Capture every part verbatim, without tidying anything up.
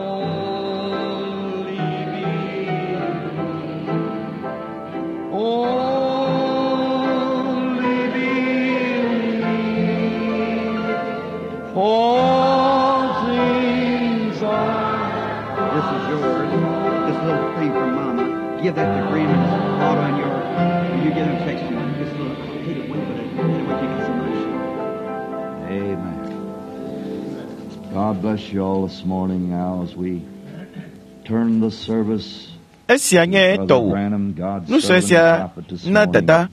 Only believe. Only believe. All things are. This is yours. This little thing from Mama. Give that to Graham and Otto and your. You get him text you. This little. I hate it when, but it, anyway, you get some nice. Amen. God bless you all this morning now as we turn the service Esia nye to Brother tɔwò. Branham, God's Nu sue servant sia prophet this na morning dada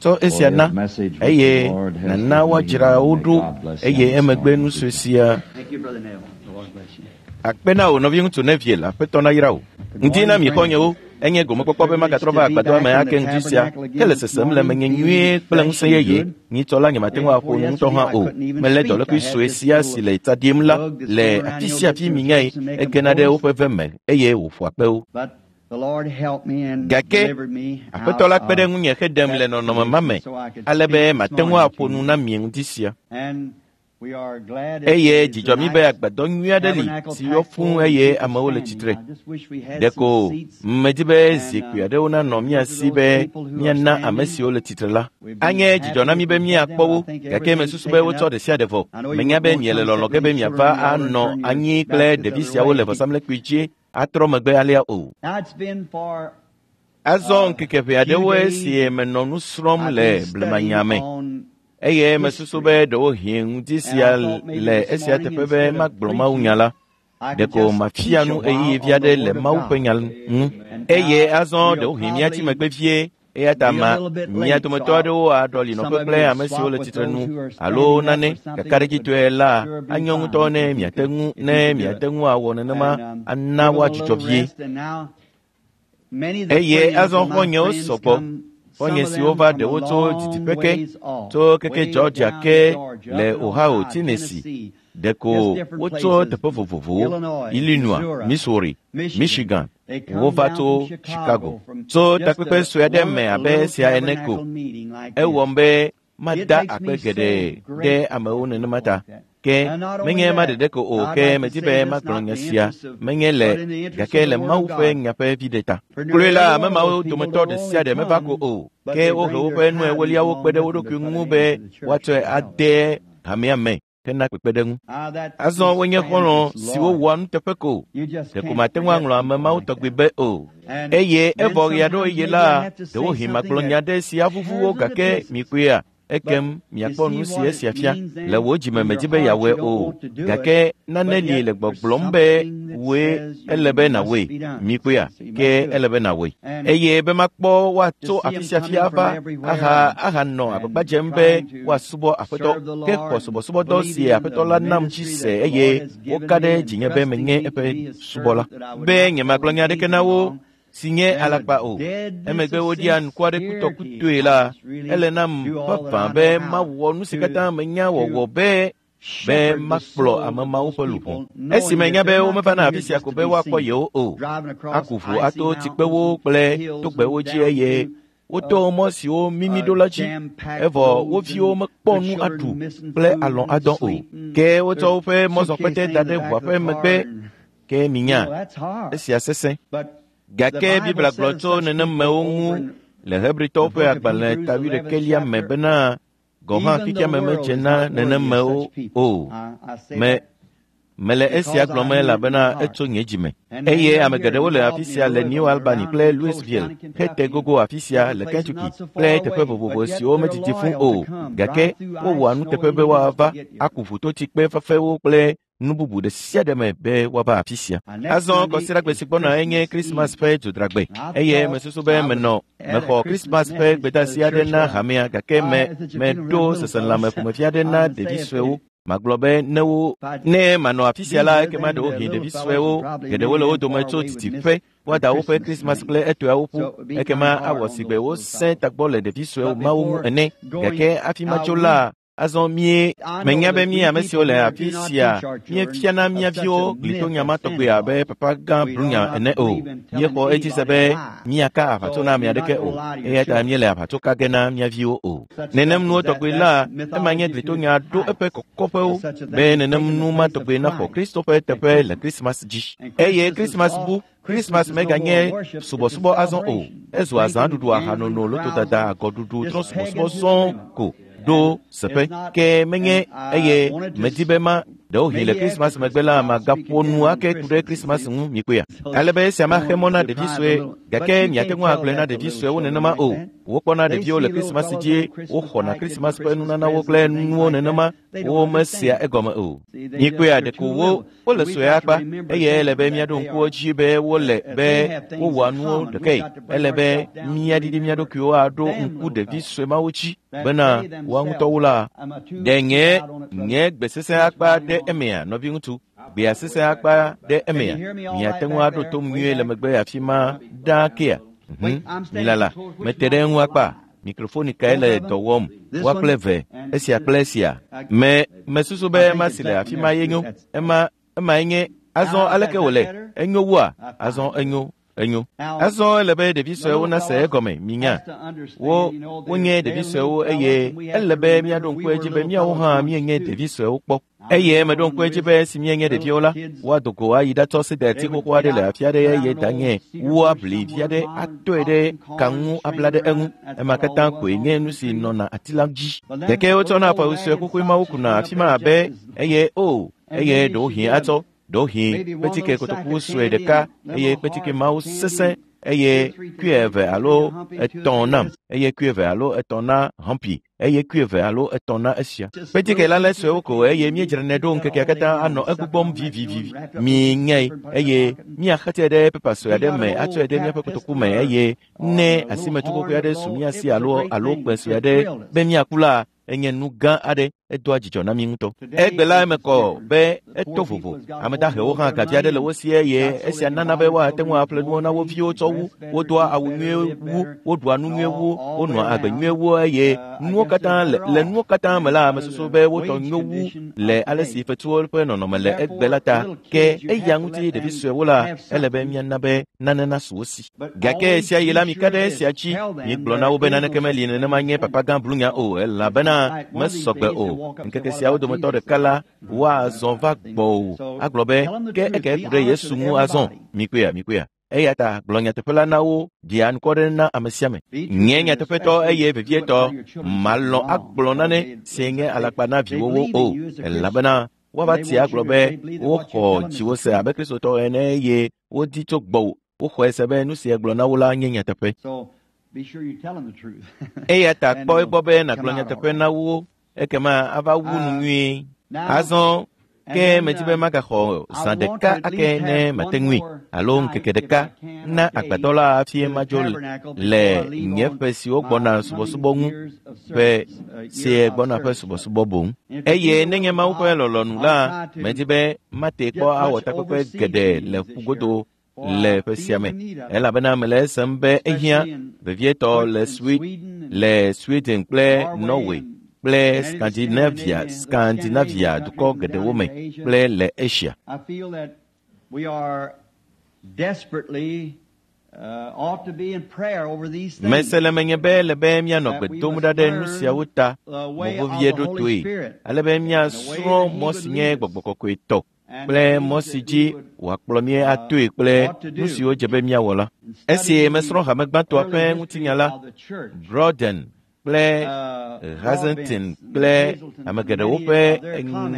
tsɔ for esia his na message which eye the Lord has nana given him. woadzra wo May ɖo God bless him eye this emegbe morning. nu sue sia Thank you, Brother Neville. The Lord bless you. akpe na wò nɔviŋutsu Neville aƒetɔ na yra wò. Ŋdi na mi xɔnyewo enye gomekpɔkpɔ be magatrɔ va agbadɔa me ake ŋdi sia ke le sesem le menye nyuie kple ŋusẽ yeye nyitsɔ la nyemate ŋu aƒo nu ŋutɔ hã o melé dɔlékui sue sia si le tsa ɖim la le afi sia afi minyae egena ɖe woƒe ve me eye wòƒoa kpe wo. But the Lord helped me and Gake delivered me Aƒetɔ la out kpe ɖe of ŋunye heɖem le nɔnɔme ma me ale be mate ŋu aƒo nu na mi ŋdi sia. And we are glad it Eye is dzidzɔ a mí be nice agbadɔ nyui aɖe li tabernacle si yɔ packed fũu full and eye people amewo le standing. tsitre. I just wish we had Ɖeko some seats. medi be zikpui aɖewo nanɔ mía si be míana ame siwo le tsitre la. Anye dzidzɔ na mí be míakpɔ wo, gake mesusu be wotsɔ ɖe sia ɖe vɔ. Menya be miele lɔlɔ̃ ge be miava anɔ anyi kple ɖevi siawo le vɔsamlekpui dzi atrɔ megbe alea o. Now it's been for Azɔ ŋkeke ʋɛ few aɖewoe days si menɔ nu srɔ̃m I've le been studying blemanya me. on Eye mesusu history. be ɖewohĩ ŋdi And sia I thought maybe le this esia morning teƒe be instead of magblɔ mawunya preaching, la. I could Ɖeko just mafia teach a nu while ɣeyiɣi vi on the aɖe le Word of Mawu ƒe God. nya ŋu. And Eye now azɔ we'll ɖewohĩ míatsi probably megbe vie eya ta be a ma little bit mía late, so dometɔ I'll, aɖewo aɖɔli some nɔƒe of kple you will ame siwo swap le with tsitre those nu who are alo standing up nane or something. It would kakaɖedzitɔe la sure be anyo ŋutɔ fine ne if you miate could ŋu if you ne could do it. miate ŋu awɔ nenema And um, ana give them a woadzudzɔ little vie. rest. And now many of the Eye friends azɔ of my xɔ̃nyewo friends sɔgbɔ. come, some Xɔ̃nye of siwo them va from a ɖewo tso long didiƒe ke, ways off, tso keke way Georgia down ke Georgia, le up in Ohio, Ohio, Tennessee. Tennessee, Ɖeko just different wotso places, teƒe vovovowo, Illinois, Illinois, Missouri, Missouri, Michigan. Michigan, They come wova down tso from Chicago, Chicago. from Tso just takpekpe a sue aɖe one me abe little esia ene ko. tabernacle meeting like Ewɔm this. be It mada makes akpe me so geɖe ɖe grateful amewo for nenema people ta. like that. Ke And not only menye ema that, ɖeɖe ko o, I'd ke like to medi say be this magblɔ not in nya the sia interest of, menye le but in the interest gake of le the Word Mawu of ƒe God. nya ƒe viɖe ta. For Kloe nearly la every ame one of mawo those people dometɔ don't ɖe only sia ɖe meva ko come, o, but ke they wohe bring their woƒe nu tithings ewoliawo along kpe ɖe with wo them to ɖokui put ŋu it be into the church woatsɔe to help. ade hamea me hena kpekpeɖeŋu. Ah, that Azɔ is wonye friends xɔlɔ̃ that's siwo loyal. wɔa nuteƒe ko. You just Ɖeko can't mate ŋu forget aŋlɔ ame people mawo like tɔgbi that. be o. And Eye then evɔ ɣe aɖewo sometimes ɣi maybe la, I have to say ɖewohĩ something magblɔ nya that ɖe si avuvu wo tears them to gake pieces. mikpɔea, But ekem you miakpɔ see nu si what it esia fia. means Le then? wò dzime In your medi be heart, yeawɔe you don't o, want to do it, gake nane but li yet le there's gbɔgblɔm be something that wòe says you ele be must nàwɔe. be done. Mikpɔea, So you must ke do ele it. be nàwɔe. And Eye be makpɔ to woatso see afi them sia fi coming from ava everywhere aha and, ahanɔ agbagba and dzem be trying to woasubɔ Aƒetɔ. serve the Ke xɔ Lord and subɔsubɔdɔ si believing in Aƒetɔ the la nam dzi ministry se that the eye Lord has given woka me ɖe and dzinye be trusting menye me to eƒe be his subɔla. servant, that I would Be not tell nyemagblɔ them nya aɖeke anything na wo wrong, si nye then the alakpa o. deadness Emegbe of woɖia nuku aɖe sincerity, kutɔkutoe I la, must really ele nam do all that vavã I be know how mawɔ nu si to katã menya to wɔwɔ be be shepherd the makplɔ souls ame of mawo those ƒe luʋɔ. people, Esi knowing menya that be they're not womevana coming afi here sia just ko to be be woakpɔ seen, yewo o, driving across aku ʋu icy ato tsikpewo mountains and kple hills togbɛwo and dzi down eye through woto uh, mɔ siwo mimi uh, ɖo la dzi jam-packed evɔ wo roads viwo and mekpɔ their nu children aɖu missing kple food alɔ̃ and adɔ o. sleeping, Ke wotsɔ their woƒe suitcase mɔzɔkpete thing da in the ɖe back ʋua of ƒe the car, megbe and ke you minya know that's hard. esia sesẽ. But the Gake Bible Biblia gblɔ says tso such people nenemewo ŋu over in le Hebritɔwo the ƒe book of agbalẽ Hebrews, ta eleventh wuiɖekɛlia me chapter. bena gɔ̃ hã Even fifia the me world medze is na not worthy of nenemewo such people. o. I, I say Me that mele esia because I gblɔm mean it in my elabena heart. etso nye dzime. And many Eye are ame here geɖewo in le afi Albany, sia le New Louisville, Albany around kple in close Louisville, down in hete Kentucky, and gogo afi sia different le places Kentucky not so kple far teƒe away, vovovo but yet siwo they're medidi fũ loyal o. to come, Gake drive through wowɔa ice, snow, nuteƒe be anything just to woava get here. aku ʋutotsikpe fafɛwo kple nu bubu ɖe sia ɖe me be woava afi sia. Now, next Azɔ Sunday kɔsiɖagbe is si gbɔna enye Christmas Krismas Eve. ƒe dzodragbe And I eye thought mesusu be I was menɔ at a mexɔ Christmas Krismas ƒe message for the gbedeasi aɖe church na where I, hamea gake I me at the meɖo funeral little seselãme fellows, ƒomevi aɖe I na would say ɖevi if suewo. they Magblɔ be ne wo if I'd ne manɔ afi be sia la here, ekema then the ɖewohĩ little ɖevi fellows suewo would probably geɖewo many le wo of them dome far tso away would miss didiƒe the woada woƒe Christmas Krismas ring. kple etɔeawo ƒu So it would be ekema kind of hard awɔ on si gbe those little wosẽ fellows. tagbɔ le ɖevi suewo But mawo ŋu before ene going gake hafi out, matso we la Azɔ mie menya be mí ame siwo le afi sia míefiana mía viwo glitonya ma tɔgbe abe papa gã Brunya ene o. Míexɔ edzi se be míaka aʋatso na ame aɖeke o eya ta míele aʋatso ka ge na mía viwo o. Nenem nuwo tɔgbe la ema nye glitonya ɖo eƒe kɔkɔƒewo be nenem nu ma tɔgbe naxɔ Kristo ƒe teƒe le Krismas dzi. Eye Krismas bu Krismas meganye subɔsubɔ azɔ o. Ezu azãɖuɖu, ahanono, lotodada, agɔɖuɖu, trɔ̃subɔsubɔ sɔŋ ko ɖo seƒe. Ke menye eye medi be ma ɖewohĩ le Krismas megbe la magaƒo nu ake ku ɖe Krismas ŋu mikpɔea. Ale be esia maxe mɔ na ɖevi sue gake miate ŋu agblɔe na ɖevi suewo nenema o. Wokpɔna ɖeviwo le Krismas dzi, woxɔna Krismas ƒe nunanawo kple nuwo nenema, womesea egɔme o. Mikpɔea ɖeko wo wole sue akpa eye ele be míaɖo ŋku dzi be wole be wowɔa nuwo ɖekae. Ele be míaɖiɖi mía ɖokuiwo aɖo ŋku ɖevi sue mawo dzi bena woa ŋutɔwo la ɖe nye nye gbe sesẽ akpa ɖe emea nɔviŋutsu gbea sesẽ akpa ɖe emea miate ŋu aɖo tom nyuie le megbe afi ma ɖaa kea. Mhm milala mete ɖe eŋu akpa. Mikrofoni kae le dɔ wɔm woa kple eve esia kple esia me mesusu be ema si le afi ma ye nyo ema emae nye azɔ aleke wòle enyo wua azɔ enyo enyo azɔ ele be ɖevi suewo nase egɔme minya wo wonye ɖevi suewo eye ele be míaɖo ŋku edzi be míawo hã míenye ɖevi suewo kpɔ eye meɖo ŋku edzi be esi míenye ɖeviwo la woado go ayi ɖatsɔ sedati xoxo aɖe le afi aɖe eye danye woabli vi aɖe atɔe ɖe ka ŋu abla ɖe eŋu ema katã koe nye nu si nɔna ati la dzi gake wotsɔna afɔwu sue xoxoe mawo kuna afi ma abe eye o eye ɖewohĩ atsɔ ɖewohĩ kpetike kotoku sue ɖeka eye kpetike mawo sesẽ eye kui eve alo etɔ̃ nam eye kui eve alo etɔ̃ na Humpy eye kui eve alo etɔ̃ na esia. Kpetike la le suewo ko eye míedzranɛ ɖo ŋkekea katã anɔ egbugbɔm vivivi miŋae eye míaxetse ɖe pepa sue aɖe me atsɔe ɖe míaƒe kotoku me eye ne asimetukokui aɖe su mía si alo alo kpẽ sue aɖe be míaku la enye nu gã aɖe edoa dzidzɔ na mí ŋutɔ. Egbe la eme kɔ be eto vovo. Ame dahewo hã gavi aɖe le wo si eye esia nana be woate ŋu aƒle nuwo na wo viwo tsɔ wu, wodoa awu nyuie wu, woɖua nu nyuie wu, wonɔa agbe nyuie wu eye nuwo katã le le nuwo katã me la mesusu be wotɔ nyo wu le ale si fetuwo ƒe nɔnɔme le egbe la ta. Ke eya ŋuti ɖevi suewo la ele be míana be nane nasu wo si. Gake esia yi la mika ɖe esia dzi migblɔ na wo be naneke meli nenema nye papa gã Blunya o elabena mesɔgbe o. Ŋkeke siawo dometɔ ɖeka la woazɔ va gbɔwò agblɔ be ke eke ku ɖe Yesu ŋu azɔ mikpɔea mikpɔea eya ta gblɔ nyateƒe la na wo ɖi anukware na ame sia ame. Nye nyateƒetɔ eye vevietɔ malɔ̃ agblɔ nane si nye alakpa na viwòwo o elabena woava tia agblɔ be woxɔ dziwò se abe Kristotɔ ene eye wodi tso gbɔwò woxɔe se be nu si egblɔ na wo la nye nyateƒe. Eya ta kpɔ egbɔ be nàgblɔ nyateƒe na wo ekema ava wu nu nyuie. Azɔ ke medi be magaxɔ zã ɖeka ake ne mate ŋui alo ŋkeke ɖeka na agbadɔ la hafi madzo le nye ƒe siwo gbɔna subɔsubɔ ŋu ƒe sie gbɔna ƒe subɔsubɔ boŋ. Eye nenye Mawu ƒe lɔlɔ̃nu la medi be mate kpɔ awɔ takpekpe geɖe le ƒugodo le ƒe sia me elabena mele esem be ehiã vevietɔ le le Sweden kple Norway kple Scandinavia Scandinavia dukɔ geɖewo me kple le Asia. Mese le menye be ele be míanɔ gbe dom ɖa ɖe nu siawo ta mɔ vevie ɖotoe ale be míasrɔ̃ mɔ si nye gbɔgbɔ kɔkɔe tɔ kple mɔ si dzi wòakplɔ mí atoe kple nu siwo dze be míawɔ la. Esi mesrɔ̃ hame gbãtɔa ƒe ŋutinya la, Broden kple Hazelton kple ame geɖewo ƒe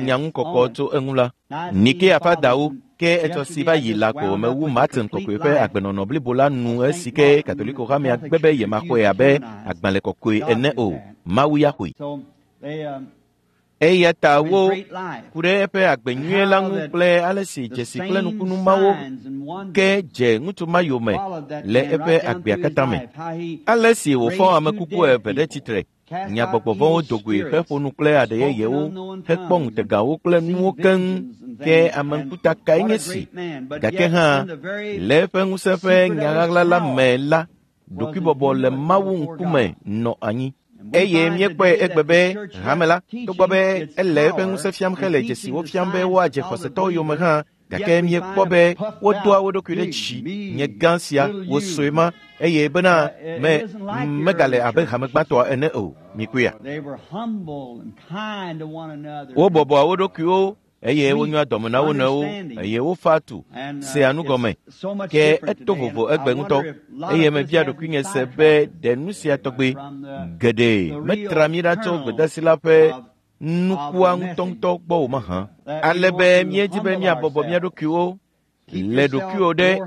nyaŋukɔkɔ tso eŋu la, Nikea ƒe adawo ke etsɔ si va yi la ko mewu Martin kɔkɔe ƒe agbenɔnɔ blibo la nu esi ke Katoliko hamea gbe be yemaxɔe abe agbalẽ kɔkɔe ene o. Mawu ya xɔe. Eya ta wo ku ɖe eƒe agbe nyuie la ŋu kple ale si dzesi kple nukunu mawo ke dze ŋutsu ma yome le eƒe agbea katã me. Ale si wòfɔ ame kuku eve ɖe tsitre, nya gbɔgbɔ vɔ̃wo do goe heƒo nu kple aɖe yeyewo hekpɔ ŋutegawo kple nuwo keŋ ke ame ŋkuta kae nye si. Gake hã le eƒe ŋusẽ ƒe nyaɣaɣla la me la, ɖokuibɔbɔ le Mawu ŋkume nɔ anyi. Eye míekpɔe egbe be hame la, togbɔ be ele eƒe ŋusẽ fiam hele dzesiwo fiam be woadze xɔsetɔwo yome hã, gake míekpɔ be wodoa wo ɖokui ɖe dzi nye gã sia wo sue ma eye bena me megale abe hame gbãtɔa ene o. Mikpɔea? Wobɔbɔa wo ɖokuiwo eye wonyoa dɔme na wo nɔewo eye wofa tu sea nu gɔme. Ke eto vovo egbe ŋutɔ eye mebia ɖokuinye se be ɖe nu sia tɔgbe geɖe metra mí ɖa tso gbedasi la ƒe nukua ŋutɔŋutɔ gbɔ o mahã. Ale be míedi be míabɔbɔ mía ɖokuiwo le ɖokuiwò ɖe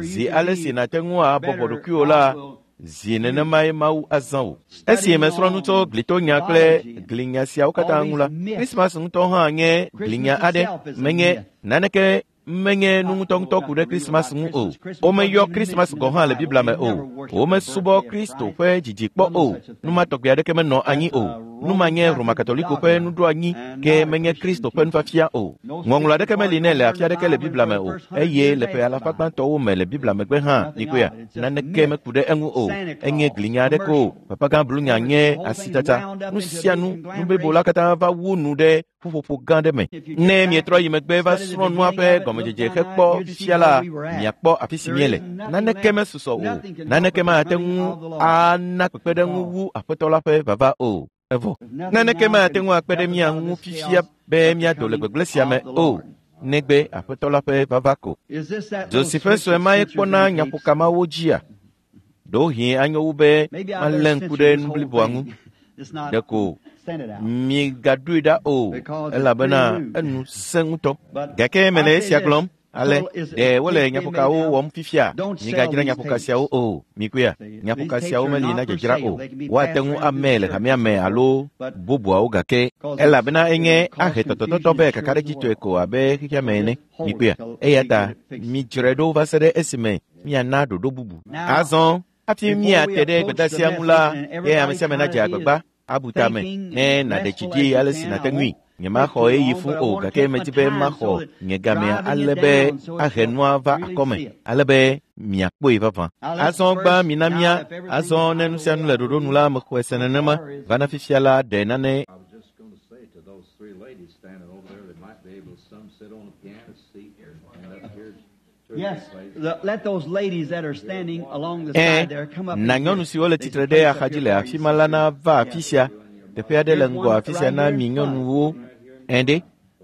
zi ale si nàte ŋu abɔbɔ ɖokuiwò la, zi nenemae Mawu azã wò. Esi mesrɔ̃ nu tso glitonya kple glinya siawo katã ŋu la, Krismas ŋutɔ hã nye glinya aɖe, menye naneke menye nu ŋutɔŋutɔ ku ɖe Krismas ŋu o. Womeyɔ Krismas gɔ̃ hã le Biblia me o. Womesubɔ Kristo ƒe dzidzi kpɔ o. Nu ma tɔgbi aɖeke menɔ anyi o. Nu ma nye Roma Katoliko ƒe nuɖoanyi ke menye Kristo ƒe nufiafia o. Ŋɔŋlɔ aɖeke meli nɛ le afi aɖeke le Biblia me o. Eye le ƒe alafa gbãtɔwo me le Biblia megbe hã, mikpɔea, naneke meku ɖe eŋu o. Enye glinya aɖeke o. Papagã blunya nye asitata. Nu sia nu, nu blibo la katã va wu nu ɖe ƒuƒoƒo gã ɖe me. Ne mietrɔ yi megbe va srɔ̃ nua ƒe gɔmedzedze hekpɔ fifia la, miakpɔ afi si míele. Naneke mesusɔ o. Naneke mate ŋu ana kpekpeɖeŋu wu Aƒetɔ la ƒe vava o. Evɔ. Naneke mate ŋu akpe ɖe mía ŋu fifia be míado le gbegblẽ sia me o, negbe Aƒetɔ la ƒe vava ko. Dzo si ƒe sue mae kpɔna nyaƒokamawo dzia? Ɖewohĩ anyo wu be malé ŋku ɖe nu bliboa ŋu. Ɖeko migaɖoe ɖa o, elabena enu sẽ ŋutɔ. Gake mele esia gblɔm. Ale ɖe wole nyaƒokawo wɔm fifia? Migadzra nyaƒoka siawo o. Mikpɔea? Nyaƒoka siawo meli na dzadzra o. Woate ŋu amee le hamea me alo bubuawo gake elabena enye ahe tɔtɔtɔtɔ be kakaɖedzitɔe ko abe xexea me ene. Mikpɔea? Eya ta midzrae ɖo va se ɖe esime miana ɖoɖo bubu. Azɔ hafi míate ɖe gbedeasia ŋu la, ye ame sia ame nadze agbagba abu tame ne nàɖe dzi ɖi ale si nàte ŋui. Nyemaxɔ ɣeyiɣi fũ o, gake medi be maxɔ nye gamea ale be ahe nua va akɔme, ale be miakpɔe vavã. Azɔ gbã mina mía, azɔ ne nu sia nu le ɖoɖo nu la, mexɔe se nenema. Va na fifia la, ɖe nane. I was just going to say to those three ladies standing over there, they might be able to some sit on the piano seat and up here. two Yes, places. the, let those ladies that are standing along the Ẽ, side there come up. na and here. nyɔnu siwo le There's tsitre a ɖe place up axadzi here le for afi you. ma la nava afi sia. Teƒe aɖe le ŋgɔ afi sia na mi nyɔnuwo. Ẽ ɖe,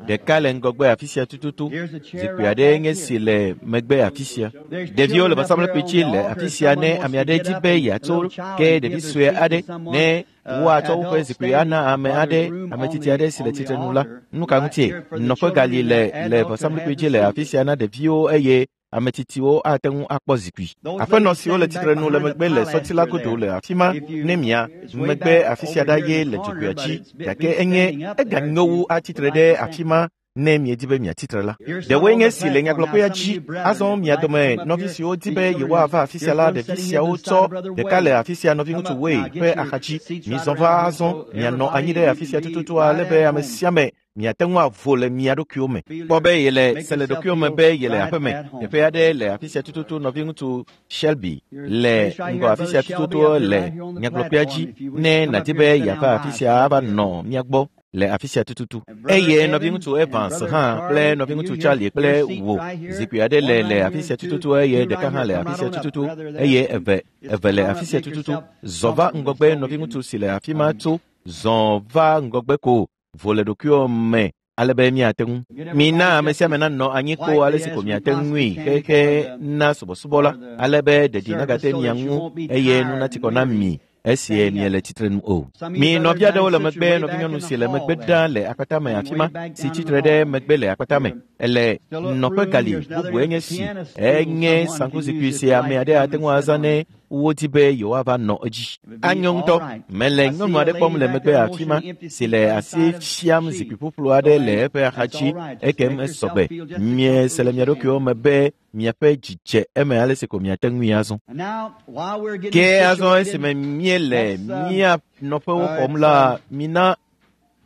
ɖeka le ŋgɔgbe afi sia tututu. Zikpui aɖe nye si le megbe afi sia. Ɖeviwo le vɔsamlekpui dzi le afi sia ne ame aɖe di be yeatso ke ɖevi sue aɖe ne woatsɔ woƒe zikpui ana ame aɖe, ame tsitsi aɖe si le tsitre nu la. Nu ka ŋutie? Nɔƒe gali le le vɔsamlekpui dzi le afi sia na ɖeviwo eye ame tsitsiwo ate ŋu akpɔ zikpui. Aƒenɔ siwo le tsitre nu le megbe le sɔti la godo le afi ma ne mia megbe afi sia ɖa ye le dzogoea dzi gake enye eganyo wu atsitre ɖe afi ma ne miedi be miatsitre la. Ɖewoe nye si le nyagblɔƒea dzi. Azɔ mia dome nɔvi siwo di be yewoava afi sia la, ɖevi siawo tsɔ ɖeka le afi sia nɔviŋutsu Wei ƒe axadzi. Mizɔ va azɔ mianɔ anyi ɖe afi sia tututu ale be ame sia ame miate ŋu avo le mia ɖokuiwo me. Kpɔ be yele se le ɖokuiwo me be yele aƒe me. Teƒe aɖe le afi sia tututu nɔviŋutsu Shelby le ŋgɔ afi sia tututu le nyagblɔƒea dzi ne nàdi be yeava afi sia ava nɔ mía gbɔ le afi sia tututu. Eye nɔviŋutsu Evans hã kple nɔviŋutsu Charlie kple wò zikpui aɖe le le afi sia tututu eye ɖeka hã le afi sia tututu eye eve eve le afi sia tututu. Zɔ va ŋgɔgbe nɔviŋutsu si le afi ma tso zɔ va ŋgɔgbe ko vo le ɖokuiwò me ale be miate ŋu. Mina ame sia ame nanɔ anyi ko ale si ko miate ŋui xexe na subɔsubɔ la, ale be ɖeɖi nagate mia ŋu eye nu nati kɔ na mi esie miele tsitre nu o. Mi nɔvi aɖewo le megbe, nɔvinyɔnu si le megbe ɖa le akpata me afi ma, si tsitre ɖe megbe le akpata me. Ele nɔƒe gali bubue nye si enye saŋkuzikpui si ame aɖe ate ŋu azã ne wodi be yewoava nɔ edzi. Anyo ŋutɔ. Mele nyɔnu aɖe kpɔm le megbe afi ma si le asi fiam zikpui ƒuƒlu aɖe le eƒe axadzi ekem esɔgbe. Miese le mia ɖokuiwo me be miaƒe dzi dze eme ale si ko miate ŋui azɔ. And now, while we're getting Ke azɔ situated, esime míele let's, um, mía nɔƒewo xɔm la, mina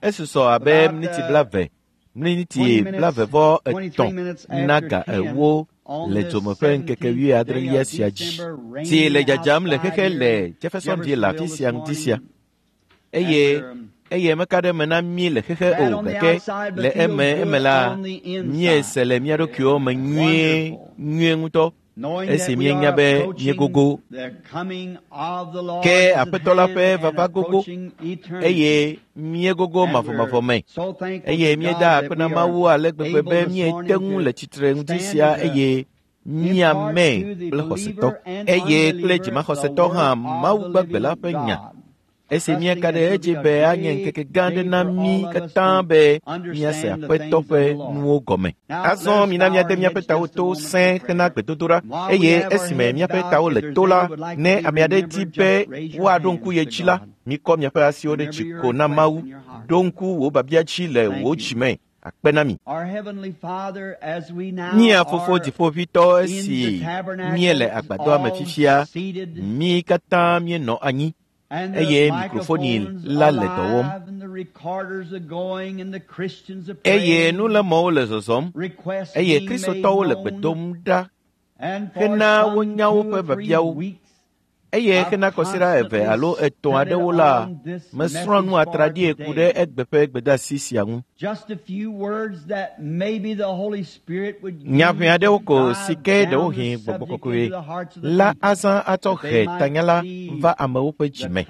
esusɔ abe miniti blaeve, miniti blaeve vɔ etɔ̃ na ga ewo le dzome ƒe ŋkeke wuiadrelia sia dzi. Tsi le dzadzam le xexe le Jeffersonville le afi sia ŋdi sia. Eye eye meka ɖe eme na mí le xexe o, gake le eme eme la, míese le mía ɖokuiwo me nyuie, nyuie ŋutɔ, esi míenya be míegogo. Ke Aƒetɔ la ƒe vava gogo, eye míegogo mavɔmavɔ me. Eye míeda akpe na Mawu ale gbegbe be míete ŋu le tsitre ŋdi sia eye míame kple xɔsetɔ. Eye kple dzimaxɔsetɔ hã Mawu gbagbe la ƒe nya. Esi míeka ɖe edzi be anye ŋkeke gã aɖe na mí katã be míase Aƒetɔ ƒe nuwo gɔme. Azɔ mina míade míaƒe tawo to sẽe hena gbedodoɖa, eye esime míaƒe tawo le to la, ne ame aɖe di be woaɖo ŋku ye dzi la, mikɔ miaƒe asiwo ɖe dzi ko na Mawu. Ɖo ŋku wò biabia dzi le wò dzi me. Akpe na mi. Mía Fofo Dziƒoʋĩtɔ, esi míele agbadɔa me fifia, mí katã míenɔ anyi eye mikrofoni la le dɔ wɔm. Eye nulémɔwo le zɔzɔm, eye Kristotɔwo le gbe dom ɖa hena wonya woƒe biabiawo. Eye hena kɔsiɖa eve alo etɔ̃ aɖewo la, mesrɔ̃ nu atraɖie ku ɖe egbe ƒe gbedeasi sia ŋu. Nya ʋɛ aɖewo ko si ke ɖewohĩ Gbɔgbɔ Kɔkɔe la azã atsɔ he tanya la va amewo ƒe dzi me,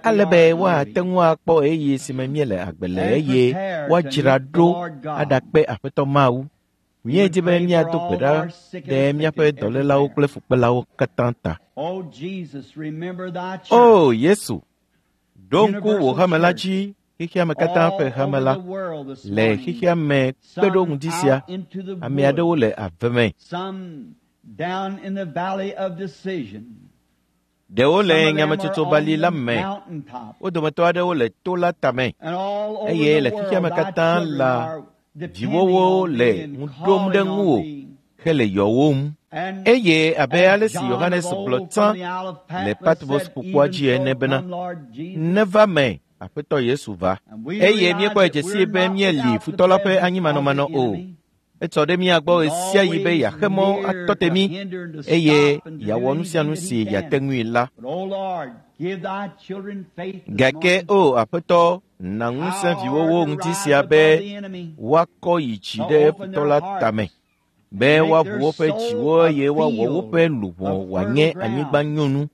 ale be woate ŋu akpɔ ɣeyiɣi si me míele agbe le eye woadzra ɖo aɖakpe Aƒetɔ Mawu. Míedi be míado gbe ɖa ɖe míaƒe dɔlélawo kple fukpelawo katã ta. O Yesu, ɖo ŋku wò hame la dzi, xexea me katã ƒe hame la. Le xexea me kpe ɖo ŋdi sia, ame aɖewo le ave me. Ɖewo le nyametsotsobali la me, wo dometɔ aɖewo le to la tame, eye le xexea me katã la, viwòwo le ŋu ɖom ɖe ŋuwò hele yɔwòm. Eye abe ale si Yohanes gblɔ tsã le Patmos ƒukpoa dzi ene bena, neva me, Aƒetɔ Yesu va. Eye míekpɔe dze sii be míeli futɔ la ƒe anyimanɔmanɔ o. Etsɔ ɖe mía gbɔ ɣe sia ɣi be yeaxe mɔ atɔ te mí eye yeawɔ nu sia nu si yeate ŋui la. Gake o Aƒetɔ, na ŋusẽ viwòwo ŋdi sia be woakɔ yi dzi ɖe futɔ la tame, be woaʋu woƒe dziwo eye woawɔ woƒe luʋɔ wòanye anyigba nyonu.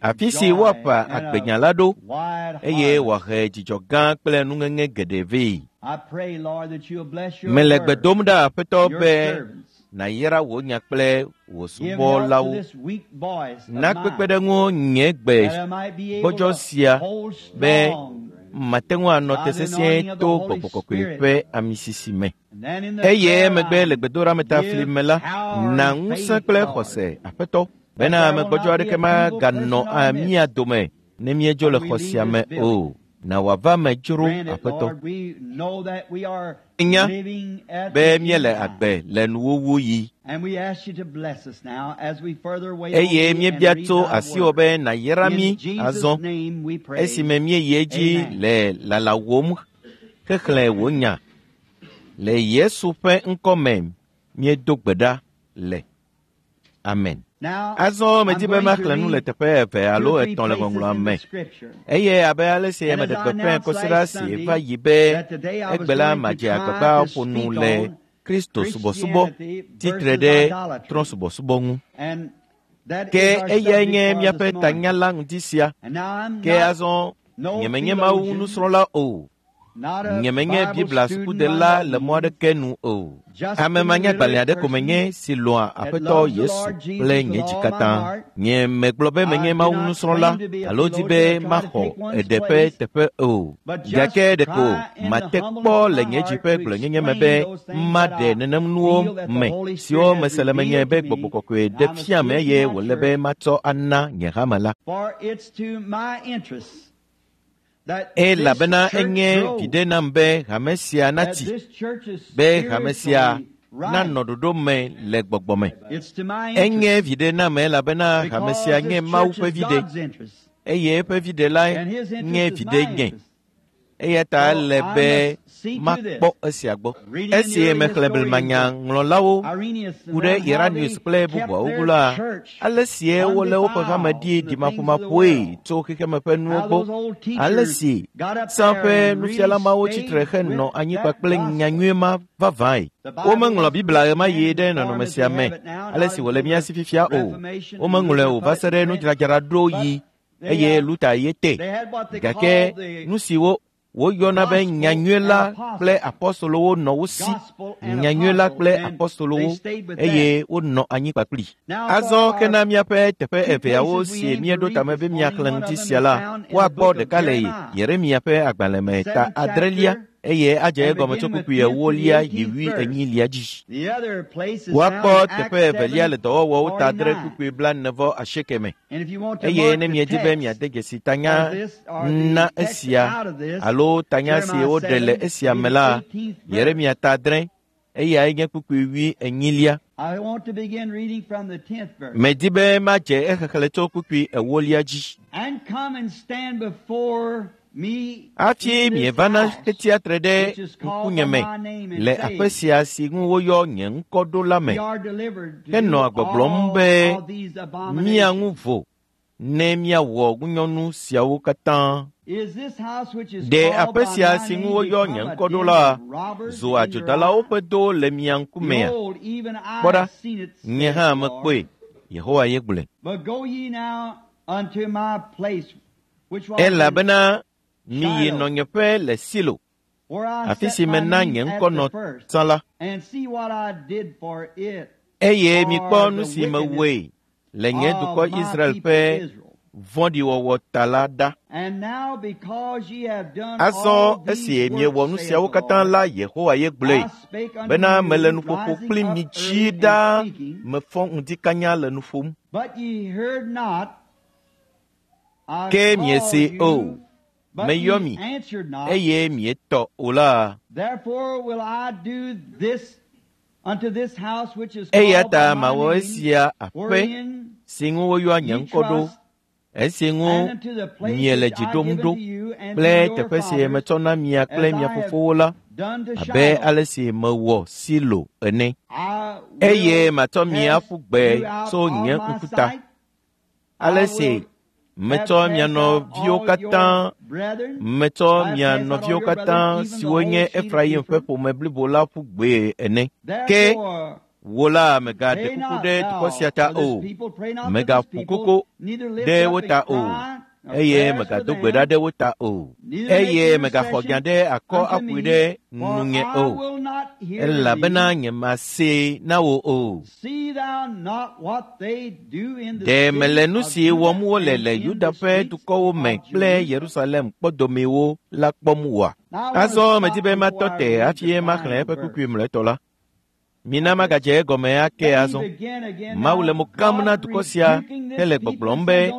Afi si woaƒã agbenya la ɖo, eye wòahe dzidzɔ gã kple nuŋeŋe geɖe vɛ. Mele gbe dom ɖa, Aƒetɔ, be nàyra wò nya kple wò subɔlawo. Na kpekpeɖeŋu nye gbe gbɔdzɔ sia be mate ŋu anɔ te sesĩe to Gbɔgbɔ Kɔkɔe ƒe amisisi me. Eye emegbe le gbedoɖametafli me la, na ŋusẽ kple xɔse, Aƒetɔ, bena ame gbɔdzɔ aɖeke maganɔ mía dome ne míedzo le xɔ sia me o. Na wòava me dzro, Aƒetɔ. Nya be míele agbe le nuwuwu yi. Eye míebia tso asiwò be nàyra mí azɔ esime míeyi edzi le lalawòm xexlẽ wò nya. Le Yesu ƒe ŋkɔ me míedo gbe ɖa le. Amen. Azɔ medi be maxlẽ nu le teƒe eve alo etɔ̃ le Ŋɔŋlɔa me. Eye abe ale si meɖe gbeƒãe kɔsiɖa si va yi be egbe la madze agbagba ƒo nu le Kristo subɔsubɔ tsitre ɖe trɔ̃subɔsubɔ ŋu. Ke eyae nye míaƒe tanya la ŋdi sia. Ke azɔ nyemenye Mawu nusrɔ̃la o. Nyemenye Biblia sukudela le mɔ aɖeke nu o. Ame manyagbalẽ aɖe ko menye si lɔ̃a Aƒetɔ Yesu kple nye dzi katã. Nye megblɔ be menye Mawu nusrɔ̃la alo di be maxɔ eɖe ƒe teƒe o. Gake ɖeko mate kpɔ le nye dzi ƒe gblɔnyenye me be maɖe nenem nuwo me siwo mese le menye be Gbɔgbɔ Kɔkɔe ɖe fiam eye wòle be matsɔ ana nye hame la. Elabena enye viɖe nam be hame sia natsi, be hame sia nanɔ ɖoɖo me le gbɔgbɔ me. Enye viɖe nam elabena hame sia nye Mawu ƒe viɖe, eye eƒe viɖe la nye viɖe nye. Eya ta ele be Makpɔ esia gbɔ. Esi mexlẽ blemanyaŋlɔlawo ku ɖe Irenaeus kple bubuawo ŋu la, ale sie wolé woƒe hame ɖi ɖimaƒomaƒoe tso xexeme ƒe nuwo gbɔ, ale si tsã ƒe nufiala mawo tsitre henɔ anyi kpakple nyanyui ma vavãe. Womeŋlɔ Biblia ɣemaɣi ɖe nɔnɔme sia me ale si wòle mía si fifia o. Womeŋlɔe o va se ɖe nudzradzraɖoɣi eye Luther ye te. Gake nu siwo woyɔna be nyanyui la kple apɔstolowo nɔ wo si, nyanyui la kple apɔstolowo eye wonɔ anyi kpakpli. Azɔ ke na míaƒe teƒe eveawo si míeɖo tame be míaxlẽ ŋuti sia la, woakpɔ ɖeka le Yeremia ƒe agbalẽ me ta adrelia eye adze egɔme tso kpukpui ewolia yi wui enyilia dzi. Woakpɔ teƒe evelia le dɔwɔwɔwo ta adre kpukpui blaene vɔ asieke me. Eye ne miedi be miade dzesi tanya na esia alo tanya si woɖe le esia me la, Yeremia ta adre, eyae nye kpukpui wui enyilia. Medi be madze exexlẽ tso kpukpui ewolia dzi. Hafi mievana hetsia tre ɖe ŋkunye me le aƒe sia si ŋu woyɔ nye ŋkɔ ɖo la me, henɔa gbɔgblɔm be mía ŋu vo ne míawɔ ŋunyɔnu siawo katã. Ɖe aƒe sia si ŋu woyɔ nye ŋkɔ ɖo la zu adzodalawo ƒe do le mia ŋkumea? Kpɔ ɖa, nye hã mekpɔe, Yehowa ye gblɔe. Elabena miyi nɔnyeƒe le Silo, afi si mena nye ŋkɔ nɔ tsã la, eye mikpɔ nu si mewɔe le nye dukɔ Israel ƒe vɔ̃ɖiwɔwɔ ta la ɖa. Azɔ esi miewɔ nu siawo katã la, Yehowa ye gblɔe bena mele nuƒoƒo kpli mi dzi ɖaa, mefɔ ŋdi kanya le nu ƒom. Ke miese o, meyɔ mi, eye mietɔ o la. Eya ta mawɔ esia aƒe si ŋu woyɔa nye ŋkɔ ɖo, esi ŋu miele dzi ɖom ɖo kple teƒe si metsɔ na mia kple mia fofowo la, abe ale si mewɔ Silo ene. Eye matsɔ mi aƒu gbe tso nye ŋkuta, ale si metsɔ mia nɔviwo katã, metsɔ mia nɔviwo katã siwo nye Efraim ƒe ƒome blibo la ƒu gbee ene. Ke wò la mègaɖe kuku ɖe dukɔ sia ta o, mègaƒo koko ɖe wo ta o, eye mègado gbe ɖa ɖe wo ta o, eye mègaxɔ nya ɖe akɔ aƒoe ɖe nunye o, elabena nyemasee na wò o. Ɖe mele nu si wɔm wole le Yuda ƒe dukɔwo me kple Yerusalem kpɔdomewo la kpɔm oa? Azɔ medi be matɔ te hafi maxlẽ eƒe kpukpui mlɔetɔ la. Mina magadze egɔme ake azɔ. Mawu le mo kam na dukɔ sia hele gbɔgblɔm be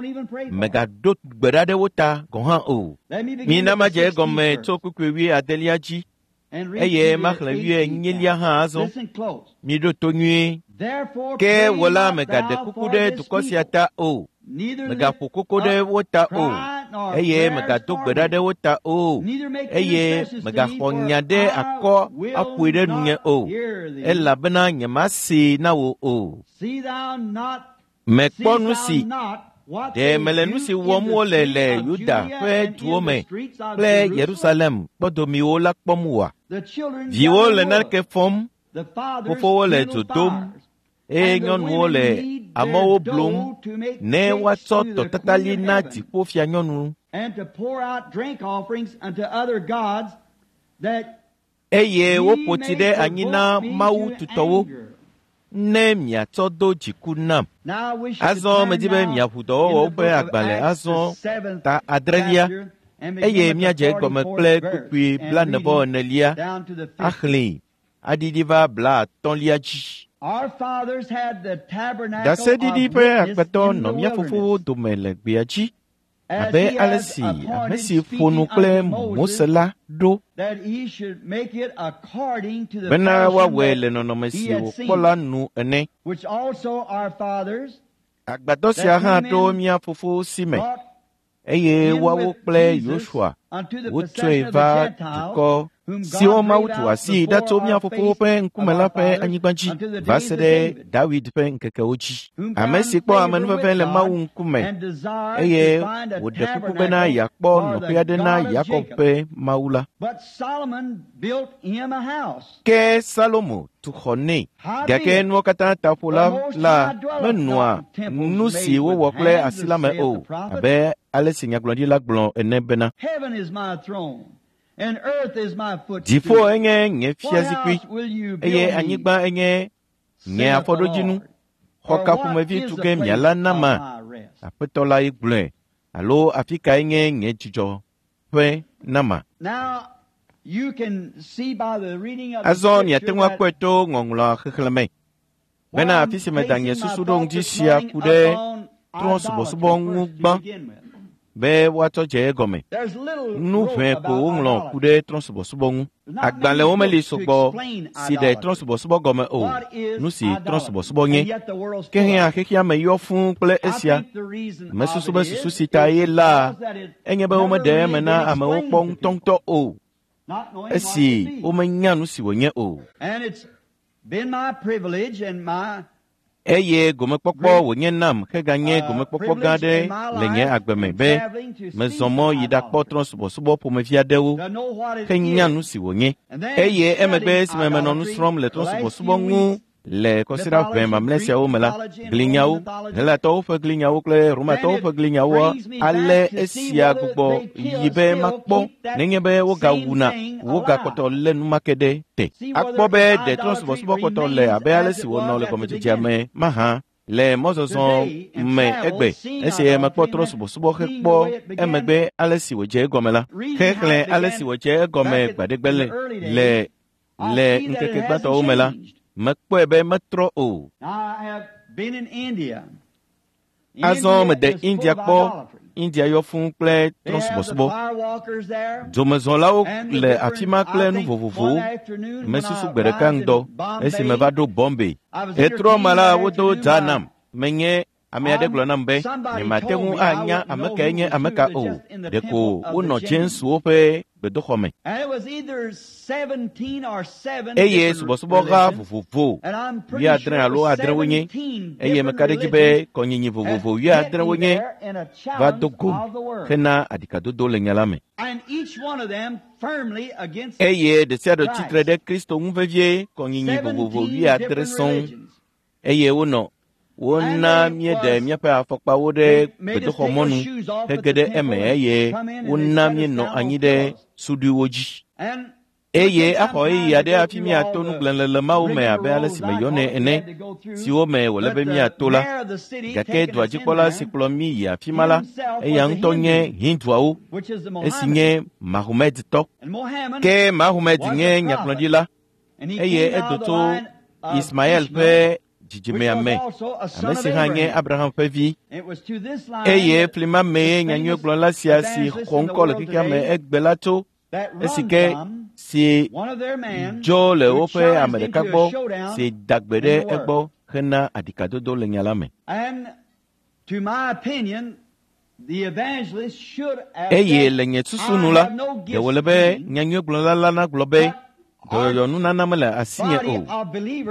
mègaɖo gbe ɖa ɖe wo ta gɔ̃ hã o. Mina madze egɔme tso kpukpui wui adelia dzi eye maxlẽ wui enyilia hã azɔ. Miɖo to nyuie. Ke wò la mègaɖe kuku ɖe dukɔ sia ta o, mègaƒo koko ɖe wo ta o, eye mègado gbe ɖa ɖe wo ta o, eye mègaxɔ nya ɖe akɔ aƒoe ɖe nunye o, elabena nyemasee na wò o. Mekpɔ nu si ɖe mele nu si wɔm wole le Yuda ƒe duwo me kple Yerusalem kpɔdomewo la kpɔm oa? Viwo le naneke fɔm, fofowo le dzo dom, eye nyɔnuwo le amewo blum ne woatsɔ tɔtatali na dziƒofianyɔnu. Eye woƒo tsi ɖe anyi na mawu tutɔwo ne miatsɔ do dziku nam. Azɔ medi be miaʋu dɔwɔwɔwo ƒe agbalẽ azɔ ta adrelia eye míadze egɔme kple kpukpui blaene-vɔ-enelia axlẽe aɖiɖi va blaatɔ̃lia dzi. Ɖaseɖiɖi ƒe agbetɔ nɔ mía fofowo dome le gbea dzi abe ale si ame si ƒo nu kple Mose la ɖo bena woawɔe le nɔnɔme si wòkpɔ la nu ene. Agbadɔ sia hã ɖo mía fofowo si me Eye woawo kple Yosua wotsɔe va dukɔ siwo Mawu tu asi ɖa tso mía fofowo ƒe ŋkume la ƒe anyigba dzi va se ɖe David ƒe ŋkekewo dzi. Ame si kpɔ amenuveve le Mawu ŋkume eye wòɖe kuku bena yeakpɔ nɔƒe aɖe na Yakob ƒe Mawu la. Ke Salomo tu xɔ nɛ. Gake nuwo katã ta ƒola la menɔa nu si wowɔ kple asi la me o, abe ale si nyagblɔɖila gblɔ ene bena, Dziƒo enye nye fiazikpui eye anyigba enye nye afɔɖodzinu. Xɔ ka ƒomevi tu ge miala nama? Aƒetɔ la ye gblɔe. Alo afi kae nye nye dzidzɔƒe nama? Azɔ miate ŋu akpɔe to ŋɔŋlɔa xexlẽme bena afi si meda nye susu ɖo ŋuti sia ku ɖe trɔ̃subɔsubɔ ŋu gbã be woatsɔ dze egɔme. Nu ʋɛ ko woŋlɔ ku ɖe trɔ̃subɔsubɔ ŋu. Agbalẽwo meli sɔgbɔ si ɖe trɔ̃subɔsubɔ gɔme o, nu si trɔ̃subɔsubɔ nye. Ke hã xexea me yɔ fũu kple esia. Mesusu be susu si ta ye la enye be womeɖe eme na amewo kpɔ ŋutɔŋutɔ o, esi womenya nu si wònye o. Eye gomekpɔkpɔ wònye nam heganye gomekpɔkpɔ gã aɖe le nye agbe me be mezɔ mɔ yi ɖakpɔ trɔ̃subɔsubɔ ƒomevi aɖewo henya nu si wònye. Eye emegbe esime menɔ nu srɔ̃m le trɔ̃subɔsubɔ ŋu le kɔsiɖa ʋɛ mamlɛ siawo me la, glinyawo, Helatɔwo ƒe glinyawo kple Romatɔwo ƒe glinyawo ale esia gbugbɔ yi be makpɔ nenye be wogawuna wogakpɔtɔ lé nu ma ke ɖe te. Akpɔ be ɖe trɔ̃subɔsubɔ kpɔtɔ le abe ale si wònɔ le gɔmedzedzea me mahã le mɔzɔzɔ me egbe. Esi mekpɔ trɔ̃subɔsubɔ hekpɔ emegbe ale si wòdze egɔme la, xexlẽ ale si wòdze egɔme gbaɖegbe le le le ŋkeke gbãtɔwo me la, mekpɔe be metrɔ o. Azɔ mede India kpɔ. India yɔ fũu kple trɔ̃subɔsubɔ. Dzomezɔlawo le afi ma kple nu vovovowo. Mesusu gbe ɖeka ŋdɔ esi meva ɖo Bombay. Etrɔ me la, wodo dza nam. Menye ame aɖe gblɔ nam be nyemate ŋu anya ame kae nye ame ka o. Ɖeko wonɔ James-wo ƒe gbedoxɔ me. Eye subɔsubɔha vovovo wuiadre alo adre wonye, eye meka ɖe edzi be kɔnyinyi vovovo wuiadre wonye va do gom hena aɖikadodo le nya la me. Eye ɖe sia ɖe tsitre ɖe Kristo ŋu vevie kɔnyinyi vovovo wuiadre sɔŋ eye wonɔ wona míeɖe míaƒe afɔkpawo ɖe gbedoxɔmɔnu hege ɖe eme eye wona míenɔ anyi ɖe suɖuiwo dzi. Eye axɔ ɣeyiɣi aɖe hafi míato nugblẽlele mawo me abe ale si meyɔnɛ ene, siwo me wòle be míato la. Gake dua dzikpɔla si kplɔ mí yi afi ma la, eya ŋutɔ nye Hinduawo, esi nye Mahomedtɔ. Ke Mahomed nye nyagblɔɖila eye edo tso Ismael ƒe dzidzimea me, ame si hã nye Abraham ƒe vi. Eye fli ma mee nyanyuigblɔla sia si xɔ ŋkɔ le xexea me egbe la tso, esi ke si dzo le woƒe ame ɖeka gbɔ si da gbe ɖe egbɔ hena aɖikadodo le nya la me. Eye le nye susu nu la, ɖe wòle be nyanyuigblɔla la nagblɔ be dɔyɔyɔ nunana mele asinye o,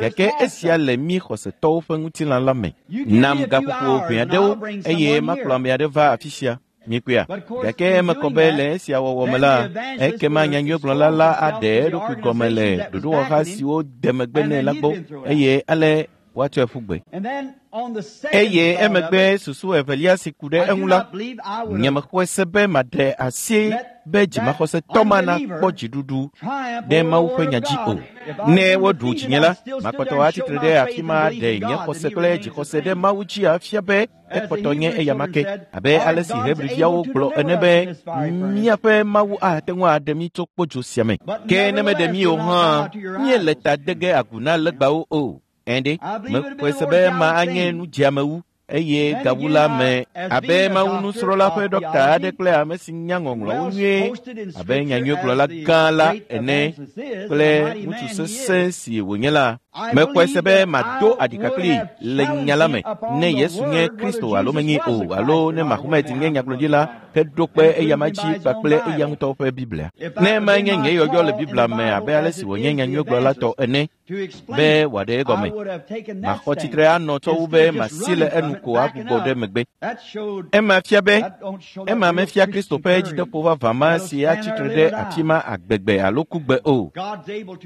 gake esia le mí xɔsetɔwo ƒe ŋutilã la me. Nam gaƒoƒo ʋɛ aɖewo eye makplɔ ame aɖe va afi sia. Mikpɔea? Gake eme kɔ be le esia wɔwɔ me la, ekema nyanyuigblɔla la aɖe eɖokui gɔme le ɖoɖowɔha siwo de megbe nɛ la gbɔ eye ale woatsɔe ƒu gbe. Eye emegbe susu evelia si ku ɖe eŋu la, nyemexɔe se be maɖe asi be dzimaxɔsetɔ ma nakpɔ dziɖuɖu ɖe Mawu ƒe nya dzi o. Ne woɖu dzinye la, makpɔtɔ atsitre ɖe afi ma aɖe nye xɔse kple dzixɔse ɖe Mawu dzi afia be ekpɔtɔ nye eyama ke, abe ale si Hebriviawo gblɔ ene be míaƒe Mawu ate ŋu aɖe mí tso kpodzo sia me. Ke ne meɖe mí o hã, míele ta de ge agu na legbawo o. Ɛ̃ɖe, mexɔe se be ema anye nu dzeamewu eye gawu la me abe Mawu nusrɔ̃la ƒe ɖɔkta aɖe kple ame si nya ŋɔŋlɔwo nyuie abe nyanyuigblɔla gã la ene kple ŋutsu sesẽ si wònye la. Mexɔe se be mado aɖika kpli le nya la me ne Yesu nye Kristo alo menye o alo ne Mahomet nye nyagblɔɖila heɖo kpe eyama dzi kpakple eya ŋutɔ ƒe Biblia. Ne ema nye nye yɔyɔ le Biblia me abe ale si wònye nyanyuiegblɔla tɔ ene be wòaɖe egɔme. Maxɔ tsitre anɔ tsɔ wu be masi le enu ko agbugbɔ ɖe megbe. Ema fia be ema mefia Kristo ƒe dzideƒo vavã ma si atsi tre ɖe afi ma agbegbe alo kugbe o.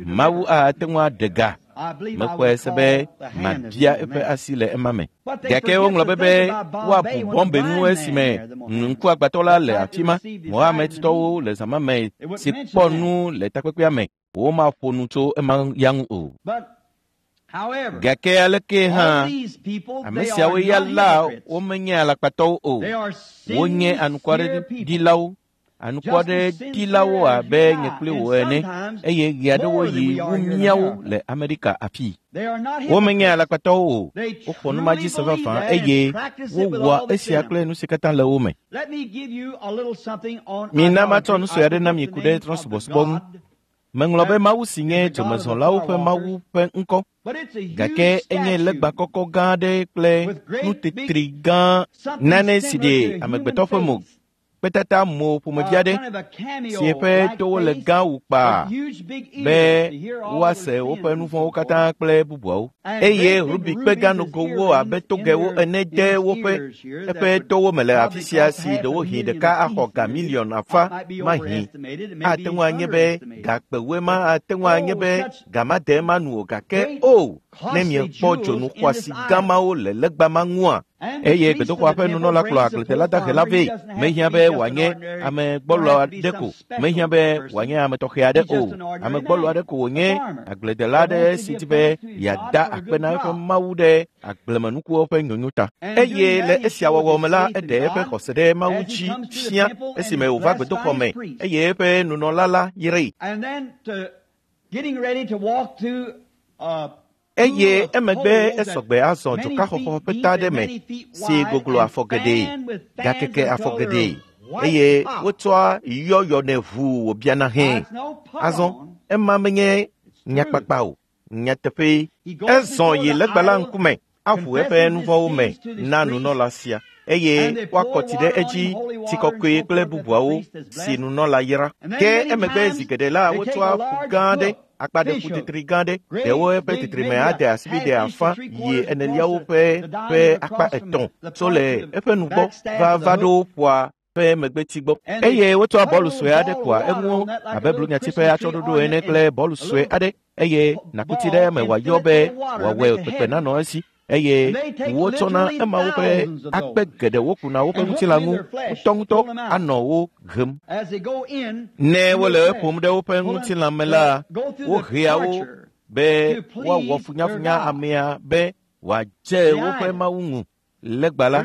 Mawu ate ŋu aɖe ga. Mexɔe se be mabia eƒe asi le ema me. Gake woŋlɔ be be woabu bɔmbe ŋu esime ŋkuagbãtɔ la le afi ma. Mohamedtɔwo le zã ma me si kpɔ nu le takpekpea me. Womaƒo nu tso ema ya ŋu o. Gake aleke hã ame siawo ya la womenye alakpatɔwo o. Wonye anukwareɖilawo. Anukwareɖilawo abe nye kple wò ene eye ɣe aɖewo yi wu míawo le Amerika afii. Womenye alakpatɔwo o. Woxɔ nu ma dzi se vavã eye wowɔa esia kple nu si katã le wo me. Mina matsɔ nu sue aɖe na mi ku ɖe trɔ̃subɔsubɔ ŋu. Meŋlɔ be Mawu si nye dzomezɔlawo ƒe Mawu ƒe ŋkɔ gake enye legba kɔkɔ gã aɖe kple nutetri gã nane si ɖe amegbetɔ ƒe mo kpetata mo ƒomevi aɖe si eƒe towo le gã wu kpaa be woase woƒe nu vɔ̃wo katã kple bubuawo. Eye rubi kpe gã nogowo abe togewo ene de woƒe eƒe towo me le afi sia si ɖewohĩ ɖeka axɔ ga miliɔn afã mahi. Ate ŋu anye be gakpewoe ma ate ŋu anye be ga ma de ema nu o gake o ne miekpɔ dzonu xɔasi gã mawo le legba ma ŋua. Eye gbedoxɔa ƒe nunɔla kplɔ agbledela dahe la vɛ. Mehiã be wòanye ame gbɔlo aɖe ko. Mehiã be wòanye ame tɔxɛ aɖe o. Ame gbɔlo aɖe ko wònye agbledela aɖe si di be yeada akpe na eƒe Mawu ɖe agblemenukuwo ƒe nyonyo ta. Eye le esia wɔwɔ me la, eɖe eƒe xɔse ɖe Mawu dzi fia esime wòva gbedoxɔ me eye eƒe nunɔla la yrae. Eye emegbe esɔgbe azɔ dzokaxɔxɔ ƒe ta aɖe me si goglo afɔ geɖe, gakeke afɔ geɖe eye wotsɔa yɔyɔnɛ ʋuu wòbiana hẽ. Azɔ ema menye nyakpakpa o, nyateƒee. Ezɔ yi legba la ŋkume aʋu eƒe nu vɔ̃wo me na nunɔla sia eye woakɔ tsi ɖe edzi tsi kɔkɔe kple bubuawo si nunɔla yra. Ke emegbe zi geɖe la wotsɔa ƒu gã aɖe akpa ɖe ƒu titri gã aɖe ɖewo eƒe titrime ade asibide afã yi eneliawo ƒe ƒe akpa etɔ̃ tso le eƒe nugbɔ va va ɖo ƒua ƒe megbeti gbɔ. Eye wotsɔa bɔlu sue aɖe kɔa eŋu abe blunyati ƒe atsyɔ̃ɖoɖo ene kple bɔlu sue aɖe eye nakuti ɖe eme wòayɔ be wòawɔe kpekpe nanɔ esi. Eye wotsɔna emawo ƒe akpe geɖewo kuna woƒe ŋutilã ŋu ŋutɔŋutɔ anɔ wo hem. Ne wole eƒom ɖe woƒe ŋutilã me la, wohea wo be woawɔ funyafunya amea be wòadze woƒe Mawu ŋu. Legba la,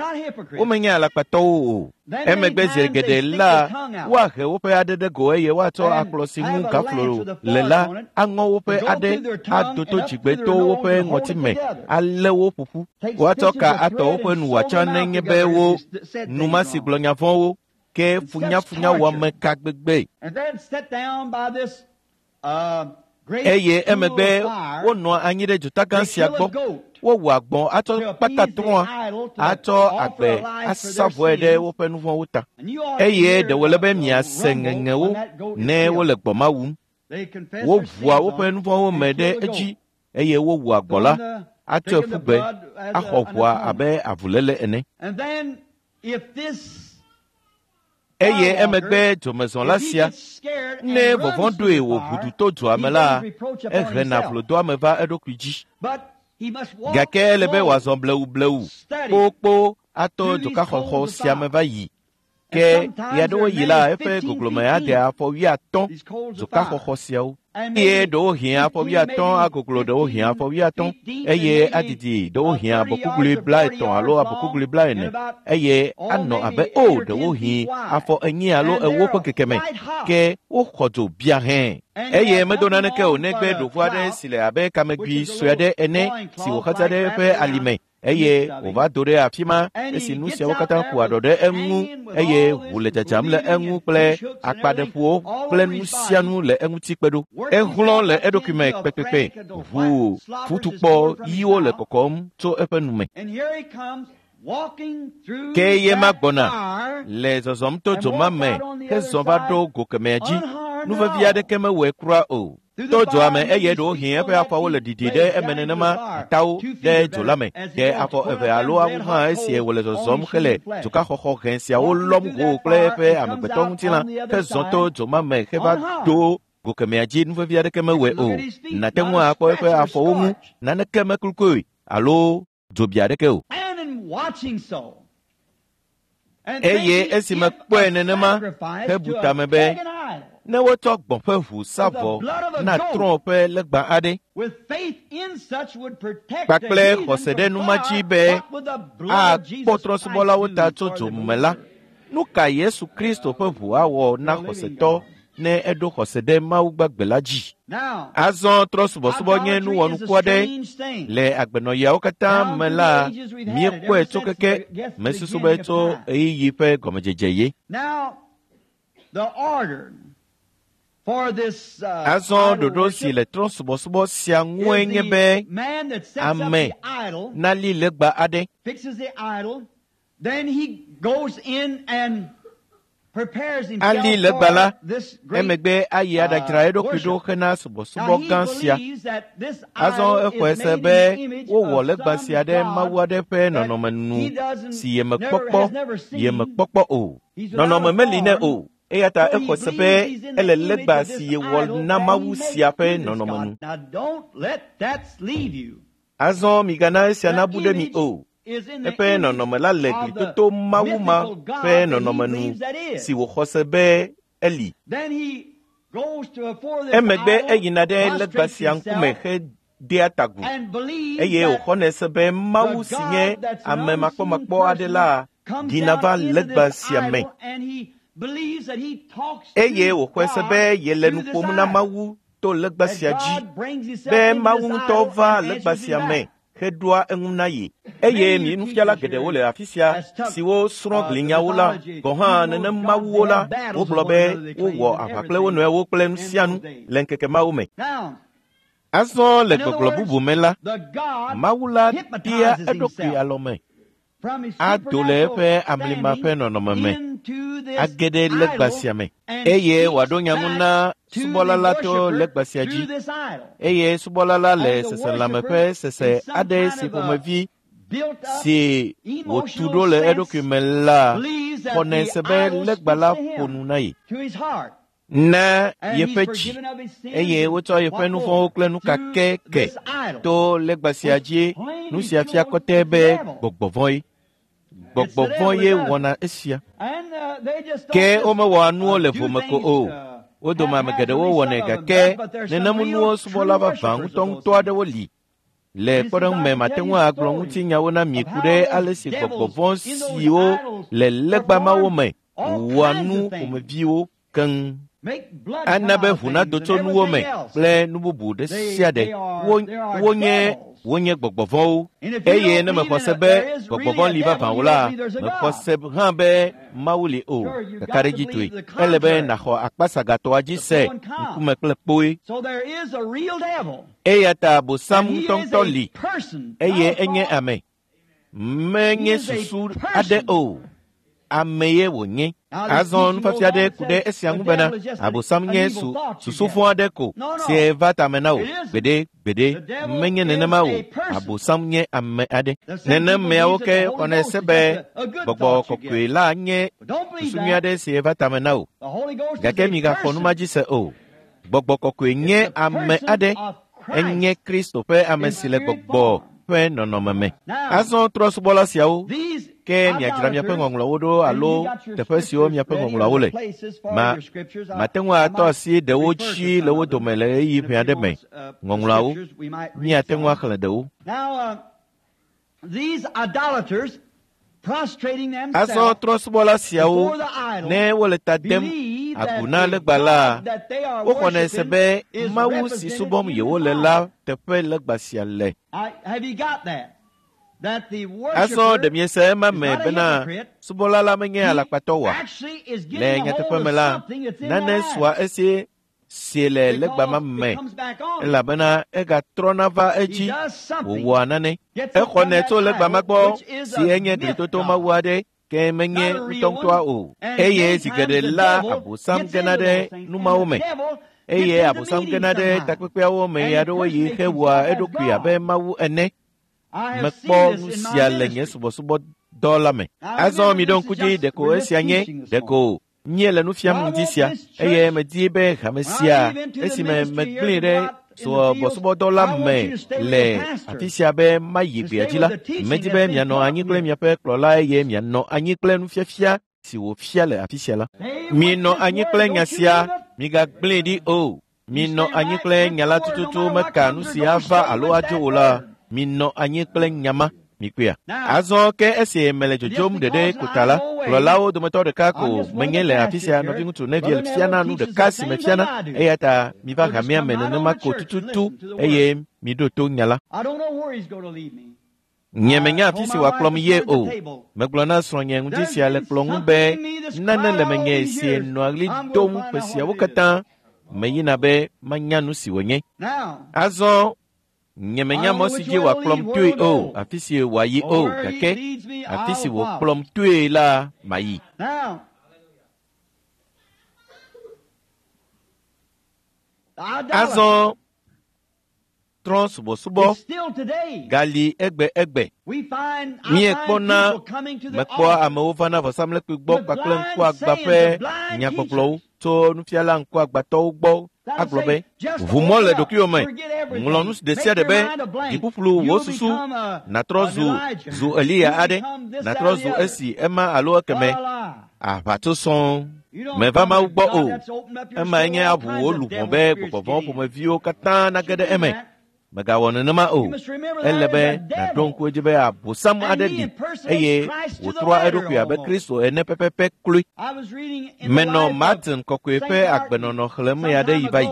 womenye alakpatɔwo o. Emegbe zi geɖe la, woahe woƒe aɖe ɖe go eye woatsɔ akplɔ si ŋu gaflo le la aŋɔ woƒe aɖe ado to dzigbe to woƒe ŋɔti me alé wo ƒoƒu. Woatsɔ ka atɔ woƒe nu wòatsɔ nenye be wo nu ma si gblɔ nya vɔ̃wo ke funyafunyawɔame ka gbegbe. Eye emegbe wonɔa anyi ɖe dzota gã sia gbɔ. Wowɔa gbɔ̃ atsɔ kpata trɔ̃a atsɔ agbe asa vɔe ɖe woƒe nu vɔ̃wo ta. Eye ɖe wòle be miase ŋeŋewo ne wole gbɔ̃ ma wum. Woʋua woƒe nu vɔ̃wo me ɖe edzi eye wowua gbɔ̃ la atsɔe ƒu gbe axɔ ʋua abe avuléle ene. Eye emegbe dzomezɔla sia, ne vɔvɔ̃ ɖoe wòʋu du to dzoa me la, ehena vlodoame va eɖokui dzi. Gake ele be wòazɔ blewublewu kpokpo ato dzokaxɔxɔ sia me va yi. Ke ɣeaɖewoɣi la, eƒe goglome ade afɔ wuiatɔ̃ dzokaxɔxɔ siawo. Eye ɖewohĩ afɔ wuiatɔ̃ agoglo ɖewohĩ afɔ wuiatɔ̃ eye adidi ɖewohĩ abɔkuglui blaetɔ̃ alo abɔkuglui blaene eye anɔ abe o ɖewohĩ afɔ enyi alo ewo ƒe kekeme ke woxɔ dzo bia hẽ. Eye medo naneke o negbe ɖovu aɖe si le abe kamegui sue aɖe ene si wòxatsa ɖe eƒe alime eye wòva do ɖe afi ma esi nu siawo katã ƒo aɖɔ ɖe eŋu eye ʋu le dzadzam le eŋu kple akpaɖeƒuwo kple nu sia nu le eŋuti kpe ɖo. Ehlɔ̃ le eɖokui me kpekpekpe, ʋu futukpɔ ɣiwo le kɔkɔm tso eƒe nu me. Ke ye ma gbɔna le zɔzɔm to dzo ma me hezɔ va ɖo go kemɛa dzi. Nu vevi aɖeke mewɔe kura o. To dzoa me eye ɖewohĩ eƒe afɔwo le ɖiɖi ɖe eme nenema atawo ɖe dzo la me. Ɖe afɔ eve alo awu hã esie wòle zɔzɔm hele dzokaxɔxɔ hẽ siawo lɔm hoo kple eƒe amegbetɔ ŋutilã hezɔ to dzo ma me heva ɖo go kemɛa dzi. Nu vevi aɖeke mewɔe o. Nàte ŋu akpɔ eƒe afɔwo ŋu, naneke meklukoe alo dzo bi aɖeke o. Eye esi mekpɔe nenema hebu tame be ne wotsɔ gbɔ̃ ƒe ʋu sa vɔ na trɔ̃ ƒe legba aɖe kpakple xɔse ɖe nu ma dzi be akpɔ trɔ̃subɔlawo ta tso dzo me la, nu ka Yesu Kristo ƒe ʋu awɔ na xɔsetɔ ne eɖo xɔse ɖe Mawu gbagbe la dzi? Azɔ trɔ̃subɔsubɔ nye nu wɔnuku aɖe le agbenɔɣiawo katã me la, míekpɔe tso keke mesusu be tso ɣeyiɣi ƒe gɔmedzedze ye. Azɔ ɖoɖo si le trɔ̃subɔsubɔ sia ŋue nye be ame nali legba aɖe. Ali legba la, emegbe ayi aɖadzra eɖokui ɖo hena subɔsubɔ gã sia. Azɔ exɔe se be wowɔ legba sia ɖe Mawu aɖe ƒe nɔnɔme nu si yemekpɔkpɔ yemekpɔkpɔ o. Nɔnɔme meli nɛ o. Eya ta exɔ se be ele legba si yewɔ na Mawu sia ƒe nɔnɔme nu. Azɔ migana esia nabu ɖe mi o. Eƒe nɔnɔme la le glitoto Mawu ma ƒe nɔnɔme nu si wòxɔ se be eli. Emegbe eyina ɖe legba sia ŋkume hedea ta agu eye wòxɔnɛ se be Mawu si nye ame makpɔmakpɔ aɖe la ɖina va legba sia me. Eye wòxɔe se be yele nu ƒom na Mawu to legba sia dzi, be Mawu ŋutɔ va legba sia me heɖoa eŋu na ye. Eye mi nufiala geɖewo le afi sia siwo srɔ̃ glinyawo la, gɔ̃ hã nenem mawuwo la, wogblɔ be wowɔ aʋa kple wo nɔewo kple nu sia nu le ŋkeke mawo me. Azɔ le gbɔgblɔ bubu me la, Mawu la dea eɖokui alɔme, ado le eƒe amlima ƒe nɔnɔme me, age ɖe legba sia me, eye wòaɖo nya ŋu na subɔla la to legba sia dzi. Eye subɔla la le seselãme ƒe sese aɖe si ƒomevi si wòtu ɖo le eɖokui me la xɔnɛ se be legba la ƒo nu na ye na yeƒe dzi, eye wotsɔ yeƒe nu vɔ̃wo kple nu kakɛkɛ to legba sia dzi. Nu sia fia kɔtɛ be gbɔgbɔ vɔ̃ ye. Gbɔgbɔ vɔ̃ ye wɔna esia. Ke womewɔa nuwo le vome ko o. Wo dome ame geɖewo wɔnɛ gake nenem nuwo subɔla vavã ŋutɔŋutɔ aɖewo li. Le kpɔɖeŋu me, mate ŋu agblɔ ŋutinyawo na mi ku ɖe ale si gbɔgbɔ vɔ̃ siwo le legba mawo me wɔa nu ƒomeviwo keŋ. Ana be ʋu nado tso nuwo me kple nu bubu ɖe sia ɖe. Wonye wonye gbɔgbɔ vɔ̃wo. Eye ne mexɔ se be gbɔgbɔ vɔ̃ li vavã o la, mexɔ se hã be Mawu li o. Kakaɖedzitɔe, ele be nàxɔ akpasagatɔa dzi se ŋkume kple kpoe. Eya ta Abosam ŋutɔŋutɔ li, eye enye ame. Menye susu aɖe o. Ame ye wònye. Azɔ nufiafia aɖe ku ɖe esia ŋu bena Abosam nye su susu vɔ̃ aɖe ko si va tame na wò. Gbeɖe gbeɖe menye nenema o. Abosam nye ame aɖe. Nenem meawo ke xɔnɛ se be gbɔgbɔ kɔkɔe la nye susu nyui aɖe si va tame na wò. Gake migaxɔ nu ma dzi se o. Gbɔgbɔ kɔkɔe nye ame aɖe. Enye Kristo ƒe ame si le gbɔgbɔ ƒe nɔnɔme me. Azɔ trɔ̃subɔla siawo ke miadzra miaƒe ŋɔŋlɔwo ɖo alo teƒe siwo miaƒe ŋɔŋlɔawo le. Ma mate ŋu atɔ asi ɖewo dzi le wo dome le ɣeyiɣi ʋɛ aɖe me. Ŋɔŋlɔawo, míate ŋu axlẽ ɖewo. Azɔ trɔ̃subɔla siawo, ne wole ta dem agu na legba la, woxɔnɛ se be Mawu si subɔm yewole la teƒe legba sia le. Azɔ ɖe miese ema me bena subɔla la menye alakpatɔ oa? Le nyateƒe me la, nane sua esi si le legba ma me elabena egatrɔna va edzi wòwɔa nane. Exɔnɛ tso legba ma gbɔ si enye glitoto mawu aɖe ke menye ŋutɔŋutɔa o. Eye zi geɖe la Abosam gena ɖe numawo me. Eye Abosam gena ɖe takpekpeawo me ɣeaɖewoɣi hewɔa eɖokui abe Mawu ene. Mekpɔ nu sia le nye subɔsubɔdɔ la me. Azɔ miɖo ŋku dzi ɖeko esia nye ɖeko míele nu fiam ŋdi sia eye medi be hame sia esime megblẽe ɖe subɔsubɔdɔ la me le afi sia be mayi gbea dzi la, medi be mianɔ anyi kple miaƒe kplɔla eye mianɔ anyi kple nufiafia si wòfia le afi sia la. Minɔ anyi kple nya sia, migagblẽe ɖi o. Minɔ anyi kple nya la tututu meka nu si ava alo adzo o la. Minɔ anyi kple nya ma. Mikpɔea. Azɔ ke esi mele dzodzom ɖeɖe ko ta la, kplɔlawo dometɔ ɖeka ko menye le afi sia nɔviŋutsu Neville fiana nu ɖeka si mefiana eya ta miva hamea me nenema ko tututu eye miɖo to nya la. Nye menya afi si wòakplɔm ye o. Megblɔ na srɔ̃nye ŋdi sia le kplɔ ŋu be nane le menye si nɔa ɣli dom ƒe siawo katã meyina be manya nu si wònye. Azɔ nye menya mɔ si dzi wòakplɔm toe o, afi si wòayi o, gake afi si wòkplɔm toe la mayi. Azɔ trɔ̃subɔsubɔ gali egbe egbe. Míekpɔna mekpɔa amewo vana vɔsamlekpui gbɔ kpakple ŋkuagba ƒe nyagbɔgblɔwo tso nufiala ŋkuagbatɔwo gbɔ agblɔ be ʋu mɔ le ɖokuiwò me, ŋlɔ nu ɖe sia ɖe be dziƒuƒlu wò susu nàtrɔ zu zu Eliya aɖe, nàtrɔ zu esi ema alo ekeme. Aʋatso sɔŋ. Meva Mawu gbɔ o. Emae nye aʋu wò luʋɔ be gbɔgbɔ vɔ̃ ƒomeviwo katã nage ɖe eme. Mègawɔ nenema o. Ele be nàɖo ŋku edzi be Abosam aɖe li eye wòtrɔa eɖokui abe Kristo ene pɛpɛpɛ kloe. Menɔ Martin Kɔkɔe ƒe agbenɔnɔ xlẽm ɣeaɖeɣi va yi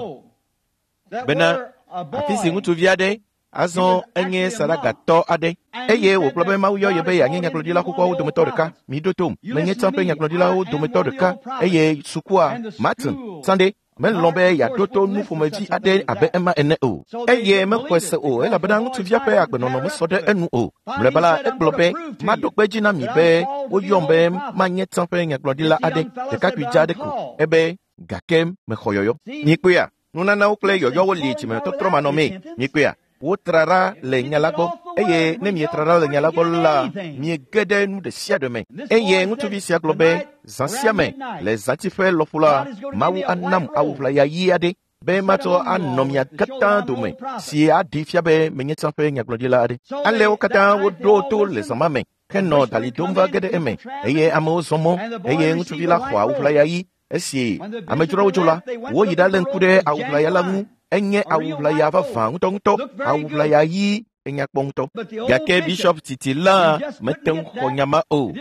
bena afi si ŋutsuvi aɖe azɔ enye saɖagatɔ aɖe eye wògblɔ be Mawu yɔ ye be yeanye nyagblɔɖila xoxoawo dometɔ ɖeka. Miɖo tom, menye tsã ƒe nyagblɔɖilawo dometɔ ɖeka eye sukua Martin Sunday melɔ̃ be yeaɖo to nu ƒomevi aɖe abe ema ene o. Eye mexɔe se o elabena ŋutsuvia ƒe agbenɔnɔ mesɔ ɖe enu o. Mlɔeba la, egblɔ be maɖo kpe dzi na mi be woyɔm be manye tsã ƒe nyagblɔɖila aɖe, ɖekakpui dza aɖe ko. Ebe gake mexɔ yɔyɔ. Mikpɔea, nunanawo kple yɔyɔwo li dzimetɔtrɔ manɔmee. Mikpɔea, wotra ɖa le nya la gbɔ eye ne mietra ɖa le nya la gbɔ la, miege ɖe nu ɖe sia ɖe me. Eye ŋutsuvi sia gblɔ be zã sia me le zãtiƒe lɔƒo la, Mawu anam awu ʋlaya ɣi aɖe be matsɔ anɔ mia katã dome si aɖi fia be menye tsã ƒe nyagblɔɖila aɖe. Ale wo katã woɖo to le zã ma me henɔ dali dom va ge ɖe eme eye amewo zɔ mɔ eye ŋutsuvi la xɔ awu ʋlaya ɣi. Esi amedzroawo dzo la, woyi ɖalé ŋku ɖe awu ʋlaya la ŋu. Enye awu ʋlaya vavã ŋutɔŋutɔ, awu ʋlaya ɣi enyakpɔ ŋutɔ. Gake bishop titi la mete ŋu xɔ nya ma o.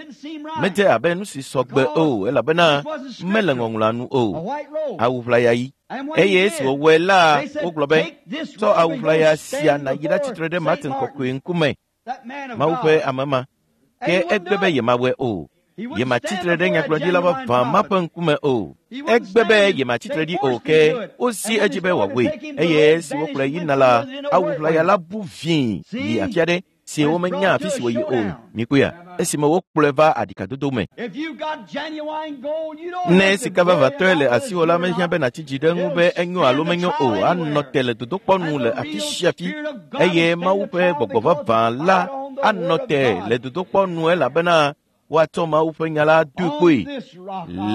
Medze abe nu si sɔgbe o elabena mele ŋɔŋlɔa nu o. Awu ʋlaya ɣi. Eye esi wòwɔe la, wogblɔ be tsɔ awu ʋlaya sia nàyi ɖatsitre ɖe Martin Kɔkɔe ŋkume, Mawu ƒe ame ma. Ke egbe be yemawɔe o. Yematsitre ɖe nyagblɔɖila vavã ma ƒe ŋkume o. Egbe be yematsitre ɖi o ke wozi edzi be wòawɔe. Eye esi wokplɔe yina la, awu ʋlaya la bu vĩi yi afi aɖe si womenya afi si wòyi o. Mikpɔea, esime wokplɔe va aɖikadodo me. Ne sika vavãtɔe le asiwò la, mehiã be nàtsi dzi ɖe eŋu be enyo alo menyo o. Anɔ te le dodokpɔ nu le afi sia afi eye Mawu ƒe gbɔgbɔ vavã la anɔ te le dodokpɔ nu elabena woatsɔ Mawu ƒe nya la doe kpoe.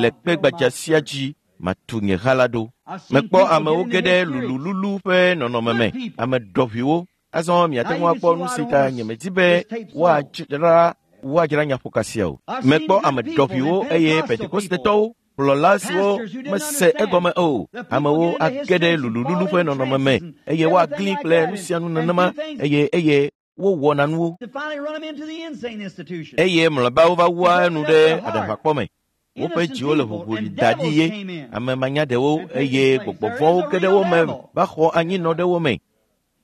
Le kpe gbadza sia dzi matu nye ha la ɖo. Mekpɔ amewo ge ɖe lulululu ƒe nɔnɔme me, ame ɖɔʋuiwo. Azɔ miate ŋu akpɔ nu si ta nyemedi be woadzra woadzra nyaƒoka sia o. Mekpɔ ame ɖɔʋuiwo eye Pentekostetɔwo, kplɔla siwo mese egɔme o. Amewo age ɖe lulululu ƒe nɔnɔme me eye woagli kple nu sia nu nenema eye eye wowɔna nuwo. Eye mlɔeba wova wua enu ɖe aɖaʋakpɔ me. Woƒe dziwo le ʋuʋu da ɖi ye. Ame manyaɖewo eye gbɔgbɔ vɔ̃wo ge ɖe wo me va xɔ anyinɔ ɖe wo me.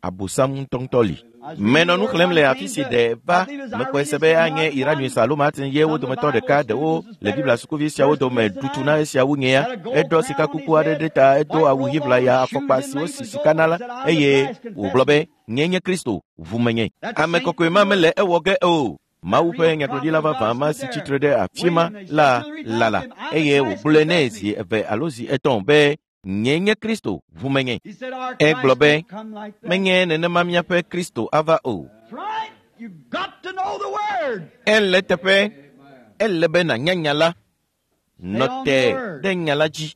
Abosam ŋutɔŋutɔ li. Menɔ nu xlẽm le afi si ɖe va mekpɔe se be anye Iranyuisa alo Martin ye wo dometɔ ɖeka ɖewo le Biblia sukuvi siawo dome ɖutu na esiawo nyea. Eɖɔ sikakuku aɖe ɖe ta, edo awu ɣi ʋlaya, afɔkpa siwo si sika na la, eye wògblɔ be, nye nye Kristo, ʋu menye. Ame kɔkɔe ma mele ewɔ ge o. Mawu ƒe nyagblɔɖila vavã ma si tsitre ɖe afi ma la lala eye wògblɔe nɛ zi eve alo zi etɔ̃ be nye nye Kristo, ʋu menye. Egblɔ be, menye nenema míaƒe Kristo ava o. Ele teƒe, ele be nànya nya la. Nɔ te ɖe nya la dzi.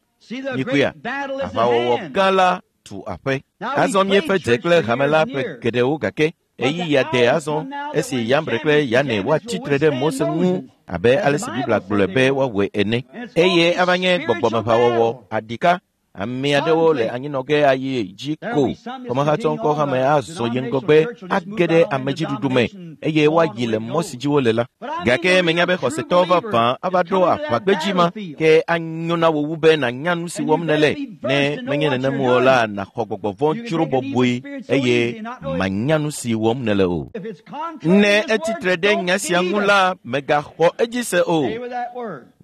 Mikuya, aʋawɔwɔ gã la tu aƒe. Azɔ míeƒe dze kple hame la ƒe geɖewo gake eyi ya de azɔ esi Yambre kple Yane woatsi tre ɖe Mose ŋu abe ale si Biblia gblɔe be woawɔe ene. Eye ava nye gbɔgbɔmeʋawɔwɔ aɖika. Ame aɖewo le anyinɔ ge ayi dzi ko. Kɔmehatsɔŋkɔ hame azɔ yi ŋgɔgbe age ɖe amedziɖuɖu me eye woayi le mɔ si dzi wole la. Gake menya be xɔsetɔ vavã ava ɖo aʋagbedzi ma ke anyo na wò wu be nànya nu si wɔm nèle. Ne menye nenem o la, nàxɔ gbɔgbɔ vɔ̃ dzro bɔbɔe eye mànya nu si wɔm nèle o. Ne etsi tre ɖe nya sia ŋu la, mègaxɔ edzi se o.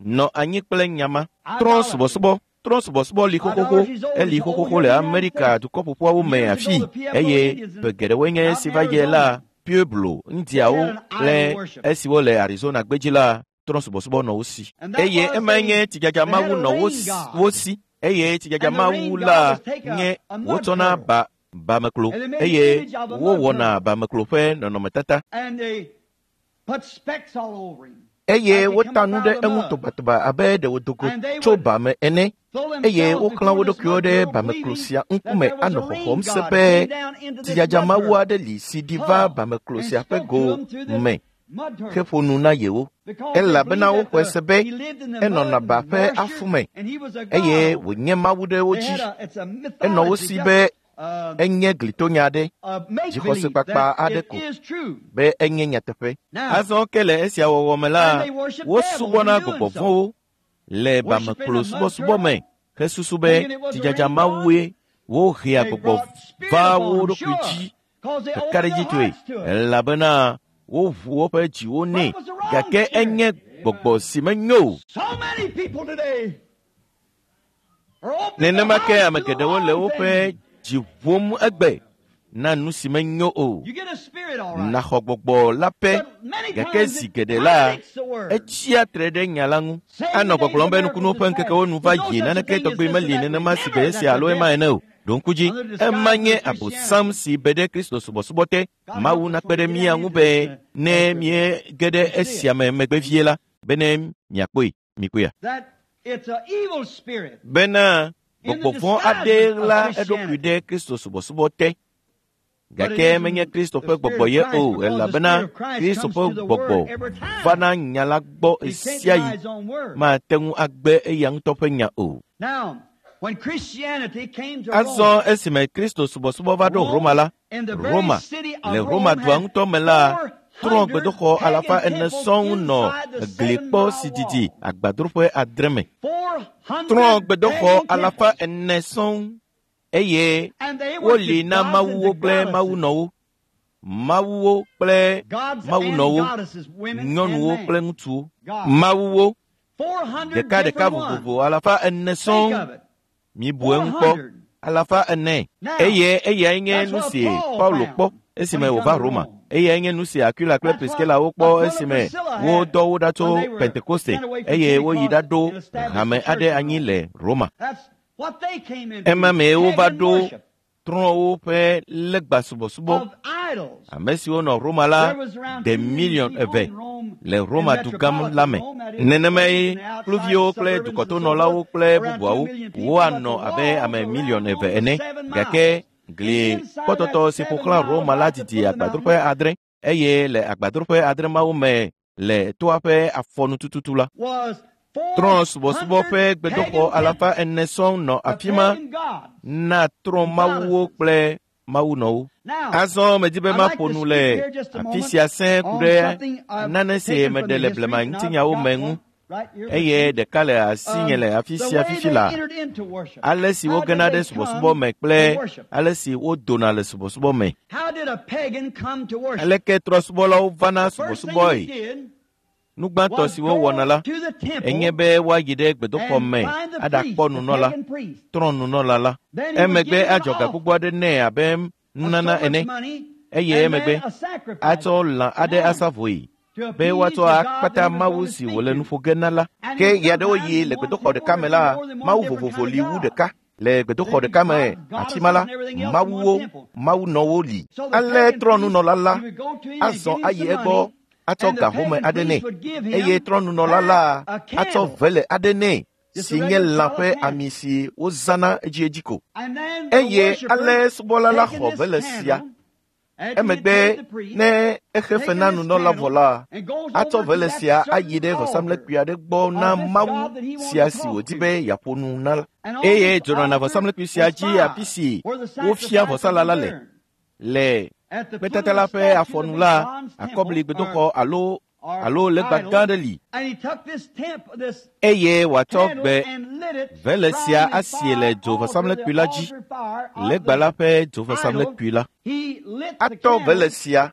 Nɔ anyi kple nya ma. Trɔ subɔsubɔ. Trɔ subɔsubɔ li xoxoxo, eli xoxoxo le Amerika dukɔƒoƒoawo me afi eye ƒe geɖewoe nye esi va yi la, Pueblo, Indiawo kple esiwo le Arizona gbedzi la, trɔ subɔsubɔ nɔ wo si. Eye emae nye tsidzadza mawu nɔ wo si eye tsidzadza mawu la nye wotsɔna ba bameklo eye wowɔna bameklo ƒe nɔnɔmetata. Eye wota nu ɖe eŋu tobatoba abe ɖe wòdo go tso ba me ene eye woxlã wo ɖokuiwo ɖe bameklo sia ŋkume anɔ xɔxɔm se be tsidzadza mawu aɖe li si ɖi va bameklo sia ƒe go me heƒo nu na yewo. Elabena woxɔe se be enɔna ba ƒe afu me eye wònye mawu ɖe wo dzi. Enɔ wo si be enye glitonya aɖe, dzixɔsekpakpa aɖe ko, be enye nyateƒe. Azɔ ke le esia wɔwɔ me la, wosubɔna gbɔgbɔ vɔ̃wo le bameklo subɔsubɔ me hesusu be tsidzadza mawue wohea gbɔgbɔ vaa wo ɖokui dzi kakaɖedzitɔe elabena woʋu woƒe dziwo nɛ gake enye gbɔgbɔ si menyo o. Nenema ke ame geɖewo le woƒe dzi ʋum egbe na nu si menyo o. Nàxɔ gbɔgbɔ la ƒe gake zi geɖe la, etsia tre ɖe nya la ŋu. Anɔ gbɔgblɔm be nukunuwo ƒe ŋkekewo nu va yi naneke tɔgbi meli nenema si gbe esia alo ema ene o. Ɖo ŋku dzi, ema nye Abosam si be ɖe Kristo subɔsubɔ te. Mawu nakpe ɖe mía ŋu be ne míege ɖe esia me megbe vie la, bene miakpɔe, mikpɔea. Bena gbɔgbɔ vɔ̃ aɖe ɣla eɖokui ɖe Kristo subɔsubɔ te. Gake menye Kristo ƒe gbɔgbɔ ye o, elabena Kristo ƒe gbɔgbɔ vana nya la gbɔ ɣesiaɣi. Mate ŋu agbe eya ŋutɔ ƒe nya o. Azɔ esime Kristo subɔsubɔ va ɖo Roma la, Roma, le Roma dua ŋutɔ me la, trɔ gbedoxɔ alafa ene sɔŋ nɔ glikpɔ si didi agbadroƒe adre me. Trɔ gbedoxɔ alafa ene sɔŋ eye woli na mawuwo kple mawunɔwo, mawuwo kple mawunɔwo, nyɔnuwo kple ŋutsuwo, mawuwo ɖeka ɖeka vovovo alafa ene sɔŋ. Mibu eŋu kpɔ, alafa ene. Eye eyae nye nu si Paulo kpɔ esime wòva Roma. Eyae nye nu si Aquila kple Priscilla wokpɔ esime wodɔ wo ɖa tso Pentekoste eye woyi ɖaɖo hame aɖe anyi le Roma. Ema mee wova ɖo trɔ̃wo ƒe legba subɔsubɔ. Ame siwo nɔ Roma la de miliɔn eve le Roma dugã la me. Nenemae kluviwo kple dukɔtonɔlawo kple bubuawo woanɔ abe ame miliɔn eve ene. Gake gli kpɔtɔtɔ si ƒo xlã Roma la didi agbadroƒe adre eye le agbadroƒe adre mawo me le toa ƒe afɔnu tututu la, trɔ̃ subɔsubɔ ƒe gbedoxɔ alafa ene sɔŋ nɔ afi ma na trɔ̃ mawuwo kple mawunɔwo. Azɔ medi be maƒo nu le afi sia sẽe ku ɖe nane si meɖe le blema ŋutinyawo me ŋu eye ɖeka le asinye le afi sia fifi la. Ale si wogena ɖe subɔsubɔ me kple ale si wodona le subɔsubɔ me. Aleke trɔ̃subɔlawo vana subɔsubɔe? Nu gbãtɔ si wowɔna la enye be woayi ɖe gbedoxɔ me aɖakpɔ nunɔla, trɔ̃nunɔla la. Emegbe adzɔ ga gbogbo aɖe nɛ abe nunana ene eye emegbe atsɔ lã aɖe asa vɔe be woatsɔ akpata mawu si wòle nu ƒo ge na la. Ke ɣeaɖewoɣi le gbedoxɔ ɖeka me la, mawu vovovo li wu ɖeka. Le gbedoxɔ ɖeka me afi ma la, mawuwo, mawunɔwo li. Ale trɔ̃nunɔla la azɔ ayi egbɔ atsɔ ga home aɖe nɛ eye trɔ̃nunɔla la atsɔ vele aɖe nɛ si nye lã ƒe ami si wozãna edziedzi ko. Eye ale subɔla la xɔ vele sia. Emegbe ne exe fe na nunɔla vɔ la, atsɔ vele sia ayi ɖe vɔsamlekpui aɖe gbɔ na mawu sia si wòdi be yeaƒo nu na la. Eye dzonɔna vɔsamlekpui sia dzi afi si wofia vɔsala la le. Le kpetata la ƒe afɔnu la, akɔbli gbedoxɔ alo alo legba gã aɖe li. Eye wòatsɔ gbe vele sia asie le dzovɔsamlekpui la dzi, legba la ƒe dzovɔsamlekpui la. Atɔ vele sia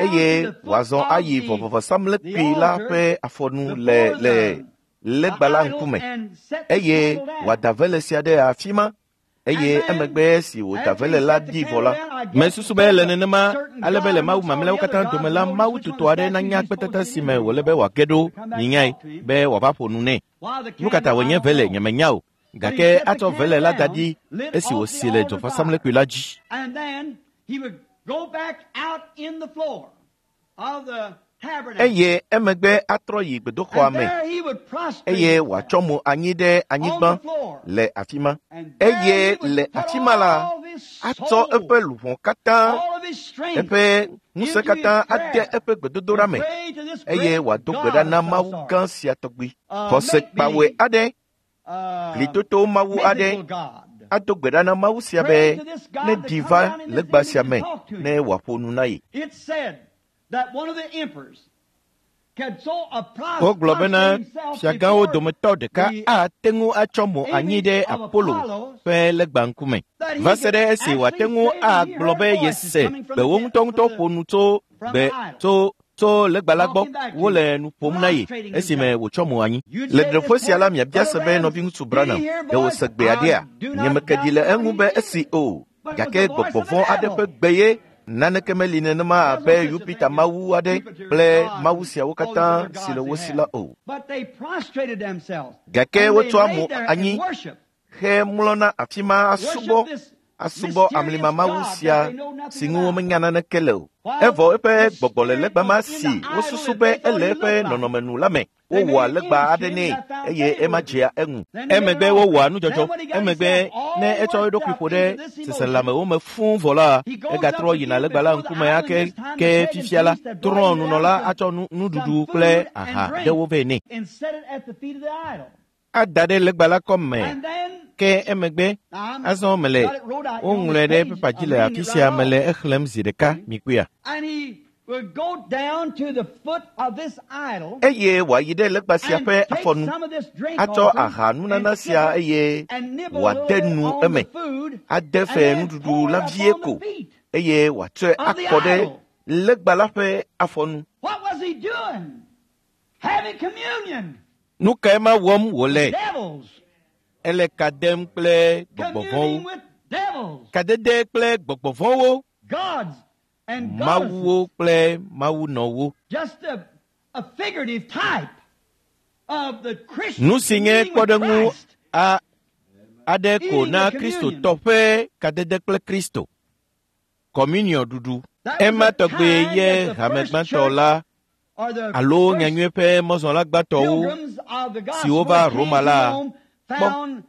eye wòazɔ ayi vɔvɔvɔsamlekpui la ƒe afɔnu le le legba la ŋkume eye wòada vele sia ɖe afi ma. Eye emegbe si wòda vele la ɖi vɔ la, mesusu be le nenema ale be le mawu mamlɛawo katã dome la, mawu tutɔ aɖe nanya kpetata si me wòle be wòage ɖo minyae be wòava ƒo nu nɛ. Nu ka ta wònye vele nyemenya o, gake atsɔ vele la da ɖi esi wòsi le dzovɔsamlekpui la dzi. Eye emegbe atrɔ yi gbedoxɔa me eye wòatsɔ mo anyi ɖe anyigba le afi ma. Eye le afi ma la, atsɔ eƒe luʋɔ katã, eƒe ŋusẽ katã ade eƒe gbedodoɖa me eye wòado gbe ɖa na Mawu gã sia tɔgbi. Xɔse kpawɔe aɖe, glitoto Mawu aɖe, ado gbe ɖa na Mawu sia be ne ɖi va legba sia me ne wòaƒo nu na ye. Wogblɔ bena fiagãwo dometɔ ɖeka ate ŋu atsɔ mo anyi ɖe Apollo ƒe legba ŋkume va se ɖe esi wòate ŋu agblɔ be yese gbewo ŋutɔŋutɔ ƒo nu tso gbe tso tso legba la gbɔ wole nu ƒom na ye esime wòtsɔ mo anyi. Le ɖeƒe sia la miabia se be nɔviŋutsu Branham ɖe wòse gbe aɖea? Nyemeke ɖi le eŋu be esi o, gake gbɔgbɔ vɔ̃ aɖe ƒe gbe ye. Naneke meli nenema abe Yupita mawu aɖe kple mawu siawo katã si le wo si la o. Gake wotsɔa mo anyi he mlɔna afi ma asubɔ asubɔ amlima mawu sia si ŋu womenya naneke le o. Evɔ eƒe gbɔgbɔ le legba ma si wosusu be ele eƒe nɔnɔme nu la me. Wowɔa legba aɖe nɛ eye ema dzea eŋu. Emegbe wowɔa nudzɔdzɔ. Emegbe ne etsɔ eɖokui ƒo ɖe seselãmewo me fũu vɔ la, egatrɔ yina legba la ŋkume ake ke fifia la, trɔ̃nunɔla atsɔ nuɖuɖu kple aha ɖewo vɛ nɛ. Ada ɖe legba la kɔme ke emegbe azɔ mele woŋlɔe ɖe pepa dzi le afi sia mele exlẽm zi ɖeka mikpɔea. Eye wòayi ɖe legba sia ƒe afɔnu, atsɔ aha nunana sia eye wòade nu eme, ade fe nuɖuɖu la vie ko eye wòatsɔe akɔ ɖe legba la ƒe afɔnu. Nu kae ma wɔm wòle? Ele ka dem kple gbɔgbɔ vɔ̃wo. Kadede kple gbɔgbɔ vɔ̃wo. Mawuwo kple mawunɔwo. Nu si nye kpɔɖeŋu a aɖe ko na Kristotɔ ƒe kadede kple Kristo. Kɔmuniɔ ɖuɖu. Ema tɔgbe ye hame gbãtɔ la alo nyanyui ƒe mɔzɔla gbãtɔwo siwo va Roma la kpɔ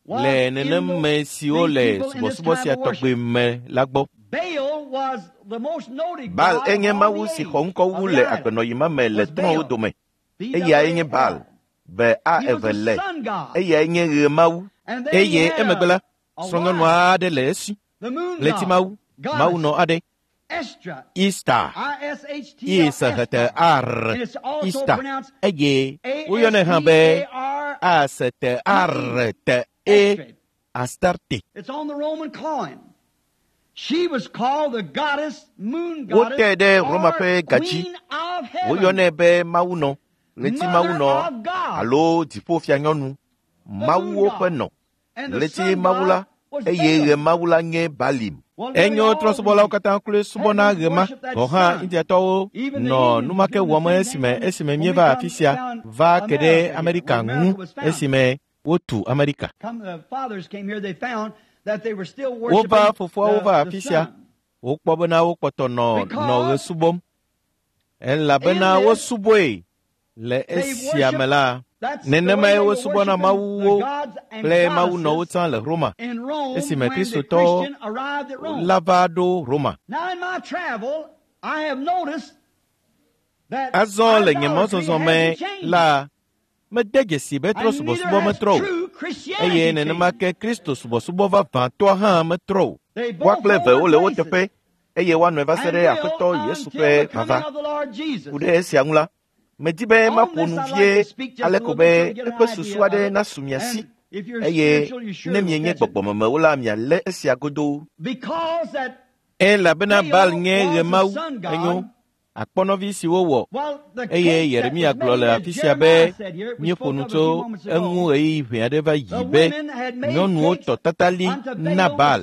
le nenem me siwo le subɔsubɔ sia tɔgbe me la gbɔ. Baal enye mawu si xɔ ŋkɔ wu le agbenɔɣi ma me le trɔ̃wo dome. Eyae nye Baal, be a eve le. Eyae nye ɣe mawu. Eye emegbe la, srɔ̃nyɔnu aɖe le esi, ɣleti mawu, mawunɔ aɖe. Ista I S H T A R Ista eye woyɔnɛ hã be A S T A R T E Astarte. Wote ɖe Roma ƒe gadzi. Woyɔnɛ be mawunɔ, ɣleti mawunɔ alo dziƒofianyɔnu, mawuwo ƒe nɔ, ɣleti mawu la eye ɣe mawu la nye Balim. Enyo trɔ̃subɔlawo katã kloe subɔna ɣe ma. Gɔ̃ hã Indiatɔwo nɔ nu ma ke wɔm esime esime míeva afi sia va ke ɖe Amerika ŋu esime wotu Amerika. Wova fofoawo va afi sia. Wokpɔ bena wokpɔtɔ nɔ nɔ ɣe subɔm elabena wosubɔe le esia me la. Nenemae wosubɔna mawuwo kple mawunɔwo tsã le Roma esime Kristotɔwo la va ɖo Roma. Azɔ le nye mɔzɔzɔ me la, mede dzesi be trɔ̃subɔsubɔ metrɔ o eye nenema ke Kristo subɔsubɔ vavãtɔa hã metrɔ o. Woa kple eve wole wo teƒe eye woanɔe va se ɖe Aƒetɔ Yesu ƒe vava. Ku ɖe esia ŋu la, medi be maƒo nu vie ale ko be eƒe susu aɖe nasu mia si eye ne mienye gbɔgbɔmemewo la mialé esia godoo. Elabena Baal nye ɣemawu enyo akpɔnɔvi si wowɔ eye Yeremia gblɔ le afi sia be míeƒo nu tso eŋu ɣeyiɣi ʋɛ aɖe va yi be nyɔnuwo tɔ tatali na Baal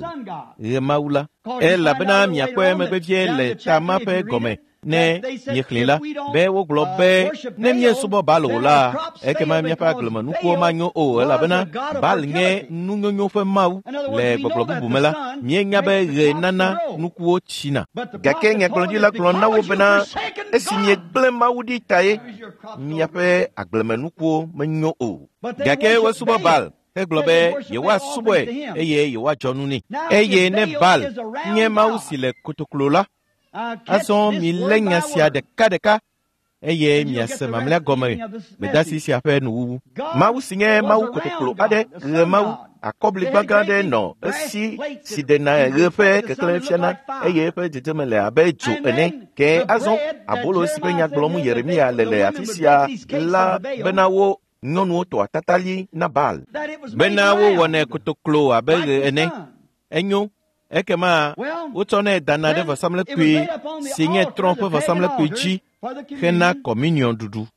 ɣemawu la elabena miakpɔe megbe vie le ta ma ƒe gɔme ne miexlẽ la be wogblɔ be ne míesubɔ Baal o la ekema míaƒe agblemenukuwo manyo o elabena Baal nye nunyonyo ƒe mawu. Le gbɔgblɔ bubu me la míenya be ɣe nana nukuwo tsina. Gake nyagblɔɖila gblɔ na wo bena esi miegblẽ Mawu ɖi tae miaƒe agblemenukuwo menyo o. Gake wosubɔ Baal hegblɔ be yewoasubɔe eye yewoadzɔ nu nɛ. Eye ne Baal nye mawu si le kotoklo la, azɔ milé nya sia ɖekaɖeka eye miase mamlɛa gɔme gbedasi sia ƒe nuwuwu. Mawu si nye mawu kotoklo aɖe, ɣe mawu, akɔbligbã gã aɖe nɔ esi si ɖena ɣe ƒe keklẽ fiana eye eƒe dzedzeme le abe dzo ene. Ke azɔ abolo si ƒe nya gblɔm Yeremia le le afi sia la bena wo nyɔnuwo tɔa tatali na Baal. Bena wowɔnɛ kotoklo abe ɣe ene. Enyo. Ekema wotsɔnɛ dana ɖe vɔsamlekpui si nye trɔ̃ ƒe vɔsamlekpui dzi hena kɔminiɔn ɖuɖu.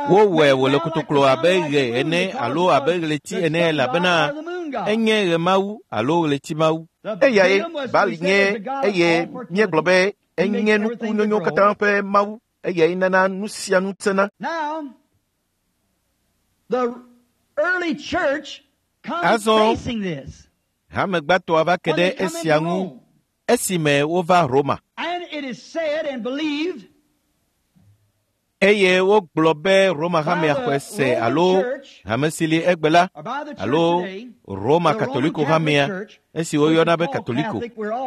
Wowɔe wòle kotoklo abe ɣe ene alo abe ɣleti ene elabena enye ɣemawu alo ɣletimawu. Eyae Baal nye eye míegblɔ be enye nuku nyonyo katã ƒe mawu eyae nana nu sia nu tsena. Azɔ hamegbãtɔa va ke ɖe esia ŋu esime wova Roma. Eye wogblɔ be Roma hamea xɔe se alo hame si li egbe la alo Roma Katoliko hamea esi woyɔna be Katoliko.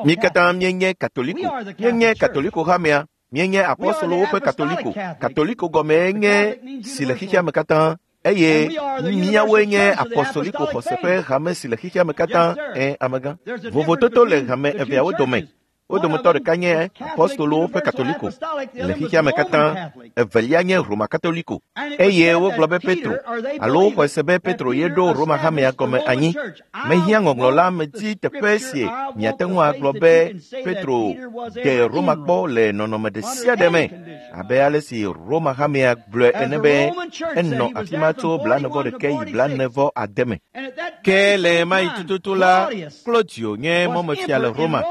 Mí katã míenye Katoliko. Míenye Katoliko hamea. Míenye apɔstolowo ƒe Katoliko. Katoliko gɔmee nye si le xexea me katã. Eye míawoe nye apɔstoliko xɔse ƒe hame si le xexea me katã. Ẽ, amegã. Vovototo le hame eveawo dome. Wo dometɔ ɖeka nye apɔstolowo ƒe Katoliko le xexea me katã, evelia nye Roma Katoliko. Eye wogblɔ be Petro alo woxɔe se be Petro ye ɖo Roma hamea gɔme anyi. Mehiã ŋɔŋlɔ la medi teƒe si miate ŋu agblɔ be Petro de Roma kpɔ le nɔnɔme ɖe sia ɖe me abe ale si Roma hamea gblɔe ene be enɔ afi ma tso blaene-vɔ-ɖekɛ yi blaene-vɔ-ade me. Ke le ɣemaɣi tututu la, Claudio nye mɔmefia le Roma.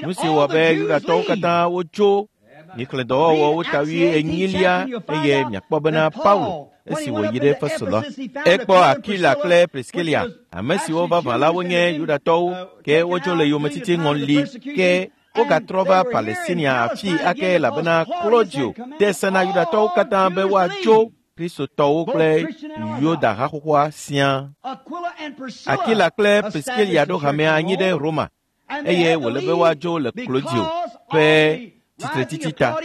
Nu si wɔ be Yudatɔwo katã wotso mixlẽ dɔwɔwɔwo ta wui enyilia eye miakpɔ bena Paulo esi wòyi ɖe Efeso la, ekpɔ Akila kple Priskilia, ame siwo vavã la wonye Yudatɔwo ke wotso le yometiti ŋɔli ke wogatrɔ va Palestinia afii ake elabena Claudio de se na Yudatɔwo katã be woatso Kristotɔwo kple Yuda haxoxoa siaa. Akila kple Priskilia ɖo hamea anyi ɖe Roma eye wòle be woadzo le Claudio ƒe tsitretsitsi ta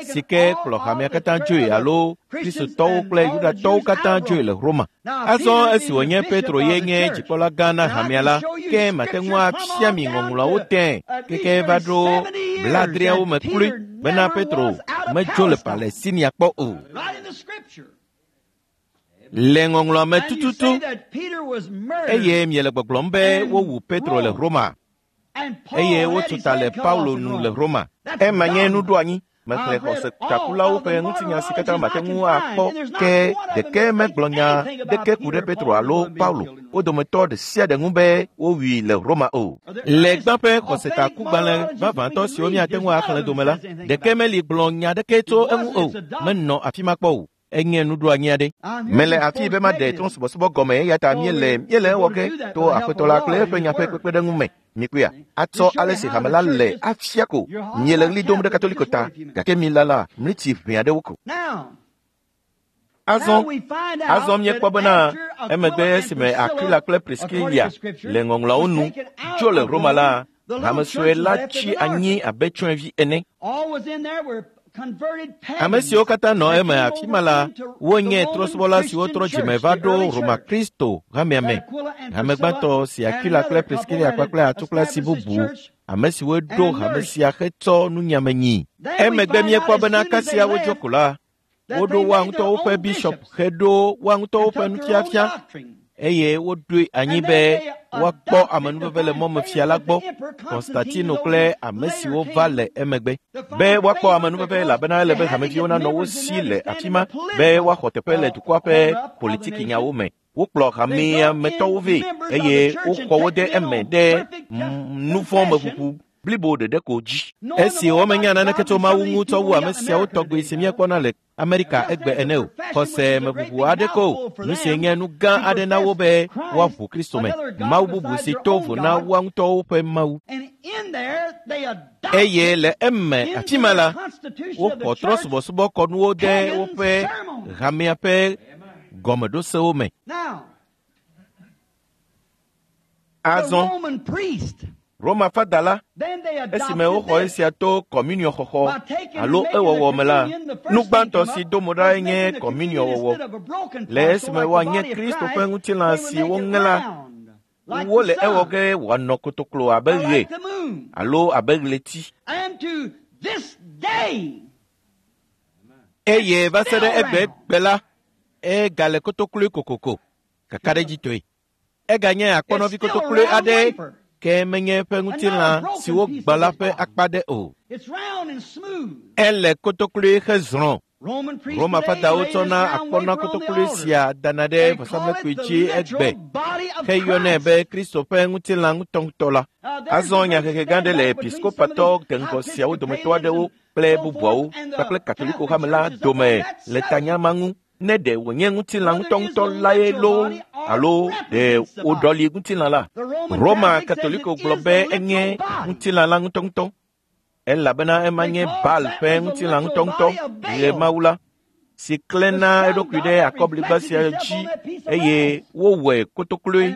si ke kplɔ hamea katã dzoe alo Kristotɔwo kple Yudatɔwo katã dzoe le Roma. Azɔ esi wònye Petro ye nye dzikpɔla gã na hamea la, ke mate ŋu afia mi ŋɔŋlɔawo tẽe keke va ɖo Blaadreawo me kloe bena Petro medzo le Palestinia kpɔ o. Le ŋɔŋlɔa me tututu eye miele gbɔgblɔm be wowu Petro le Roma eye wotu ta le Paulo nu le Roma. Ema nye nuɖoanyi. Mexlẽ xɔsetakulawo ƒe ŋutinya si katã mate ŋu akpɔ ke ɖeke megblɔ nya ɖeke ku ɖe Petro alo Paulo wo dometɔ ɖe sia ɖe ŋu be wowui le Roma o. Le gbã ƒe xɔsetakugbalẽ vavãtɔ siwo míate ŋu axlẽ dome la, ɖeke meli gblɔ nya ɖeke tso eŋu o. Menɔ afi ma kpɔ o. Enye nuɖoanyi aɖe. Mele afi be maɖe trɔ̃subɔsubɔ gɔme eya ta míele míele ewɔ ge to Aƒetɔ la kple eƒe nya ƒe kpekpeɖeŋu me. Mikpɔea, atsɔ ale si hame la le afia ko. Miele ɣli dom ɖe Katoliko ta, gake mi lala mlitsi ʋɛ aɖewo ko. Azɔ, azɔ míekpɔ bena emegbe esime Aquila kple Priscilla le ŋɔŋlɔawo nu tso le Roma la, hame sue la tsi anyi abe tsyɔ̃evi ene. Ame siwo katã nɔ eme afi ma la, wonye trɔ̃subɔla siwo trɔ dzime va ɖo Roma Kristo hamea me. Hame gbãtɔ si Aquila kple Priscilla kpakple atsu kple asi bubu, ame siwo ɖo hame sia hetsɔ nunyame nyi. Emegbe míekpɔ bena kasia wodzo ko la, woɖo woa ŋutɔwo ƒe bishɔp heɖo woa ŋutɔwo ƒe nufiafia eye woɖoe anyi be woakpɔ amenuveve le mɔmefia la gbɔ, Konstantino kple ame siwo va le emegbe. Be woakpɔ amenuveve elabena ele be hameviwo nanɔ wo si le afi ma be woaxɔ teƒe le dukɔa ƒe politikinyawo me. Wokplɔ hamea me tɔwo vɛ eye woxɔ wo de eme ɖe nuvɔ̃meʋuʋu blibo ɖeɖe ko dzi. Esi womenya naneke tso Mawu ŋu tsɔ wu ame siawo tɔgbi si míekpɔna le Amerika egbe ene o. Xɔse meʋuʋu aɖeke o. Nu si nye nu gã aɖe na wo be woaʋu Kristo me. Mawu bubu si to vo na woa ŋutɔwo ƒe Mawu. Eye le eme afi ma la, woxɔ trɔ̃subɔsubɔkɔnuwo de woƒe hamea ƒe gɔmeɖosewo me. Azɔ, Roma fada la, esime woxɔ esia to kɔmuniɔ xɔxɔ alo ewɔwɔ me la, nu gbãtɔ si do mo ɖae nye kɔmuniɔ wɔwɔ. Le esime woanye Kristo ƒe ŋutilã si woŋe la, wole ewɔ ge wòanɔ kotoklo abe ɣe alo abe ɣleti. Eye va se ɖe egbegbe la, egale kotokloe kokoko, kakaɖedzitɔe. Eganye akpɔnɔvi kotokloe aɖe ke menye eƒe ŋutilã si wogbã la ƒe akpa ɖe o. Ele kotokloe hezrɔ̃. Roma fadawo tsɔna akpɔnɔ kotokloe sia dana ɖe vɔsamlekpui dzi egbe heyɔnɛ be Kristo ƒe ŋutilã ŋutɔŋutɔ la. Azɔ nyahehe gã ɖe le episkopatɔ deŋgɔ siawo dometɔ aɖewo kple bubuawo kpakple Katoliko hame la dome le tanya ma ŋu. Ne ɖe wònye ŋutilã ŋutɔŋutɔ lae loo alo ɖe woɖɔli ŋutilã la. Roma Katoliko gblɔ be enye ŋutilã la ŋutɔŋutɔ elabena ema nye Baal ƒe ŋutilã ŋutɔŋutɔ ɣe Mawu la, si klẽna eɖokui ɖe akɔbligba sia dzi eye wowɔe kotokloe.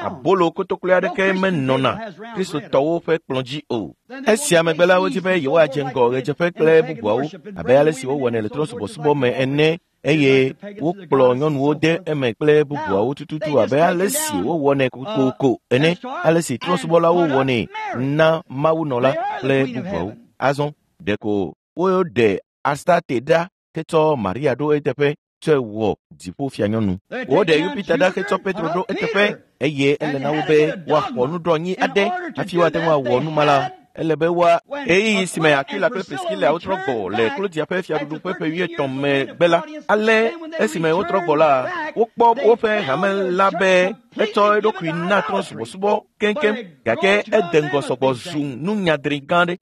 Abolo kotokloe aɖeke menɔna Kristotɔwo ƒe kplɔ̃ dzi o. Esia megbe la, wodi be yewoadze ŋgɔ ɣedzeƒe kple bubuawo abe ale si wowɔnɛ le trɔ̃subɔsubɔ me ene eye wokplɔ nyɔnuwo de eme kple bubuawo tututu abe ale si wowɔnɛ kokoko ene, ale si trɔ̃subɔlawo wɔnɛ na mawunɔ la kple bubuawo. Azɔ ɖeko woɖe Astarte ɖa hetsɔ Maria ɖo eteƒe tsɔe wɔ dziƒofianyɔnu. Woɖe Yupita ɖa hetsɔ Petro ɖo eteƒe eye ele na wo be woaxɔ nuɖoanyi aɖe hafi woate ŋu awɔ nu ma la. Ele be woa ɣeyiɣi si me Aquila kple Priscilla wotrɔ gbɔ le Klodia ƒe fiaɖuɖu ƒe ƒe wuietɔ̃ megbe la, ale esime wotrɔ gbɔ la, wokpɔ woƒe hame la be etsɔ eɖokui na trɔ̃subɔsubɔ keŋkeŋ gake ede ŋgɔ sɔgbɔ zu nunyadri gã aɖe.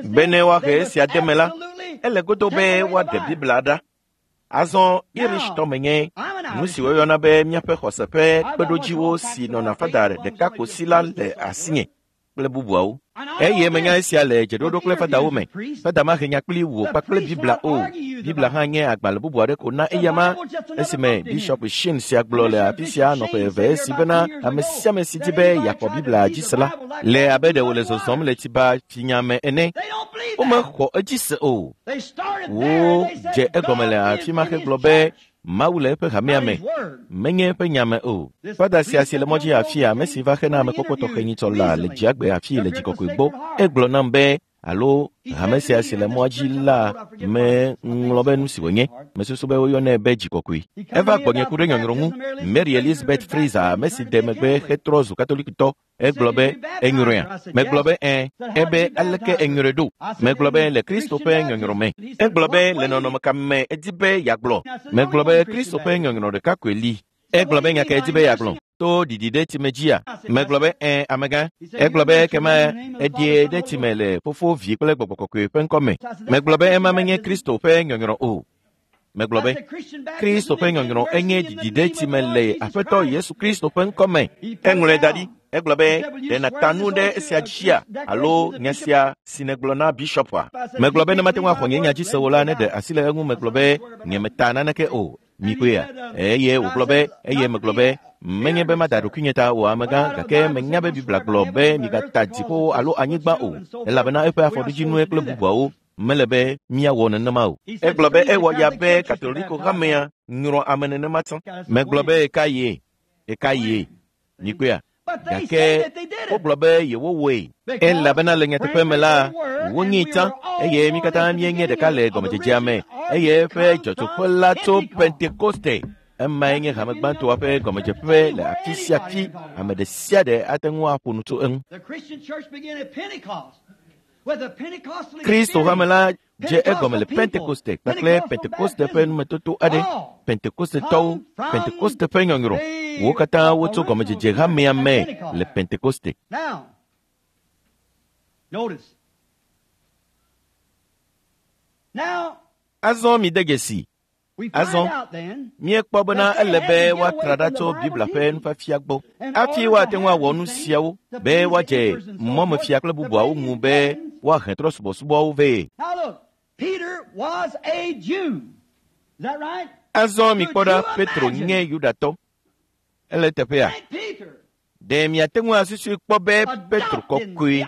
Bene woahe esia de me la, ele godo be woaɖe Biblia ɖa. Azɔ Irishtɔ menye nu si woyɔna be míaƒe xɔse ƒe kpeɖodziwo si nɔna fada ɖeka ko si la le asinye kple bubuawo. Eye menya esia le dzeɖoɖo kple fadawo me. Fada mahe nya kpli wò kpakple Biblia o. Biblia hã nye agbalẽ bubu aɖe ko na eyama. Esime Bishop Sheen sia gblɔ le afi sia nɔ ƒe eve esi bena ame sia ame si di be yeaxɔ Biblia dzi se la, le abe ɖe wòle zɔzɔm le tsiba tsinya me ene. Womexɔ edzi se o. Wodze egɔme le afi ma hegblɔ be Mawu le eƒe hamea me, menye eƒe nya me o. Fada sia si le mɔ dzi afia, ame si va xena amekpɔkpɔ tɔxɛ nyitsɔ la le dziagbe afii le dzikɔkɔe gbɔ, egblɔ nam be alo hame sia si le mɔa dzi la meŋlɔ be nu si wònye. Mesusu be woyɔnɛ be dzikɔkɔe. Eva gbɔnye ku ɖe nyɔnyrɔ ŋu. Mary Elizabeth Fraser, ame si de megbe hetrɔ zu katolikitɔ, egblɔ be enyrɔea. Megblɔ be ẽ. Ebe aleke enyrɔe ɖo? Megblɔ be le Kristo ƒe nyɔnyrɔ me. Egblɔ be le nɔnɔme ka me edi be yeagblɔ. Megblɔ be Kristo ƒe nyɔnyrɔ ɖeka koe li. Egblɔ be nya ka edi be yeagblɔ? To ɖiɖi ɖe tsime dzia? Megblɔ be ẽ, amegã. Egblɔ be ekema eɖie ɖe tsime le Fofo, Vi kple Gbɔgbɔ Kɔkɔe ƒe ŋkɔ me. Megblɔ be ema menye Kristo ƒe nyɔnyrɔ o. Megblɔ be Kristo ƒe nyɔnyrɔ enye ɖiɖi ɖe tsime le Aƒetɔ Yesu Kristo ƒe ŋkɔ me. Eŋlɔe da ɖi. Egblɔ be ɖe nàta nu ɖe esia dzia alo nya sia si nègblɔ na bishɔpua? Megblɔ be ne mate ŋu axɔ nye nya dzi se o la, ne ɖe asi le eŋu. Megblɔ be nyemeta naneke o. Mikpɔea? Eye wògblɔ be, eye megblɔ be menye be mada ɖokuinye ta o amegã, gake menya be Biblia gblɔ be migata dziƒowo alo anyigba o, elabena eƒe afɔɖodzinue kple bubuawo. Mele be míawɔ nenema o. Egblɔ be ewɔ ya be Katoliko hamea nyrɔ ame nenema tsã. Megblɔ be eka ye, eka ye. Mikpɔea? Gake wogblɔ be yewowɔe, elabena le nyateƒe me la, wonyee tsã, eye mí katã míenye ɖeka le gɔmedzedzea me, eye eƒe dzɔtsoƒe la tso Pentekoste. Emae nye hame gbãtɔa ƒe gɔmedzeƒe le afi sia afi. Ame ɖe sia ɖe ate ŋu aƒo nu tso eŋu. Kristo hame la dze egɔme le Pentekoste kpakple Pentekoste ƒe numetoto aɖe. Pentekostetɔwo, Pentekoste ƒe nyɔnyrɔ, wo katã wotso gɔmedzedze hamea me le Pentekoste. Azɔ mi de dzesi. Azɔ míekpɔ bena ele be woatra ɖa tso Biblia ƒe nufiafia gbɔ hafi woate ŋu awɔ nu siawo be woadze mɔmefia kple bubuawo ŋu be woahe trɔ subɔsubɔawo vɛ. Azɔ mikpɔ ɖa, Petro nye Yudatɔ. Ele teƒea. Ɖe miate ŋu asusui kpɔ be Petro kɔkɔe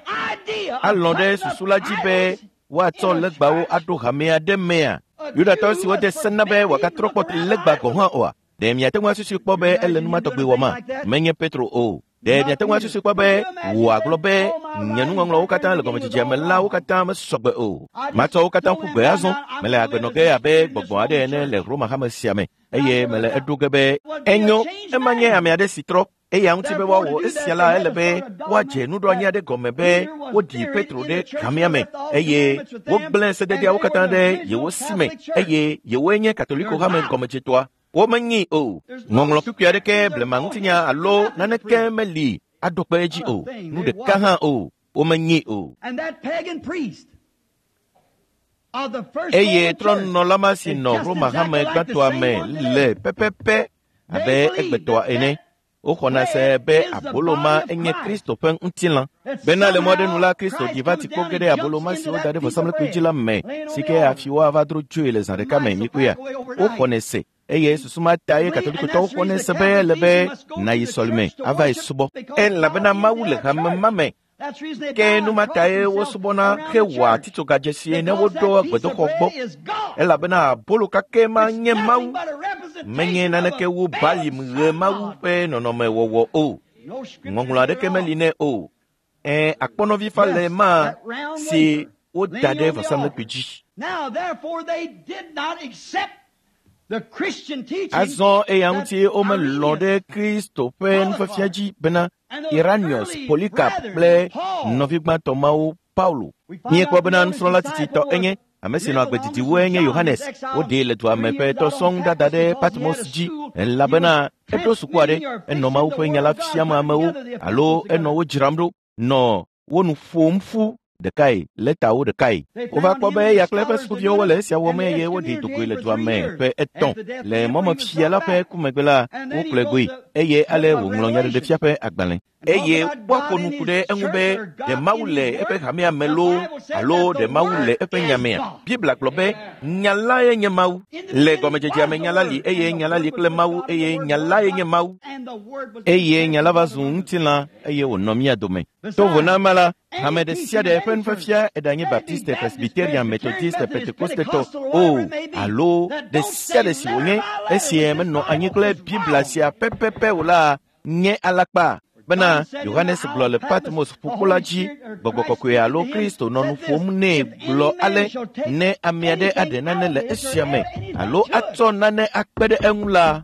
alɔ̃ ɖe susu la dzi be woatsɔ legbawo aɖo hamea ɖe mea? Yudatɔ siwo de se na be wòagatrɔ kpɔ legba gɔ̃ hã oa? Ɖe miate ŋu asusui kpɔ be ele nu ma tɔgbi wɔma? Menye Petro o. Ɖe miate ŋu asusui kpɔ be wòagblɔ be nye nuŋɔŋlɔwo katã le gɔmedzedzea me la wo katã mesɔgbe o. Matsɔ wo katã ƒu gbe azɔ. Mele agbe nɔ ge abe gbɔgbɔ aɖe ene le Roma hame sia me, eye mele eɖo ge be enyo. Ema nye ame aɖe si trɔ. Eya ŋuti be woawɔ esia la, ele be woadze nuɖoanyi aɖe gɔme be woɖi Petro ɖe hamea me, eye wogblẽ sededeawo katã ɖe yewo si me, eye yewoe nye Katoliko hame gɔmedzetɔa. Womenyi o. Ŋɔŋlɔ kpukpui aɖeke, blema ŋutinya alo naneke meli aɖo kpe edzi o. Nu ɖeka hã o. Womenyi o. Eye trɔnunɔla ma si nɔ Roma hame gbãtɔa me le pɛpɛpɛ abe egbetɔa ene. Woxɔna se be abolo ma enye Kristo ƒe ŋutilã. Bena le mɔ ɖe nu la, Kristo ɖi va tsikpo ge ɖe abolo ma si woda ɖe vɔsamlekpui dzi la me, si ke hafi woava dro dzoe le zã ɖeka me. Mikpɔea? Woxɔnɛ se. Eye susu ma ta ye Katolikotɔwo xɔnɛ se be ele be nàyi sɔlime ava yi subɔ, elabena Mawu le hame ma me. Ke nu ma tae wosubɔna hewɔa titsogadzesi ne woɖo gbedoxɔ gbɔ, elabena abolo kakɛ ma nye Mawu, menye naneke wu Balim ɣe Mawu ƒe nɔnɔmewɔwɔ o. Ŋɔŋlɔ aɖeke meli nɛ o. Ẽ, akpɔnɔvifa le ma si woda ɖe vɔsamlekpui dzi. Azɔ eya ŋuti womelɔ̃ ɖe Kristo ƒe nufiafia dzi bena Iranius, Polycarp kple nɔvi gbãtɔ mawo Paulo. Míekpɔ bena nusrɔ̃la tsitsitɔ enye ame si nɔ agbe didi woe nye Yohanes. Woɖee le dua me ƒe etɔ̃ sɔŋ dada ɖe Patmos dzi, elabena eɖo suku aɖe, enɔ Mawu ƒe nya la fiam amewo alo enɔ wo dzram ɖo, nɔ wo nu ƒom ƒu ɖekae, lɛtawo ɖekae. Wova kpɔ be eya kple eƒe sukuviwo wole esia wɔm eye woɖi dogoe le dua me ƒe etɔ̃. Le mɔmefia la ƒe ku megbe la, wokplɔe goe, eye ale wòŋlɔ nyaɖeɖefia ƒe agbalẽ. Eye woaƒo nu ku ɖe eŋu be ɖe Mawu le eƒe hamea me loo alo ɖe Mawu le eƒe nyamea. Biblia gblɔ be nya lae nye Mawu. Le gɔmedzedzea me nya la li eye nya la li kple Mawu eye nya lae nye Mawu. Eye nya la va zu ŋutilã eye wònɔ mía dome. To vo na ema la, hame ɖe sia ɖe ƒe nufiafia eɖanye Baptiste, Presbyterian, Methodiste, Pentecostetɔ o alo ɖe sia ɖe si wònye esie menɔ anyi kple Biblia sia pɛpɛpɛ o la nye alakpa. Bena Yohanes gblɔ le Patmos ƒukpo la dzi, Gbɔgbɔ Kɔkɔe alo Kristo nɔ nu ƒom nɛ gblɔ ale, ne ame aɖe aɖe nane le esia me alo atsɔ nane akpe ɖe eŋu la,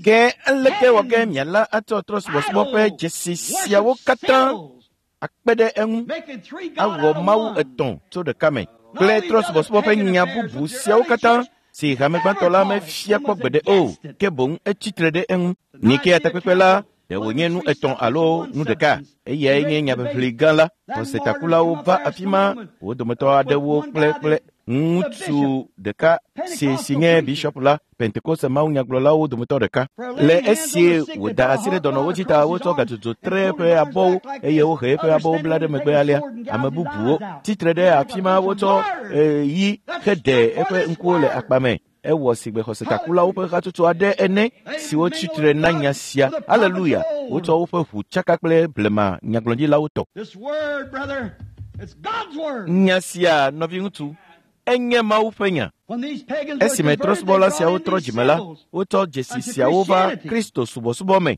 ke aleke wɔ ke miala atsɔ trɔ̃subɔsubɔ ƒe dzesi siawo katã akpe ɖe eŋu awɔ Mawu etɔ̃ tso ɖeka me kple trɔ̃subɔsubɔ ƒe nya bubu siawo katã si hame gbãtɔ la mefia kpɔ gbeɖe o, ke boŋ etsi tre ɖe eŋu. Nikea takpekpe la, ɖe wònye nu etɔ̃ alo nu ɖeka, eyae nye nyaʋiʋli gã la. Xɔsetakulawo va afi ma, wo dometɔ aɖewo kple kple ŋutsu ɖeka si si nye bishop la, Pentekoste mawunyagblɔlawo dometɔ ɖeka. Le esie wòda asi ɖe dɔnɔwo dzi ta wotsɔ gadzodzo tre eƒe abɔwo eye wohe eƒe abɔwo bla ɖe megbe alea. Ame bubuwo tsitre ɖe afi ma wotsɔ yi heɖe eƒe ŋkuwo le akpa me. Ewɔ sigbe xɔsetakulawo ƒe hatsotso aɖe ene siwo tsitre na nya sia. Aleluya! Wotsɔ woƒe ʋu tsaka kple blema nyagblɔɖilawo tɔ. Nya sia, nɔviŋutsu, enye Mawu ƒe nya. Esime trɔ̃subɔla siawo trɔ dzime la, wotsɔ dzesi siawo va Kristo subɔsubɔ me.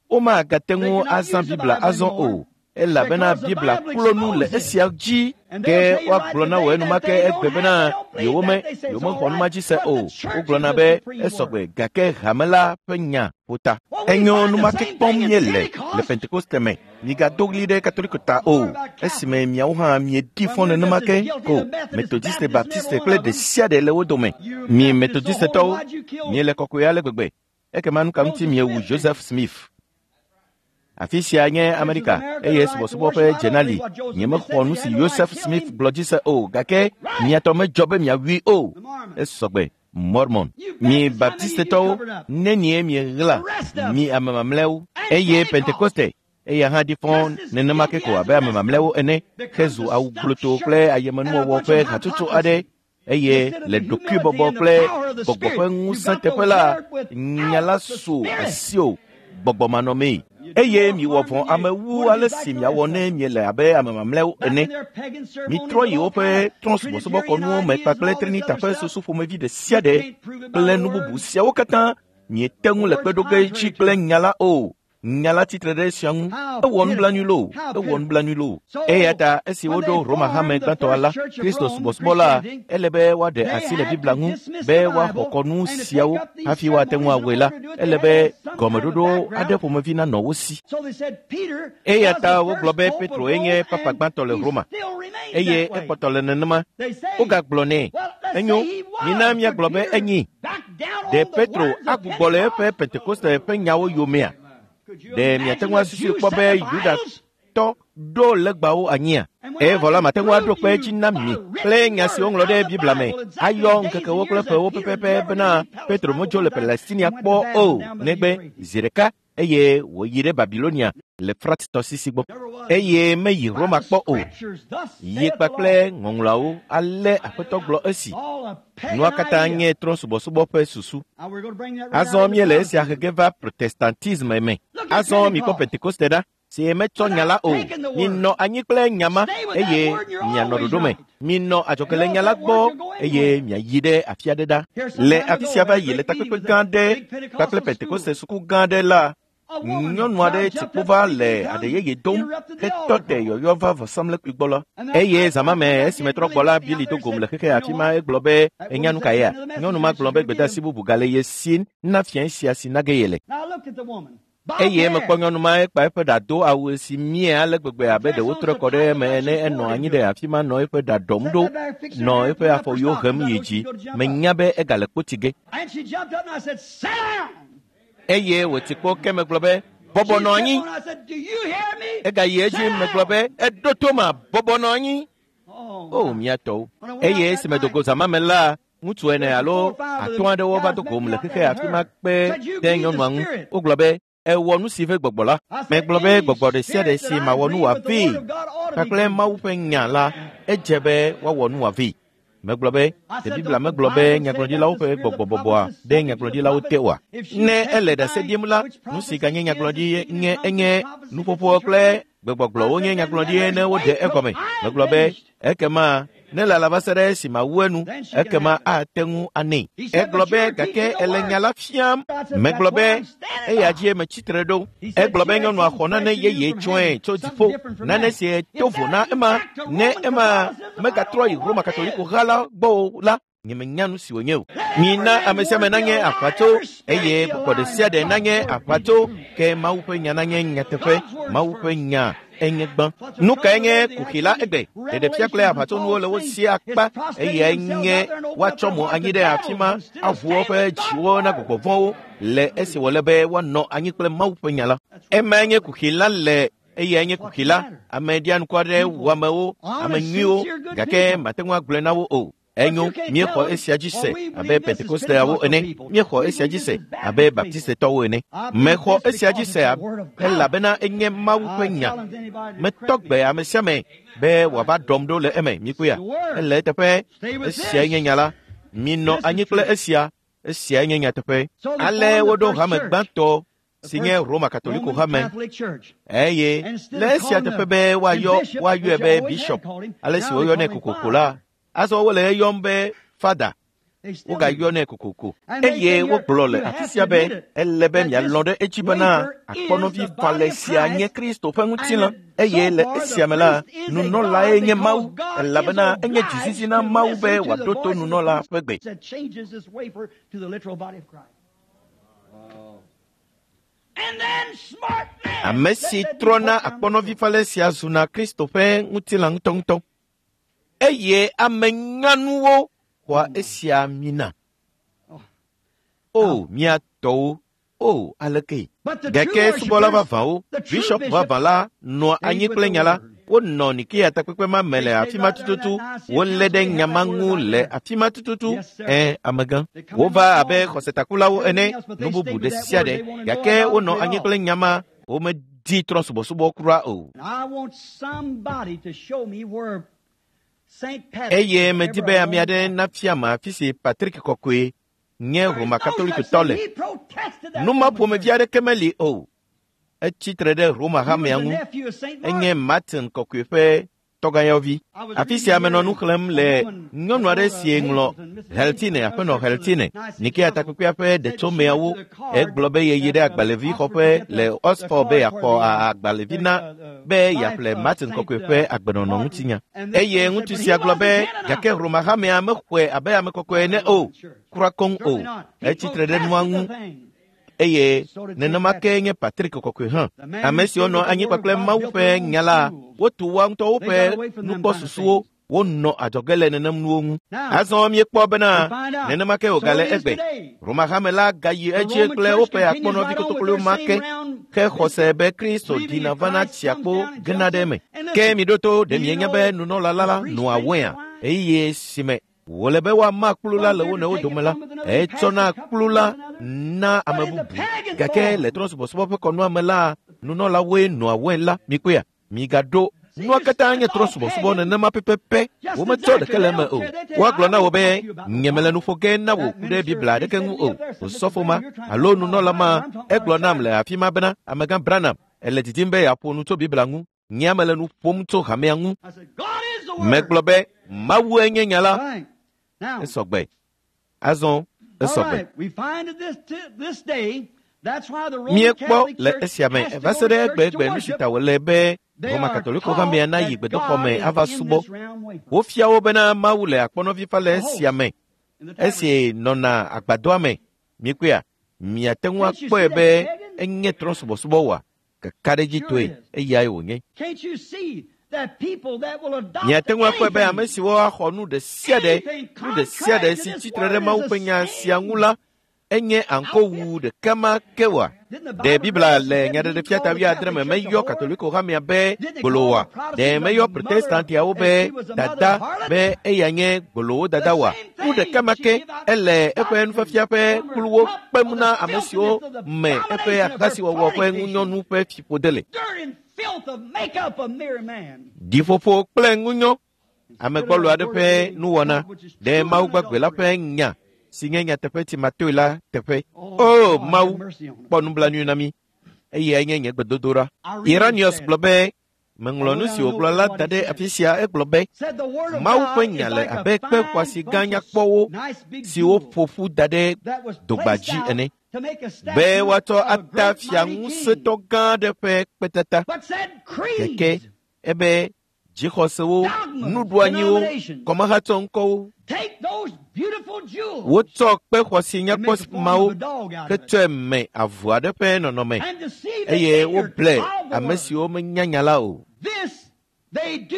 Womagate ŋu azã Biblia azɔ o, elabena Biblia klo nu le esia dzi. Ke woagblɔ na wò enumake egbe bena yewome yewomexɔ numa dzi se o. Wogblɔna be esɔgbe gake hame la ƒe nya ƒo ta. Enyo numake kpɔm míele le Pentekoste me. Migado ɣli ɖe Katoliko ta o, esime miawo hã miedi fɔ nenema ke ko Methodiste, Baptiste kple ɖe sia ɖe le wo dome. Mi Methodistetɔwo, miele kɔkɔe ale gbegbe. Ekema nu ka ŋuti miewu Joseph Smith? Afi sia nye Amerika eye subɔsubɔ ƒe dzena li. Nyemexɔ nu si Joseph Smith gblɔ dzi se o, gake miatɔ medzɔ be miawui o. Esɔgbe Mormon. Mi Baptistetɔwo, nenie mieɣla mi ame mamlɛawo eye Pentekoste eya hã ɖi fɔ nenema ke ko abe ame mamlɛawo ene hezu awu gblotoo kple ayemenuwɔwɔ ƒe hatsotso aɖe eye le ɖokuibɔbɔ kple gbɔgbɔ ƒe ŋusẽ teƒe la, nya la su asiwò gbɔgbɔmanɔmee. Eye miwɔ vɔ̃ ame wu ale si miawɔ ne miele abe ame mamlɛawo ene. Mitrɔ yi woƒe trɔ̃subɔsubɔkɔnuwo me kpakple Trinita ƒe susu ƒomevi ɖe sia ɖe kple nu bubu siawo katã miete ŋu le kpeɖoge dzi kple nya la o. Nya la tsitre ɖe esia ŋu. Ewɔ nublanui loo, ewɔ nublanui loo. Eya ta esi woɖo Roma hame gbãtɔa la, Kristo subɔsubɔla, ele be woaɖe asi le Biblia ŋu be woaxɔ kɔnu siawo hafi woate ŋu awɔe la, ele be gɔmeɖoɖo aɖe ƒomevi nanɔ wo si. Eya ta wogblɔ be Petro nye papa gbãtɔ le Roma eye ekpɔtɔ le nenema. Wogagblɔ nɛ, enyo, mina míagblɔ be enyi. Ɖe Petro agbugbɔ le eƒe Pentekoste ƒe nyawo yomea? Ɖe miate ŋu asusui kpɔ be Yudatɔ ɖo legbawo anyia? Evɔ la mate ŋu aɖo kpe edzi na mi kple nya si woŋlɔ ɖe Biblia me ayɔ ŋkekewo kple ƒewo pɛpɛpɛ bena Petro medzo le Palestinia kpɔ o negbe zi ɖeka eye wòyi ɖe Babilonia le Frat tɔsisi gbɔ eye meyi Roma kpɔ o. Yi kpakple ŋɔŋlɔawo ale Aƒetɔ gblɔ esi. Nua katã nye trɔ̃subɔsubɔ ƒe susu. Azɔ míele esia he ge va Protestantisme me. Azɔ mikpɔ Pentekoste ɖa, si metsɔ nya la o. Minɔ anyi kple nya ma eye mianɔ ɖoɖo me. Minɔ adzɔge le nya la gbɔ eye miayi ɖe afi aɖe ɖa. Le afi sia va yi le takpekpe gã aɖe kpakple Pentekoste suku gã aɖe la, nyɔnu aɖe tsi kpo va le aɖe yeye dom hetɔ te yɔyɔ va vɔsamlekpui gbɔ la. Eye zã me esime trɔ gbɔ la, Bili do gom le xexe afi ma egblɔ be enya nu ka yea? Nyɔnu ma gblɔ be gbedeasi bubu gale ye si na fia sia si na ge ye le. Eye mekpɔ nyɔnu ma ekpa eƒe ɖa do awu si mie ale gbegbe abe ɖe wotrɔe kɔ ɖe eme ene enɔ anyi ɖe afi ma nɔ eƒe ɖa ɖɔm ɖo nɔ eƒe afɔwuiwo hem yi dzi. Menya be egale kpoti ge. Eye wòtsi kpo ke megblɔ be bɔbɔ nɔ anyi. Egayi edzi megblɔ be eɖo to ma bɔbɔ nɔ anyi. O mía tɔwo. Eye esime do go zã ma me la, ŋutsu ene alo atɔ̃ aɖewo va do gom le xexe afi ma kpe ɖe nyɔnua ŋu. Wogblɔ be Ewɔ nu si ve gbɔgbɔ la. Megblɔ be gbɔgbɔ ɖe sia ɖe si mawɔ nu wòavee kpakple Mawu ƒe nya la, edze be woawɔ nu wòavee. Megblɔ be, ɖe Biblia megblɔ be nyagblɔɖilawo ƒe gbɔgbɔbɔbɔa ɖe nyagblɔɖilawo te oa? Ne ele ɖase ɖim la, nu si ganye nyagblɔɖi nye enye nuƒoƒo kple gbegbɔgblɔwo nye nyagblɔɖi ne woɖe egɔme. Megblɔ be, ekema ne lala va se ɖe esi mawu enu, ekema ate ŋu anɛ. Egblɔ be gake ele nya la fiam. Megblɔ be eya dzie metsitre ɖo. Egblɔ be nyɔnua xɔ nane yeye tsɔe tso dziƒo, nane si to vo na ema. Ne ema megatrɔ yi Roma Katoliko ha la gbɔ o la, nyemenya nu si wònye o. Mina ame sia ame nanye aʋatso eye gbɔgbɔ ɖe sia ɖe nanye aʋatso, ke Mawu ƒe nya nanye nyateƒe. Mawu ƒe nya enye gbã. Nu kae nye kuxi la egbe? Ɖeɖefia kple aʋatsonuwo le wo si akpa eye nye woatsɔ mo anyi ɖe afi ma aʋu woƒe dziwo na gbɔgbɔ vɔ̃wo le esi wòle be woanɔ anyi kple Mawu ƒe nya la. Emae nye kuxi la le eyae nye kuxi la. Ame ɖianuku aɖe wu amewo, ame nyuiwo, gake mate ŋu agblɔe na wo o. Enyo, míexɔ esia dzi se abe Pentekosteawo ene, míexɔ esia dzi se abe Baptistetɔwo ene. Mexɔ esia dzi se elabena enye Mawu ƒe nya. Metɔ gbe ame sia ame be wòava ɖɔm ɖo le eme, mikpɔea? Ele eteƒe, esiae nye nya la. Minɔ anyi kple esia, esiae nye nyateƒe. Ale woɖo hame gbãtɔ si nye Roma Katoliko hame, eye le esia teƒe be woayɔ woayɔe be bishop, ale si woyɔnɛ kokoko la, azɔ wole eyɔm be fada, wogayɔnɛ kokoko. Eye wogblɔ le afi sia be ele be mialɔ̃ ɖe edzi bena akpɔnɔvi falɛ sia nye Kristo ƒe ŋutilã, eye le esia me la, nunɔlae nye Mawu, elabena enye dzizizi na Mawu be wòaɖo to nunɔla ƒe gbe. Ame si trɔna akpɔnɔvi falɛ sia zuna Kristo ƒe ŋutilã ŋutɔŋutɔ. Eye ame nyanuwo xɔa esia mina. O, mía tɔwo, o, aleke. Gake subɔla vavãwo, bishop vavã la nɔa anyi kple nya la. Wonɔ Nikea takpekpe ma me le afi ma tututu. Wolé ɖe nya ma ŋu le afi ma tututu. Ẽ, amegã. Wova abe xɔsetakulawo ene, nu bubu ɖe sia ɖe. Gake wonɔ anyi kple nya ma, womedi trɔ̃subɔsubɔ kura o. Eye medi be ame aɖe nafia me afi si Patrick Kɔkɔe nye Roma Katolikotɔ le. Nu ma ƒomevi aɖeke meli o. Etsi tre ɖe Roma hamea ŋu. Enye Martin Kɔkɔe ƒe tɔgãyɔvi. Afi sia menɔ nu xlẽm le nyɔnu aɖe si ŋlɔ Heltine, aƒenɔ Heltine, Nikea takpekpea ƒe ɖetsomeawo. Egblɔ be yeyi ɖe agbalẽvixɔƒe le Oxford be yeaxɔ agbalẽvi na be yeaƒle Martin Kɔkɔe ƒe agbenɔnɔ ŋutinya. Eye ŋutsu sia gblɔ be gake Roma hamea mexɔe abe ame kɔkɔe ene o, kura koŋ o. Etsi tre ɖe nua ŋu. Eye nenema ke nye Patrick Kɔkɔe hã. Ame siwo nɔ anyi kpakple Mawu ƒe nya la, wotu woa ŋutɔwo ƒe nukpɔsusuwo, wonɔ adzɔge le nenem nuwo ŋu. Azɔ míekpɔ bena nenema ke wògale egbe. Roma hame la gayi edzi kple woƒe akpɔnɔvi kotoklowo ma ke, ke xɔse be Kristo ɖina vana tsia kpo gena ɖe eme. Ke miɖo to, ɖe mienya be nunɔla la nɔa wɔea eye si me wòle be woama kplu la le wo nɔewo dome la, etsɔna kplu la na ame bubu. Gake le trɔ̃subɔsubɔ ƒe kɔnua me la, nunɔlawoe nɔa wɔe la. Mikpɔea? Migaɖo nua katã nye trɔ̃subɔsubɔ nenema pɛpɛpɛ. Wometsɔ ɖeke le eme o. Woagblɔ na wò be nyemele nu ƒo ge na wò ku ɖe Biblia aɖeke ŋu o. Osɔfo ma alo nunɔla ma egblɔ nam le afi ma bena amegã Branham ele didim be yeaƒo nu tso Biblia ŋu. Nye mele nu ƒom tso hamea ŋu. Megblɔ be Mawue nye nya la. Esɔgbe. Azɔ esɔgbe. Míekpɔ le esia me va se ɖe egbegbe nu si ta wòle be Roma Katoliko hamea nayi gbedoxɔ me ava subɔ. Wofia wo bena Mawu le akpɔnɔvi falɛ esia me, esi nɔna agbadɔa me. Mikpɔea? Miate ŋu akpɔe be enye trɔ̃subɔsubɔ oa? Kakaɖedzitɔe eyae wònye. Miate ŋu akpɔe be ame siwo axɔ nu ɖe sia ɖe, nu ɖe sia ɖe si tsitre ɖe Mawu ƒe nya sia ŋu la, Enye aŋkowu ɖeka ma ke oa? Ɖe Biblia le Nyaɖeɖefia ta wuiadre me meyɔ Katoliko hamea be gbolowoa? Ɖe meyɔ Protestantiawo be dada be eya nye gbolowo dada oa? Nu ɖeka ma ke ele eƒe nufiafia ƒe kpluwo kpem na ame siwo me eƒe ahasiwɔwɔ ƒe ŋunyɔnu ƒe fiƒode le. Ɖiƒoƒo kple ŋunyɔ ame gbɔlo aɖe ƒe nuwɔna ɖe Mawu gbagbe la ƒe nya si nye nyateƒe tsimatoe la teƒe. O Mawu, kpɔ nublanui na mí. Eyae nye nye gbedodoɖa. Irenaeus gblɔ be, meŋlɔ nu si wògblɔ la da ɖe afi sia. Egblɔ be, Mawu ƒe nya le abe kpe xɔasi gã nyakpɔwo siwo ƒo ƒu da ɖe dogba dzi ene, be woatsɔ ata fia ŋusẽtɔ gã aɖe ƒe kpetata. Gake ebe dzixɔsewo, nuɖoanyiwo, kɔmahatsɔ ŋkɔwo, wotsɔ kpe xɔasi nyakpɔ mawo hetsɔe me avu aɖe ƒe nɔnɔme, eye woble ame siwo menya nya la o.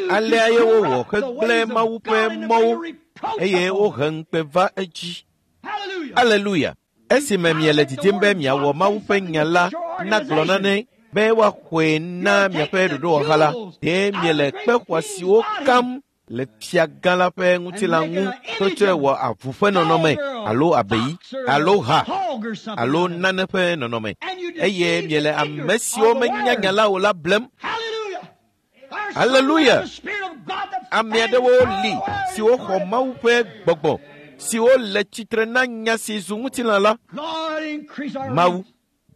Alea ye wowɔ hegblẽ Mawu ƒe mɔwo, eye wohe ŋukpe va edzi. Aleluya! Esime miele didim be miawɔ Mawu ƒe nya la nagblɔ nane be woaxɔe na miaƒe ɖoɖowɔha la, ɖe miele kpe xɔasiwo kam le fia gã la ƒe ŋutilã ŋu hetsɔe wɔ avu ƒe nɔnɔme alo abeyi alo ha alo nane ƒe nɔnɔme, eye miele ame siwo menya nya la o la blem. Aleluya! Ame aɖewo li siwo xɔ Mawu ƒe gbɔgbɔ, siwo le tsitre na nya si zu ŋutilã la. Mawu,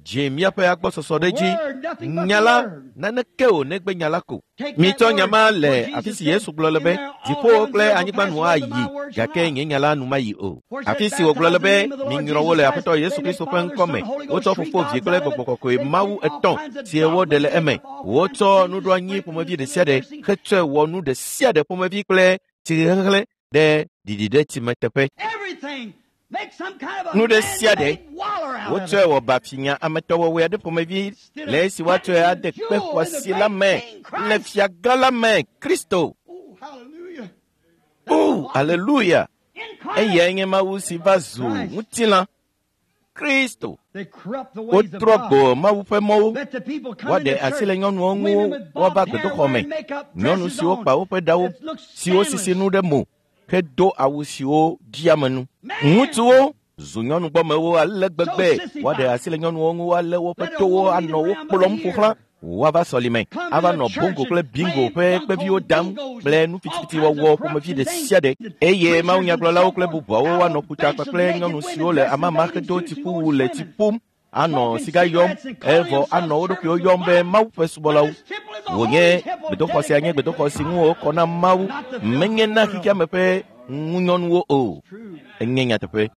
dzi míaƒe agbɔsɔsɔ ɖe dzi. Nya la, naneke o negbe nya la ko. Mitsɔ nya ma le afi si Yesu gblɔ le be, dziƒowo kple anyigba nu ayi, gake nye nya la nu mayi o. Afi si wògblɔ le be, minyrɔ wo le Aƒetɔ Yesu Kristo ƒe ŋkɔ me. Wotsɔ Fofo, Vi kple Gbɔgbɔ Kɔkɔe Mawu etɔ̃ si woɖe le eme. Wotsɔ nuɖoanyi ƒomevi ɖe sia ɖe hetsɔe wɔ nu ɖe sia ɖe ƒomevi kple tsihehlẽ ɖe ɖiɖiɖetsime teƒe. Nu ɖe sia ɖe wotsɔe wɔ bafinya ametɔwɔwɔe aɖe ƒomevi le esi woatsɔe ade kpe xɔasi la me le fia gã la me, Kristo. O, aleluya! Eyae nye Mawu si va zu ŋutilã, Kristo. Wotrɔ gbo Mawu ƒe mɔwo. Woaɖe asi le nyɔnuwo ŋu woava gbedoxɔ me. Nyɔnu siwo kpa woƒe ɖawo, siwo sisi nu ɖe mo, hedo awu siwo ɖi ame nu. Ŋutsuwo zu nyɔnugbɔmewo ale gbegbe. Woaɖe asi le nyɔnuwo ŋu woalé woƒe towo anɔ wo kplɔm ƒo xlã. Woava sɔlime, ava nɔ bongo kple bingo ƒe kpeviwo dam kple nu fitifitiwɔwɔ ƒomevi ɖe sia ɖe. Eye mawunyagblɔlawo kple bubuawo woanɔ ƒuta kpakple nyɔnu siwo le amama hedo tsiƒuwu le tsi ƒum, anɔ siga yɔm, evɔ anɔ wo ɖokuiwo yɔm be Mawu ƒe subɔlawo. Wònye gbedoxɔ sia nye gbedoxɔ si ŋu wokɔ na Mawu, menye na xexeame ƒe ŋunyɔnuwo o. Enye nyateƒe.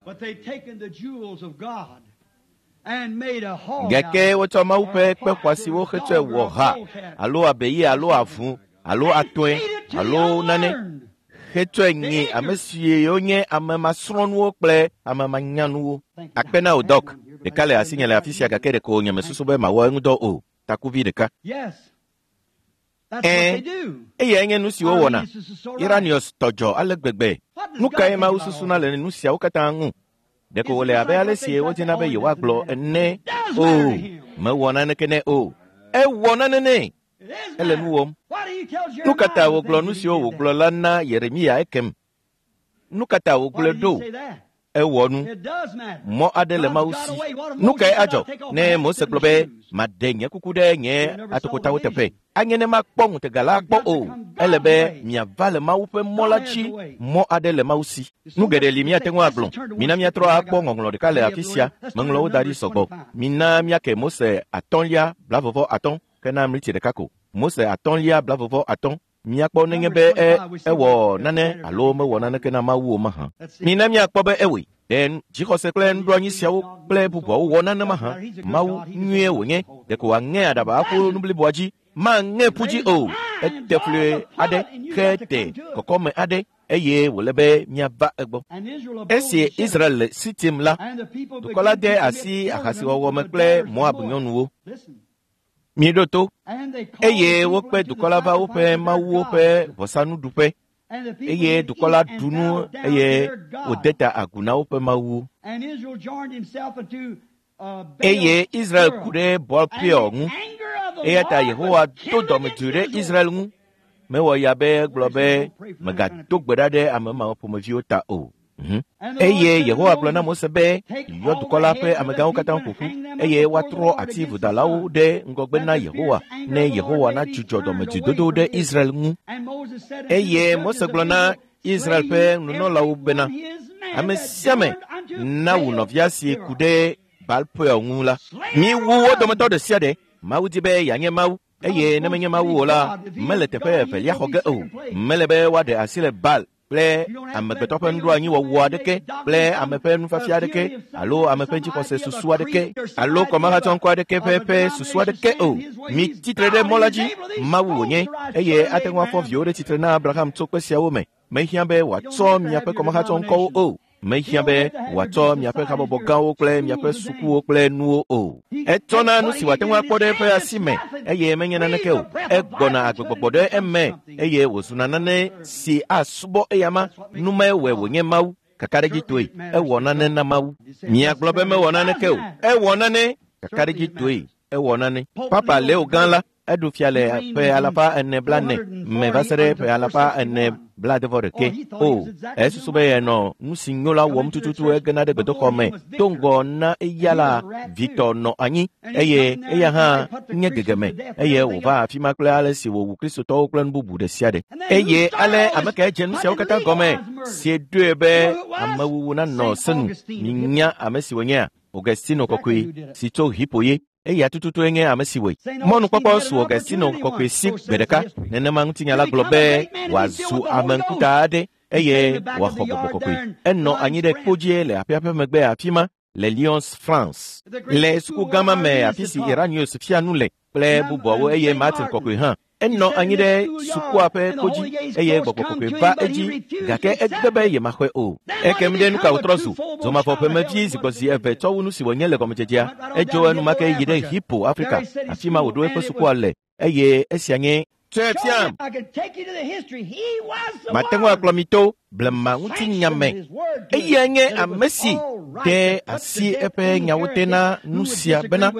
Gake wotsɔ Mawu ƒe kpe xɔasiwo hetsɔe wɔ ha alo abeyi alo avu alo atɔe alo nane hetsɔe nyi ame siwo nye ame masrɔ̃nuwo kple ame manyanuwo. Akpe na wò Dɔk. Ɖeka le asinye le afi sia gake ɖeko nye mesusu be mawɔ eŋudɔ o. Takuvi ɖeka. Ɛ̃, eyae nye nu si wowɔna. Irenaeus tɔ dzɔ ale gbegbe. Nu kae Mawu susuna le nu siawo katã ŋu? Ɖeko wòle abe ale si wodina be yewoagblɔ ene. O, mewɔ naneke nɛ o. Ewɔ nane nɛ. Ele nu wɔm. Nu ka ta wògblɔ nu siwo wògblɔ la na Yeremia ekem? Nu ka ta wògblɔe ɖo? Ewɔ nu. Mɔ aɖe le Mawu si. Nu kae adzɔ ne Mose gblɔ be, maɖe nye kuku ɖe nye atokotawo teƒe? Anye ne makpɔ ŋutega la kpɔ o. Ele be miava le Mawu ƒe mɔ la dzi. Mɔ aɖe le Mawu si. Nu geɖe li míate ŋu agblɔ. Mina míatrɔ akpɔ ŋɔŋlɔ ɖeka le afi sia. Meŋlɔ wo da ɖi sɔgbɔ. Mina míake Mose atɔ̃lia blavɔvɔ atɔ̃ kena mliti ɖeka ko. Mose atɔ̃lia blavɔvɔ atɔ̃. Míakpɔ nenye be e ewɔ nane alo mewɔ naneke na Mawu o mahã. Mina míakpɔ be ewɔe. Ɖe dzixɔse kple nuɖoanyi siawo kple bubuawo wɔ nane mahã. Mawu nyuie wònye. Ɖeko wòaŋe aɖaba aƒu nu bliboa dzi. Maŋe ƒu dzi o. Ete fli aɖe hete kɔkɔme aɖe eye wòle be míava egbɔ. Esi Israel le Sitim la, dukɔ la de asi ahasiwɔwɔ me kple Moab nyɔnuwo. Miɖo to. Eye wokpe dukɔ la va woƒe mawuwo ƒe vɔsanuɖuƒe. Eye dukɔ la ɖu nu eye wòde ta agu na woƒe mawu. Eye Israel ku ɖe Baal Peor ŋu. Eya ta Yehowa do dɔmedzoe ɖe Israel ŋu. Mewɔ ya be egblɔ be mègado gbe ɖa ɖe ame mawo ƒomeviwo ta o. Eye Yehowa gblɔ na Mose be, yɔ dukɔ la ƒe amegãwo katã ƒo ƒu, eye woatrɔ ati vodalawo ɖe ŋgɔgbe na Yehowa, ne Yehowa nadzudzɔ dɔmedzoedodo ɖe Israel ŋu. Eye Mose gblɔ na Israel ƒe nunɔlawo bena, ame sia ame nawu nɔvia si ku ɖe Baal Peor ŋu la. Miwu wo dometɔ ɖe sia ɖe. Mawu di be yeanye Mawu, eye ne menye Mawu o la, mele teƒe evelia xɔ ge o. Mele be woaɖe asi le Baal kple amegbetɔ ƒe nuɖoanyiwɔwɔ aɖeke kple ame ƒe nufiafia aɖeke alo ame ƒe dzixɔse susu aɖeke alo kɔmahatsɔŋkɔ aɖeke ƒe ƒe susu aɖeke o. Mi tsitre ɖe mɔ la dzi, Mawu wònye, eye ate ŋu afɔ viwo ɖe tsitre na Abraham tso kpe siawo me. Mehiã be wòatsɔ miaƒe kɔmahatsɔŋkɔwo o. Mehiã be wòatsɔ miaƒe habɔbɔ gãwo kple miaƒe sukuwo kple nuwo o. Etsɔna nu si wòate ŋu akpɔ ɖe eƒe asi me, eye menye naneke o. Egbɔna agbegbɔgbɔ ɖe eme, eye wòzuna nane si asubɔ eyama. Numae wɔe wònye Mawu. Kakaɖedzitɔe, ewɔ nane na Mawu. Miagblɔ be mewɔ naneke o. Ewɔ nane. Kakaɖedzitɔe, ewɔ nane. Papa Leo gã la, eɖu fia le ƒe alafa ene blaene me va se ɖe ƒe alafa ene blaadevɔ ɖeke. O, esusu be yenɔ nu si nyo la wɔm tututu egena ɖe gbedoxɔ me do ŋgɔ na eya la vitɔ nɔ anyi, eye eya hã nye gegeme, eye wòva afi ma kple ale si wòwu kristotɔwo kple nu bubu ɖe sia ɖe. Eye ale ame kae dze nu siawo katã gɔme si ɖoe be amewuwu nanɔ senu. Minya ame si wònyea? Augustino kɔkɔe si tso Hippo ye. Eya tututue nye ame si wɔe. Mɔnukpɔkpɔ su Augustino kɔkɔe si gbe ɖeka. Nenema ŋutinya la gblɔ be wòazu ame ŋkuta aɖe eye wòaxɔ gbɔgbɔ kɔkɔe. Enɔ anyi ɖe kpodzie le aƒea ƒe megbe afi ma le Lyons, France. Le suku gã ma me afi si Irenaeus fia nu le kple bubuawo eye Martin kɔkɔe hã. Enɔ anyi ɖe sukua ƒe kpodzi eye gbɔgbɔ kɔkɔe va edzi, gake egbe be yemaxɔe o. Ekem ɖe nu ka wòtrɔ zu? Zomavɔ ƒemevi zigbɔzi eve tsɔ wu nu si wònye le gɔmedzedzea. Edzo enumake yi ɖe Hippo, Afrika, afi ma wòɖo eƒe sukua le, eye esia nye tsɔe fiam. Mate ŋu akplɔ mi to blema ŋutinya me. Eyae nye ame si de asi eƒe nyawo te na nu sia bena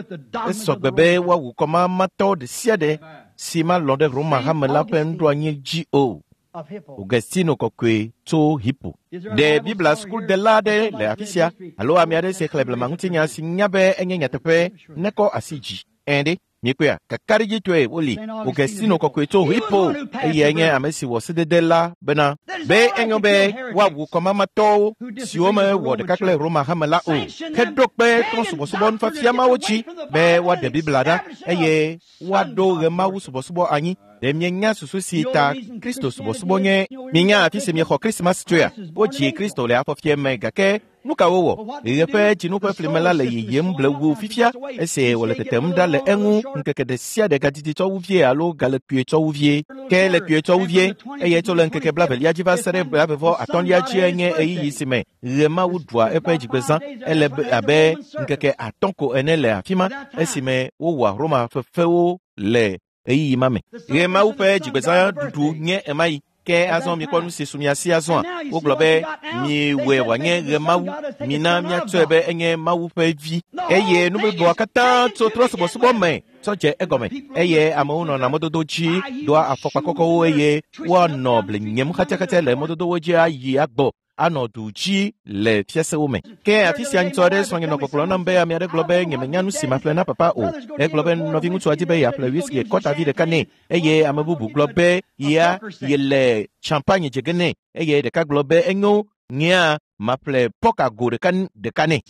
esɔgbe be woawu kɔmamatɔ ɖe sia ɖe si malɔ̃ ɖe Roma hame la ƒe nuɖoanyi dzi o. Augustino kɔkɔe tso Hippo. Ɖe Biblia sukudela aɖe le afi sia alo ame aɖe si xlẽ blema ŋutinya si nya be enye nyateƒe nekɔ asi dzi. Ẽ ɖe, miekpɔea? Kakaɖedzitɔe woli. Augustino kɔkɔe tso Hippo, eyae nye ame si wɔ sedede la bena be enyo be woawu kɔmamatɔwo siwo mewɔ ɖeka kple Roma hame la o, heɖo kpe trɔ̃subɔsubɔ nufiafia mawo dzi be woaɖe Biblia ɖa eye woaɖo ɣemawu subɔsubɔ anyi. Ɖe mienya susu si ta Kristo subɔsubɔ nye? Minya afi si miexɔ Krismas tsoea? Wodzi Kristo le afɔfie me, gake nu ka wowɔ? Ɣe ƒe dzinu ƒe flime la le yiyim blewu fifia, esi wòle tetem ɖa le eŋu ŋkeke ɖe sia ɖe gadidi tsɔ wu vie alo gale kpuie tsɔ wu vie. Ke le kpuie tsɔ wu vie, eye tso le ŋkeke blavelia dzi va se ɖe blavevɔ atɔ̃lia dzie nye ɣeyiɣi si me ɣemawu ɖua eƒe dzigbezã. Ele abe ŋkeke atɔ̃ ko ene le afi ma esime wowɔa Roma fefewo le ɣeyiɣi ma me. Ɣemawu ƒe dzigbezã ɖuɖu nye emayi. Ke azɔ mikpɔ nu si su mia si azɔa? Wogblɔ be miwɔe wòanye ɣemawu, mina míatsɔe be enye Mawu ƒe vi. Eye nu bubuawo katã tso trɔ̃subɔsubɔ me tsɔ dze egɔme. Eye amewo nɔna mɔdodo dzi doa afɔkpa kɔkɔwo eye woanɔ bli nyem xatsaxatsa le mɔdodowo dzi ayi agbɔ anɔ du dzi le fiasewo me. Ke afi sia ŋutsu aɖe srɔ̃nye nɔ gbɔgblɔm nam be ame aɖe gblɔ be nyemenya nu si maƒle na papa o. Egblɔ be nɔviŋutsua di be yeaƒle whisky kɔtavi ɖeka nɛ, eye ame bubu gblɔ be ya yele champagne dze ge nɛ, eye ɖeka gblɔ be enyo nyea maƒle pɔka go ɖeka ɖeka nɛ.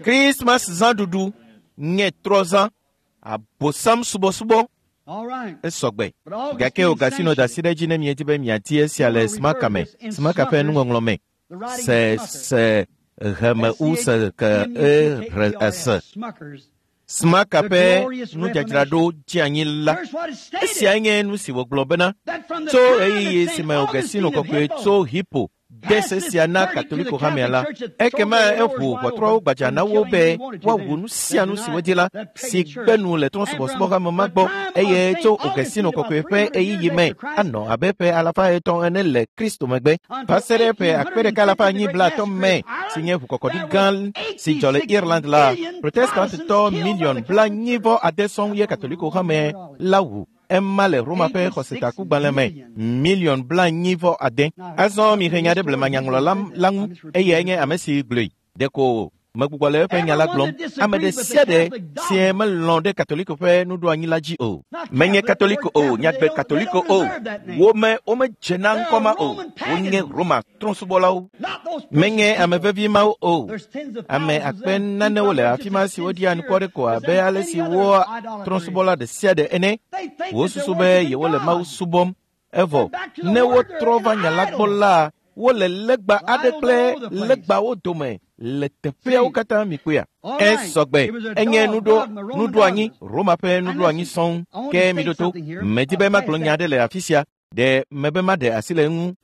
Krismas zãɖuɖu nye trɔzã, abosam subɔsubɔ. Esɔgbe. Gake Augustino da asi ɖe edzi ne miedi be miadi esia le Smaka me, Smaka ƒe nuŋɔŋlɔ me. Se se heme u se ke e re ese. Smaka ƒe nudzadzraɖo dze anyi la. Esiae nye nu si wògblɔ bena tso ɣeyiɣi si me Augustino kɔkɔe tso Hippo Ede se sia na Katoliko hamea la. Ekema eʋu ʋɔtrɔwo gbadza na wo be woawu nu sia nu si wodi la, si gbe nu le trɔ̃subɔsubɔhame ma gbɔ eye tso Augustino kɔkɔe ƒe ɣeyiɣi me anɔ abe ƒe alafa etɔ̃ ene le Kristo megbe va se ɖe ƒe akpe ɖeka alafa anyi blaatɔ̃ me si nye ʋukɔkɔɖi gã si dzɔ le Ireland la, Protestantitɔ miliɔn blaenyi vɔ ade sɔŋ ye Katoliko hame la wu. Ema le Roma ƒe xɔsetakugbalẽ me miliɔn blaenyi vɔ ade. Azɔ mihe nya ɖe blemanyaŋlɔla la ŋu eyae nye ame si gblɔe. Ɖeko megbugbɔ le eƒe nya la gblɔm. Ame ɖe sia ɖe si melɔ̃ ɖe Katoliko ƒe nuɖoanyi la dzi o. Menye Katoliko o, nyagbe Katoliko o. Wome womedze na ŋkɔ ma o. Wonye Roma trɔ̃subɔlawo. Menye ame vevi mawo o. Ame akpe nanewo le afi ma si woɖia anukware ko abe ale si woa trɔ̃subɔla ɖe sia ɖe ene. Wosusu be yewole Mawu subɔm. Evɔ ne wotrɔ va nya la gbɔ la, wole legba aɖe kple legbawo dome le teƒeawo katã mi kpɔea. Esɔgbe enye nuɖo nuɖoanyi Roma ƒe nuɖoanyi sɔŋ. Ke mi ɖo to, medi be magblɔ nya aɖe le afi sia. Ɖe mebe maɖe asi le eŋu.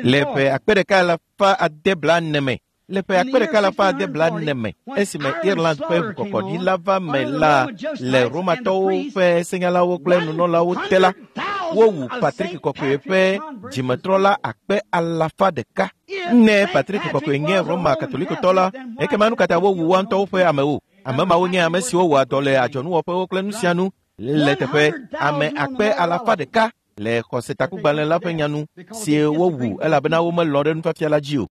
Le ƒe akpe ɖeka alafa ade blaene me, le ƒe akpe ɖeka alafa ade blaene me, esime Ireland ƒe ʋukɔkɔɖi la va me la le Romatɔwo ƒe senyalawo kple nunɔlawo te la, wowu Patrick Kɔkɔe ƒe dzimetrɔla akpe alafa ɖeka. Ne Patrick Kɔkɔe nye Roma Katolikotɔ la, ekema nu katã wowu woa ŋutɔwo ƒe amewo. Ame mawo nye ame siwo wɔa dɔ le adzɔnuwɔƒewo kple nu sia nu le teƒe ame akpe alafa ɖeka le xɔsetakugbalẽ la ƒe nyanu si wowu elabena womelɔ̃ ɖe nufiafia la dzi o.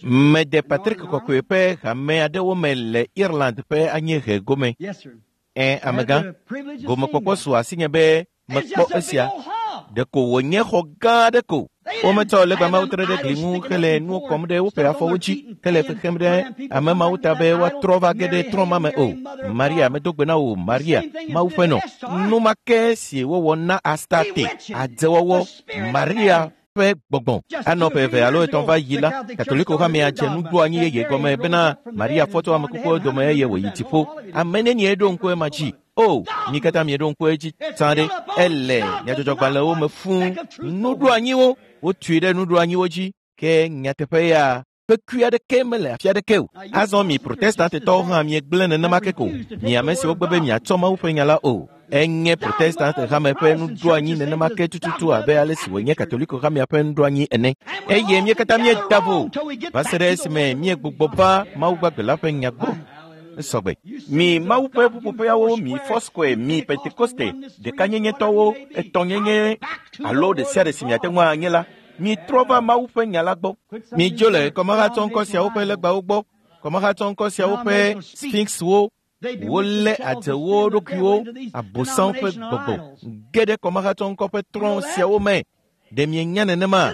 Mede Patrick Kɔkɔe ƒe hame aɖewo me le Ireland ƒe anyiehe gome. Ẽ, amegã, gomekpɔkpɔ su asinye be mekpɔ esia. Ɖeko wònye xɔ gã aɖe ko. Wometsɔ legba mawo tre ɖe gli ŋu hele nuwo kɔm ɖe woƒe afɔwo dzi hele fexem ɖe ame mawo ta be woatrɔ va ge ɖe trɔ̃ ma me o. Maria medo gbe na wò, Maria, Mawu ƒe nɔ. Nu ma ke si wowɔ na Astarte, adzewɔwɔ, Maria ƒe gbɔgbɔ. Anɔ ƒe eve alo etɔ̃ va yi la, Katoliko hamea dze nuɖoanyi yeye gɔme bena Maria fɔ tso ame kukuwo dome eye wòyi dziƒo. Ame nenie ɖo ŋku ema dzi? O, mi katã mieɖo ŋku edzi tsã ɖe. Ele nyadzɔdzɔgbalẽwo me fũu. Nuɖoanyiwo, wotui ɖe nuɖoanyiwo dzi. Ke nyateƒe ya ƒe kui aɖeke mele afi aɖeke o. Azɔ mi Protestantetɔwo hã miegblẽ nenema ke ko. Mi ame siwo gbe be miatsɔ Mawu ƒe nya la o. Enye Protestant hame ƒe nuɖoanyi nenema ke tututu abe ale si wònye Katoliko hamea ƒe nuɖoanyi ene. Eye mí katã míeda vo va se ɖe esime míegbugbɔ va Mawu gbagbe la ƒe nya gbɔ. Esɔgbe. Mi Mawu ƒe ƒuƒoƒeawo, mi Foursquare, mi Pentekoste, ɖekanyenyetɔwo, etɔ̃nyenye alo ɖe sia ɖe si miate ŋu anye la, mitrɔ va Mawu ƒe nya la gbɔ. Midzo le kɔmahatsɔŋkɔ siawo ƒe legbawo gbɔ, kɔmahatsɔŋkɔ siawo ƒe sphinxwo, wolé adze wo ɖokuiwo, abosam ƒe gbɔgbɔ ge ɖe kɔmahatsɔŋkɔ ƒe trɔ̃ siawo me. Ɖe mienya nenema?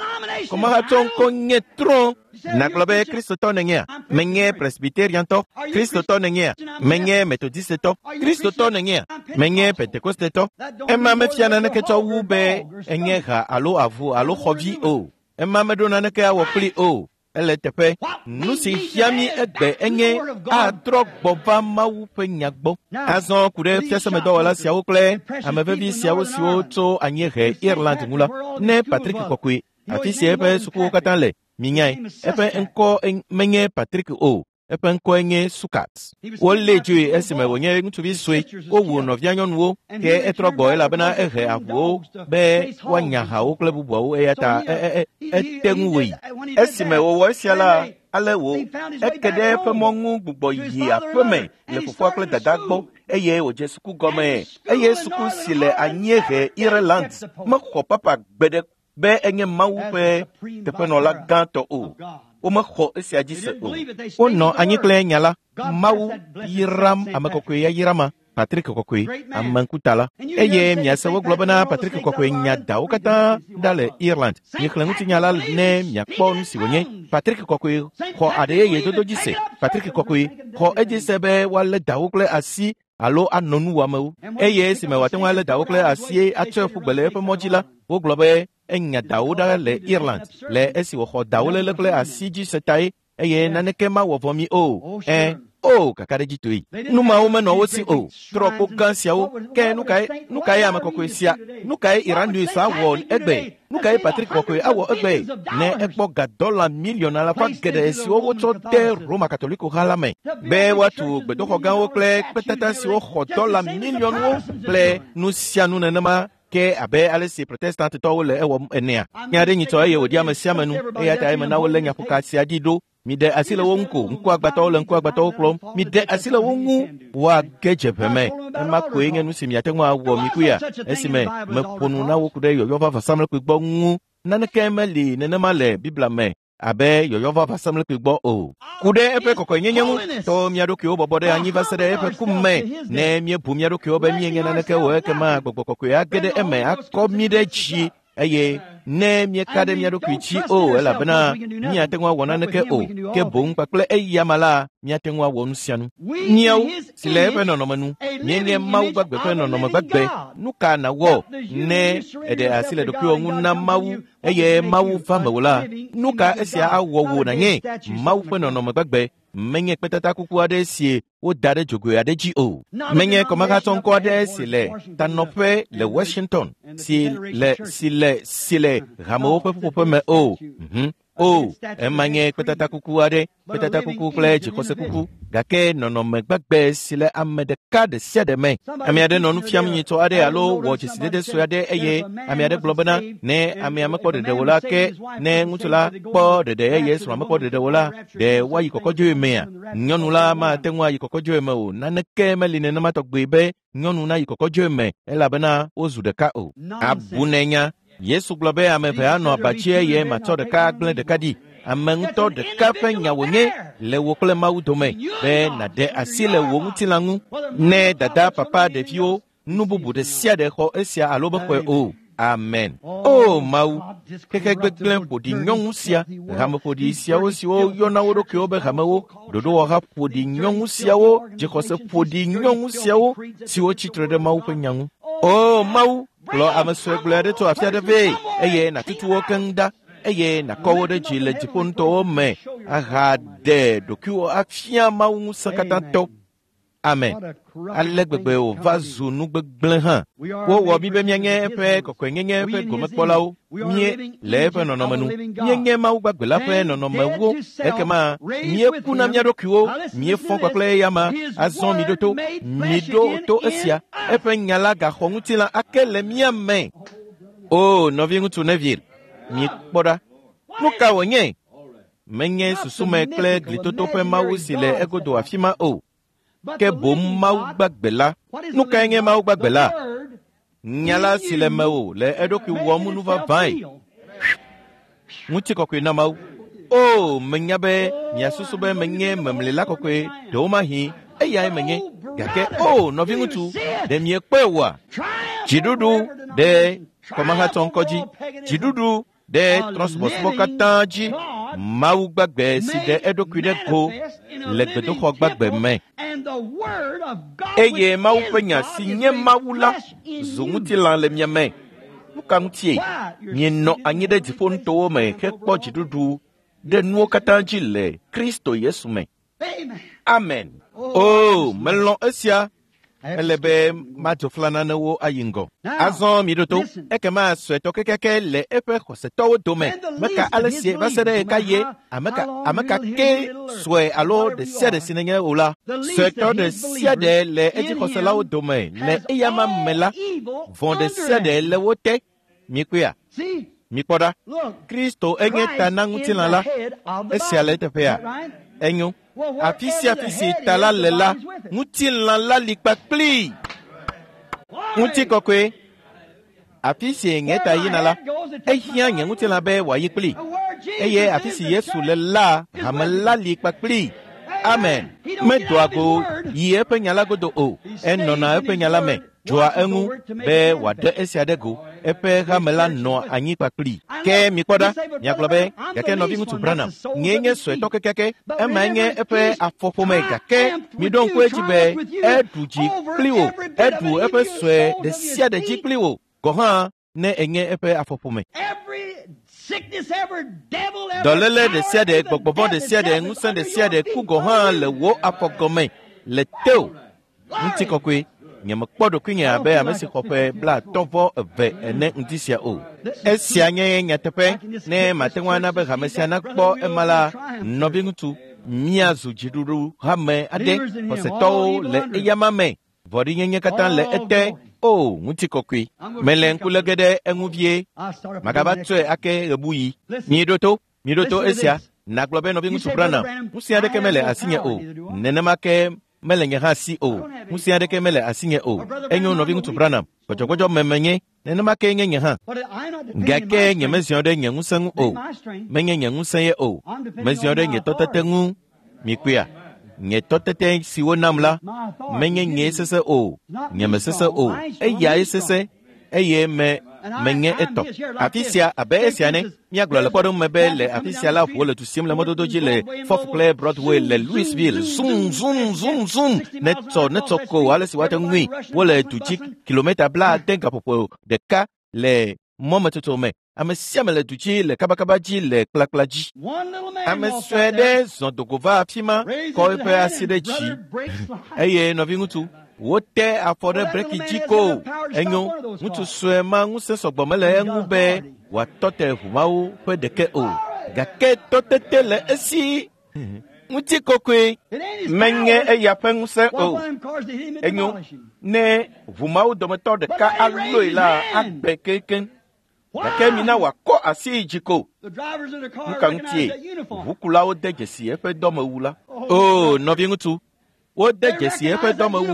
Kɔmahatsɔŋkɔ nye trɔ̃. Nagblɔ be Kristotɔ nènyea? Menye Presbyteriantɔ. Kristotɔ nènyea? Menye Metodistetɔ. Kristotɔ nènyea? Menye Pentekostetɔ. Ema mefia naneke tsɔ wu be enye ha alo avu alo xɔvi o. Ema meɖo naneke awɔ kpli o. Ele teƒe. Nu si hiã mí egbe enye atrɔ gbɔ va Mawu ƒe nya gbɔ. Azɔ ku ɖe fiasemedɔwɔla siawo kple ame vevi siawo siwo tso anyiehe Ireland ŋu la, ne Patrick Kɔkɔe, afi si eƒe sukuwo katã le, minyae, eƒe ŋkɔ menye Patrick o, eƒe ŋkɔe nye Sukat. Wolée dzoe esime wònye ŋutsuvi sue. Wowu nɔvianyɔnuwo, ke etrɔ gbɔ elabena ehe avuwo be woanya hawo kple bubuawo eya ta ete ŋu wòyi. Esime wòwɔ esia la, ale wò eke ɖe eƒe mɔ ŋu gbugbɔ yi aƒeme le fofoa kple dada gbɔ eye wòdze suku gɔme. Eye suku si le anyiehe Ireland mexɔ papa gbe ɖe be enye Mawu ƒe teƒenɔla gãtɔ o. Womexɔ esia dzi se o. Wonɔ anyi kple nya la. Mawu yram ame kɔkɔe ya yrama Patrick Kɔkɔe, ame ŋkuta la. Eye miase wogblɔ bena Patrick Kɔkɔe nya dawo katã ɖa le Ireland. Mixlẽ ŋutinya la ne miakpɔ nu si wònye. Patrick Kɔkɔe xɔ aɖe yeye dodo dzi se. Patrick Kɔkɔe xɔ edzi se be woalé dawo kple asi alo anɔ nu wɔamewo. Eye esime wòate ŋu alé dawo kple asi atsɔe ƒu gbe le eƒe mɔ dzi la, wogblɔ be enya dawo ɖa le Ireland le esi wòxɔ dawo léle kple asi dzi se tae eye naneke mawɔ vɔ mi o. Ẽ, O, kakaɖedzitɔe. Nu mawo menɔ wo si o. Trɔkpo gã siawo. Ke nu kae nu kae ame kɔkɔe sia? Nu kae Iranus awɔ egbe? Nu kae Patrick kɔkɔe awɔ egbe? Ne ekpɔ ga dɔla miliɔn alafa geɖe siwo wotsɔ de Roma Katoliko ha la me be woatu gbedoxɔ gãwo kple kpetata siwo xɔ dɔla miliɔnwo kple nu sia nu nenema ke abe ale si protestantitɔwo le ewɔm enea. Nya aɖe nyitsɔ eye wòdi ame sia ame nu eya ta eme na wolé nyaƒoka sia dzi ɖo. Miɖe asi le wo ŋu ko, ŋkuagbãtɔwo le ŋkuagbãtɔwo kplɔm. Miɖe asi le wo ŋu woage dze ʋe me. Ema koe nye nu si miate ŋu awɔ mikuya esime meƒo nu na wo ku ɖe yɔyɔ va vɔsamlekpui gbɔ ŋu. Naneke meli nenema le Biblia me abe yɔyɔ va vɔsamlekpui gbɔ o. Ku ɖe eƒe kɔkɔenyenye ŋu, tɔ mía ɖokuiwo bɔbɔ ɖe anyi va se ɖe eƒe ku me. Ne míebu mía ɖokuiwo be míenye naneke o, ekema gbɔgbɔ kɔkɔe age ɖe eme akɔ mí ɖe dzi. Eye ne míeka ɖe mía ɖokui dzi o, elabena míate ŋu awɔ naneke o, ke boŋ kpakple eyama la, míate ŋu awɔ nu sia nu. Míawo si le eƒe nɔnɔme nu, míenye Mawu gbagbe ƒe nɔnɔme gbagbe. Nu ka nàwɔ ne èɖe asi le ɖokuiwò ŋu na Mawu eye Mawu va mewò la? Nu ka esia awɔ wò nànye Mawu ƒe nɔnɔme gbagbe? Menye kpetata kuku aɖe si woda ɖe dzogoe aɖe dzi o. Menye kɔmahatsɔŋkɔ aɖe si le tanɔƒe le Washington, si le si le si le hamewo ƒe ƒuƒoƒe me o. Mhm. O, ema nye kpetata kuku aɖe, kpetata kuku kple dzixɔse kuku, gake nɔnɔme gbagbe si le ame ɖeka ɖe sia ɖe me. Ame aɖe nɔ nu fiam nyitsɔ aɖe alo wɔ dzesidede sue aɖe eye ame aɖe gblɔ bena ne amea mekpɔ ɖeɖe o la, ke ne ŋutsu la kpɔ ɖeɖe eye srɔ̃a mekpɔ ɖeɖe o la, ɖe woayi kɔkɔdzoe mea? Nyɔnu la mate ŋu ayi kɔkɔdzoe me o. Naneke meli nenema tɔgbe be nyɔnu nayi kɔkɔdzoe me elabena wozu ɖeka o. Abunenya. Yesu gblɔ be ame eve anɔ aba dzi eye matsɔ ɖeka agblẽ ɖeka ɖi. Ame ŋutɔ ɖeka ƒe nya wònye le wò kple Mawu dome be nàɖe asi le wò ŋutilã ŋu. Ne dada, papa, ɖeviwo, nu bubu ɖe sia ɖe xɔ esia alo mexɔe o. Amen. O Mawu, xexe gbegblẽ ƒoɖi nyɔnu sia, hame ƒoɖi siawo siwo yɔna wo ɖokuiwo be hamewo, ɖoɖowɔha ƒoɖi nyɔnu siawo, dzixɔse ƒoɖi nyɔnu siawo siwo tsitre ɖe Mawu ƒe nya ŋu. O Mawu, kplɔ ame sue gblɔe aɖe tso afi aɖe vɛ eye nàtutu wo keŋ ɖa eye nàkɔ wo ɖe dzi le dziƒoŋutɔwo me ahaɖe ɖokuiwo afia Mawu ŋusẽ katãtɔ. Amen. Ale gbegbe wòva zu nu gbegblẽ hã. Wowɔ mí be míanye eƒe kɔkɔenyenye ƒe gomekpɔlawo. Míe le eƒe nɔnɔme nu. Míenye Mawu gbagbe la ƒe nɔnɔmewo. Ekema míeku na mía ɖokuiwo, míefɔ kpakple eyama. Azɔ miɖo to, miɖo to esia. Eƒe nya la gaxɔ ŋutilã ake le mía me. O nɔviŋutsu Neville, mikpɔ ɖa. Nu ka wònye? Menye susume kple glitoto ƒe Mawu si le egodo afi ma o. Ke boŋ Mawu gbagbe la. Nu kae nye Mawu gbagbe la? Nya la si le mewò le eɖokui wɔm nu vavãe. Ŋutikɔkɔe na Mawu. O, menya be miasusu be menye memlila kɔkɔe ɖewomahi eyae menye. Gake o, nɔviŋutsu, ɖe miekpɔe oa? Dziɖuɖu ɖe kɔmahatsɔŋkɔ dzi, dziɖuɖu ɖe trɔ̃subɔsubɔ katã dzi. Mawu gbagbe si ɖe eɖokui ɖe go le gbedoxɔ gbagbe me. Eye Mawu ƒe nya si nye Mawu la zu ŋutilã le mia me. Nu ka ŋutie? Mienɔ anyi ɖe dziƒonutowo me hekpɔ dziɖuɖu ɖe nuwo katã dzi le Kristo Yesu me. Amen. O, melɔ̃ esia. Ele be madzo fla nanewo ayi ŋgɔ. Azɔ miɖo to, ekema suetɔ kekeake le eƒe xɔsetɔwo dome. Meka ale si va se ɖe ɣeka ye, ame ka ame ka ke sue alo ɖe sia ɖe si nenye o la, suetɔ ɖe sia ɖe le edzixɔselawo dome le eyama me la, vɔ̃ ɖe sia ɖe le wo te. Mikpɔea? Mikpɔ ɖa. Kristo enye ta na ŋutilã la. Esia le eteƒea? Enyo. Afi sia afi si ta la le la, ŋutilã la li kpakplii. Ŋutikɔkɔe. Afi si nye ta yina la, ehiã nye ŋutilã be wòayi kplii. Eye afi si Yesu le la, hame la li kpakplii. Amen. Medoa go yi eƒe nya la godo o. Enɔna eƒe nya la me, dzɔa eŋu be wòaɖe esia ɖe go. Eƒe hame la nɔa anyi kpakplii. Ke mikpɔ ɖa, miagblɔ be, gake nɔviŋutsu Branham, nyee nye suetɔ kekeake, emae nye eƒe afɔƒome, gake miɖo ŋku edzi be eɖu dzi kpli wò, eɖu eƒe sue ɖe sia ɖe dzi kpli wò, gɔ̃ hã ne enye eƒe afɔƒome. Dɔléle ɖe sia ɖe, gbɔgbɔvɔ ɖe sia ɖe, ŋusẽ ɖe sia ɖe, ku gɔ̃ hã le wò afɔ gɔme le teo. Ŋutikɔkɔe, nyemekpɔ ɖokuinye abe ame si xɔ ƒe blaatɔ̃ vɔ eve ene ŋdi sia o. Esia nye nyateƒe ne mate ŋu ana be hame sia nakpɔ ema la, nɔviŋutsu, míazu dziɖuɖu hame aɖe, xɔsetɔwo le eyama me. Vɔ̃ɖinyenye katã le ete. O, ŋutikɔkɔe. Mele ŋku lé ge ɖe eŋu vie. Magava tsɔe ake ɣebuɣi. Miɖo to, miɖo to esia. Nagblɔ be nɔviŋutsu Branham, ŋusẽ aɖeke mele asinye o. Nenema ke mele nye hã si o. Ŋusẽ aɖeke mele asinye o. Enyo nɔviŋutsu Branham, gbɔdzɔgbɔdzɔ me menye, nenema ke nye nye hã. Gake nyemeziɔ ɖe nye ŋusẽ ŋu o. Menye nye ŋusẽ ye o. Meziɔ ɖe nye tɔtete ŋu. Mikpɔea? Nye tɔtete si wonam la, menye nye sese o, nye mesese o, eyae sese, eye me menye etɔ. Afi sia abe esia ne, míagblɔ le kpɔɖeŋu me be le afi sia la ʋuwo le du sim le mɔdodo dzi le Fourth kple Broadway le Louisville. Zum, zum, zum, zum, netsɔ, netsɔ ko ale si woate ŋui. Wole du dzi kilometa blaade gaƒoƒo ɖeka le mɔmetsotso me. Ame sia ame le du dzi le kabakaba dzi le kplakpla dzi. Ame sue ɖe zɔ dogo va afi ma, kɔ eƒe asi ɖe dzi. Eye nɔviŋutsu, wote afɔ ɖe breki dzi ko. Enyo, ŋutsu sue ma ŋusẽ sɔgbɔ mele eŋu be wòatɔ te ʋu mawo ƒe ɖeke o. Gake tɔtete le esi. Ŋutikɔkɔe menye eya ƒe ŋusẽ o. Enyo, ne ʋu mawo dometɔ ɖeka alɔe la, agbe keŋkeŋ. Gake mina wòakɔ asi yi dzi ko. Nu ka ŋutie? Ʋukulawo de dzesi eƒe dɔmewu la. O, nɔviŋutsu, wode dzesi eƒe dɔmewu.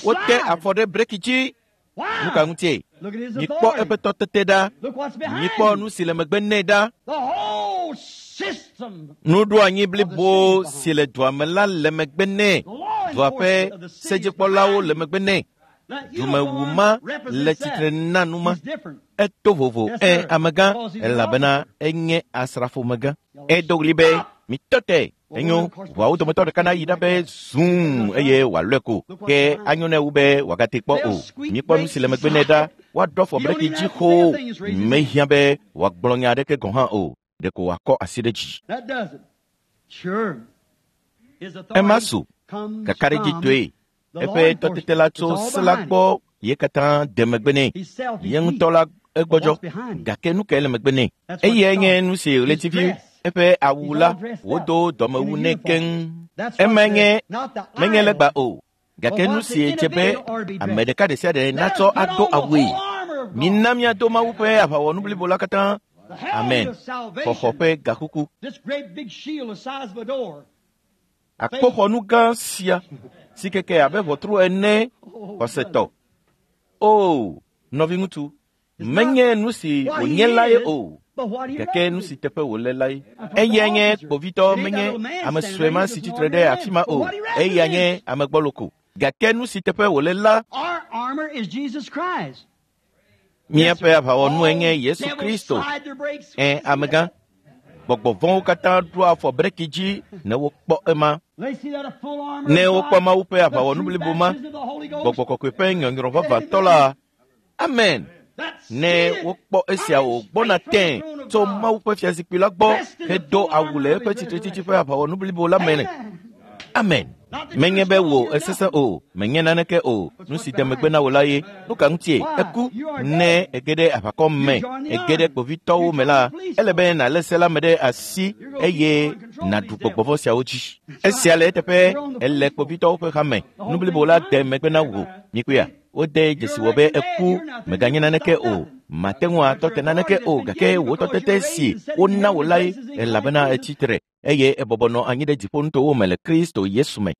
Wote afɔ ɖe breki dzi. Nu ka ŋutie? Mikpɔ eƒe tɔtete ɖa. Mikpɔ nu si le megbe nɛ ɖa. Nuɖoanyi blibo si le dua me la le megbe nɛ. Dua ƒe sedzikpɔlawo le megbe nɛ. Dumewu ma le tsitre na nu ma. Eto vovo ẽ amegã elabena enye asrafomegã. Edo ɣli be, mitɔ te. Enyo, ʋuawo dometɔ ɖeka nayi ɖa be zum eye wòalɔe ko. Ke anyo nɛ wu be wòagate kpɔ o. Mikpɔ nu si le megbe nɛ ɖa. Woaɖɔ afɔ breki dzi xoo. Mehiã be wòagblɔ nya aɖeke gɔ̃ hã o. Ɖeko wòakɔ asi ɖe dzi. Ema su kakaɖedzitɔe. Eƒe tɔtete la tso se la gbɔ ye katã de megbe nɛ. Ye ŋutɔ la egbɔdzɔ. Gake nu kae le megbe nɛ? Eyae nye nu si ɣletivi eƒe awu la wodo dɔmewu nɛ keŋ. Ema nye menye legba o. Gake nu si dze be ame ɖeka ɖe sia ɖe natsɔ ado awue. Mina míado Mawu ƒe aʋawɔnu blibo la katã. Amen. Xɔxɔ ƒe gakuku. Akpoxɔnu gã sia si keke abe ʋɔtru ene xɔsetɔ. O, nɔviŋutsu, menye nu si wònye la ye o, gake nu si teƒe wòle la ye. Eya nye kpovitɔ, menye ame sue ma si tsitre ɖe afi ma o. Eya nye ame gbɔlo ko. Gake nu si teƒe wòle la, míaƒe aʋawɔnue nye Yesu Kristo. Ẽ, amegã, gbɔgbɔ vɔ̃wo katã ɖoa afɔ breki dzi ne wokpɔ ema. Ne wokpɔ Mawu ƒe aʋawɔnu blibo ma, gbɔgbɔ kɔkɔe ƒe nyɔnyrɔ vavãtɔ la, amen. Ne wokpɔ esia wògbɔna tẽ tso Mawu ƒe fiazikpui la gbɔ hedo awu le eƒe tsitretsitsi ƒe aʋawɔnu blibo la me. Amen. Menye be wò esesẽ o, menye naneke o. Nu si de megbe na wò la ye. Nu ka ŋutie? Eku. Ne ege ɖe aʋakɔ me, ege ɖe kpovitɔwo me la, ele be nàlé se la me ɖe asi eye nàɖu gbɔgbɔvɔ siawo dzi. Esia le eteƒe, ele kpovitɔwo ƒe hame. Nu blibo la de megbe na wò. Mikpɔea? Wode dzesi wò be eku, mèganye naneke o. Mate ŋu atɔ te naneke o, gake wò tɔtete si wona wò lae, elabena etsi tre eye ebɔbɔ nɔ anyi ɖe dziƒonutowo me le Kristo Yesu me.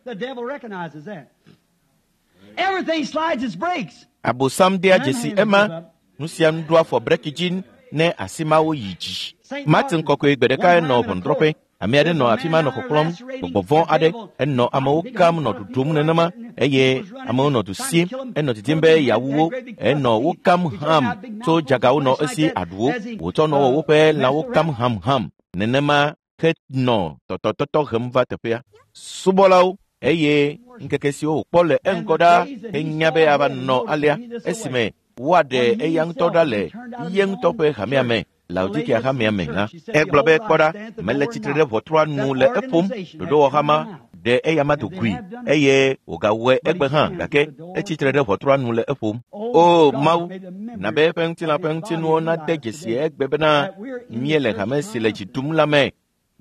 Abosam dea dzesi ema. Nu sia nu ɖoa afɔ breki dzi ne asi mawo yi dzi. Martin kɔkɔe gbe ɖeka enɔ ʋɔnudrɔ̃ƒe. Ame aɖe nɔ afi ma nɔ xɔxlɔ̃m gbɔgbɔ vɔ̃ aɖe. Enɔ amewo kam nɔ ɖuɖum nenema eye amewo nɔ du sim. Enɔ didim be yeawu wo. Enɔ wo kam ham tso dzagawo nɔ esi aɖuwo. Wòtsɔ nɔ wɔ woƒe lãwo kam hamham nenema henɔ tɔtɔtɔtɔ hem va teƒea. Subɔlawo eye ŋkeke siwo wòkpɔ le eŋgɔ ɖa henya be ava nɔ alea esime woaɖe eya ŋutɔ ɖa le ye ŋutɔ ƒe hamea me. Laodikea hamea me la. Egblɔ be kpɔ ɖa, mele tsitre ɖe ʋɔtrua nu le eƒom. Ɖoɖowɔhama ɖe eyama do goe eye wògawɔe egbe hã gake etsitre ɖe ʋɔtrua nu le eƒom. O Mawu, na be eƒe ŋutilã ƒe ŋutinuwo nade dzesi egbe bena míele hame si le dzi ɖum la me.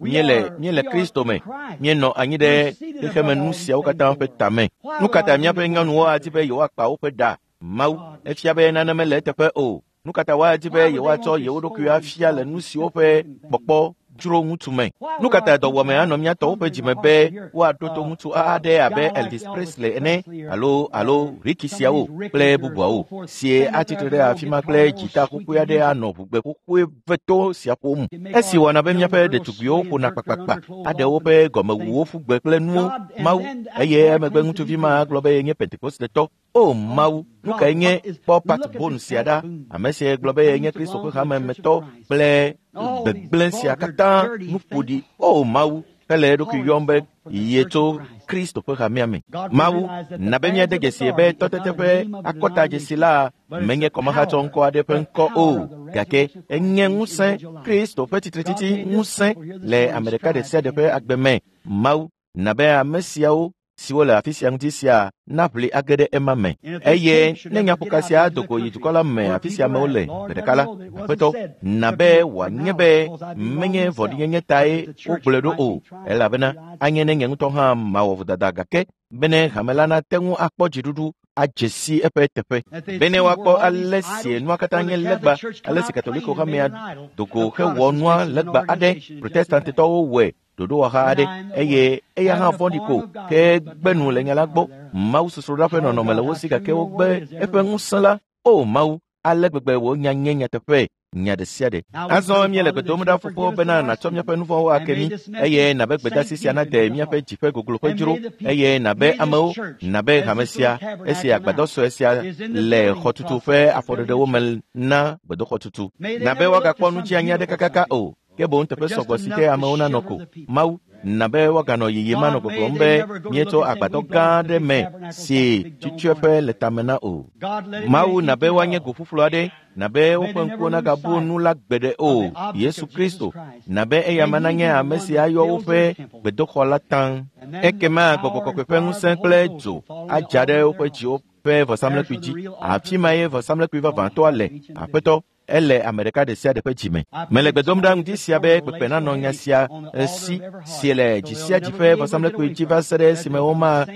Míele míele Kristo me. Míenɔ anyi ɖe xexeme nu siawo katã ƒe tame. Nu ka ta míaƒe nyɔnuwo adi be yewoakpa woƒe ɖa? Mawu, efia be nane mele eteƒe o. Nu ka ta woadi be yewoatsɔ yewo ɖokuiwo afia le nu siwo ƒe kpɔkpɔ dzro ŋutsu me? Nu ka ta dɔwɔame anɔ mía tɔwo ƒe dzime be woaɖo to ŋutsu aɖe abe Elvis Presley ene alo alo Ricky siawo kple bubuawo sie atsitre ɖe afi ma kple dzita xoxoe aɖe anɔ ʋugbe xoxoe veto sia ƒom. Esi wɔna be míaƒe ɖetugbiwo ƒona kpakpakpa aɖe woƒe gɔmewuwo ƒu gbe kple nuwo. Mawu, eye emegbe ŋutsuvi ma gblɔ be yenye Pentekostetɔ. O Mawu, nu kae nye kpɔ Pat Boone sia ɖa, ame si gblɔ be yenye Kristo ƒe hamemetɔ kple gbegblẽ sia katã nu ƒo ɖi. O Mawu, hele eɖokui yɔm be yetso Kristo ƒe hamea me. Mawu, na be míade dzesi be tɔtete ƒe akɔtadzesi la menye kɔmahatsɔ ŋkɔ aɖe ƒe ŋkɔ o, gake enye ŋusẽ, Kristo ƒe tsitretsitsi ŋusẽ le ame ɖeka ɖe sia ɖe ƒe agbe me. Mawu, na be ame siawo siwo le afi sia ŋuti sia naʋli age ɖe ema me. Eye ne nyaƒoka sia do go yi dukɔ la me afi sia amewo le gbe ɖeka la, Aƒetɔ, na be wòanye be menye vɔ̃ɖinyenye tae wogblɔe ɖo o, elabena anye ne nye ŋutɔ hã mawɔ vodada gake bene hame la nate ŋu akpɔ dziɖuɖu adze si eƒe teƒe. Bene woakpɔ ale si nua katã nye legba, ale si Katoliko hamea do go hewɔ nua legba aɖe, Protestantitɔwo wɔe ɖoɖowɔha aɖe eye eya hã vɔ̃ɖi ko ke gbe nu le nya la gbɔ. Mawu sosroɖa ƒe nɔnɔme le wo si gake wogbe eƒe ŋusẽ la. O Mawu, ale gbegbe wò nya nye nyateƒe, nya ɖe sia ɖe. Azɔ míele gbe dom ɖa Fofo bena nàtsɔ míaƒe nu vɔ̃wo ake mí eye nabe gbedasi sia nade míaƒe dzi ƒe gogloƒe dzro eye nabe amewo, nabe hame sia, esi agbadɔ sue sia le xɔtutu ƒe afɔɖeɖewo me na gbedoxɔtutu. Nabe woagakpɔ nu dzi anyi aɖe kakaka o, ke boŋ teƒe sɔgbɔ si ke amewo nanɔ ko. Mawu, na be woaganɔ yiyim anɔ gbɔgblɔm be míetso agbadɔ gã aɖe me si tsutsueƒe le tame na o. Mawu, na be woanye go ƒuƒlu aɖe, na be woƒe ŋkuwo nagabu nu la gbeɖe o. Yesu Kristo, na be eyama nanye ame si ayɔ woƒe gbedoxɔ la taŋ. Ekema Gbɔgbɔ Kɔkɔe ƒe ŋusẽ kple dzo adza ɖe woƒe dziwo ƒe vɔsamlekpui dzi. Afi ma ye vɔsamlekpui vavãtɔa le. Aƒetɔ, ele ame ɖeka ɖe sia ɖe ƒe dzime. Mele gbe dom ɖa ŋdi sia be kpekpe nanɔ nya sia si si le dzi sia dzi ƒe vɔsamlekpui dzi va se ɖe esime womate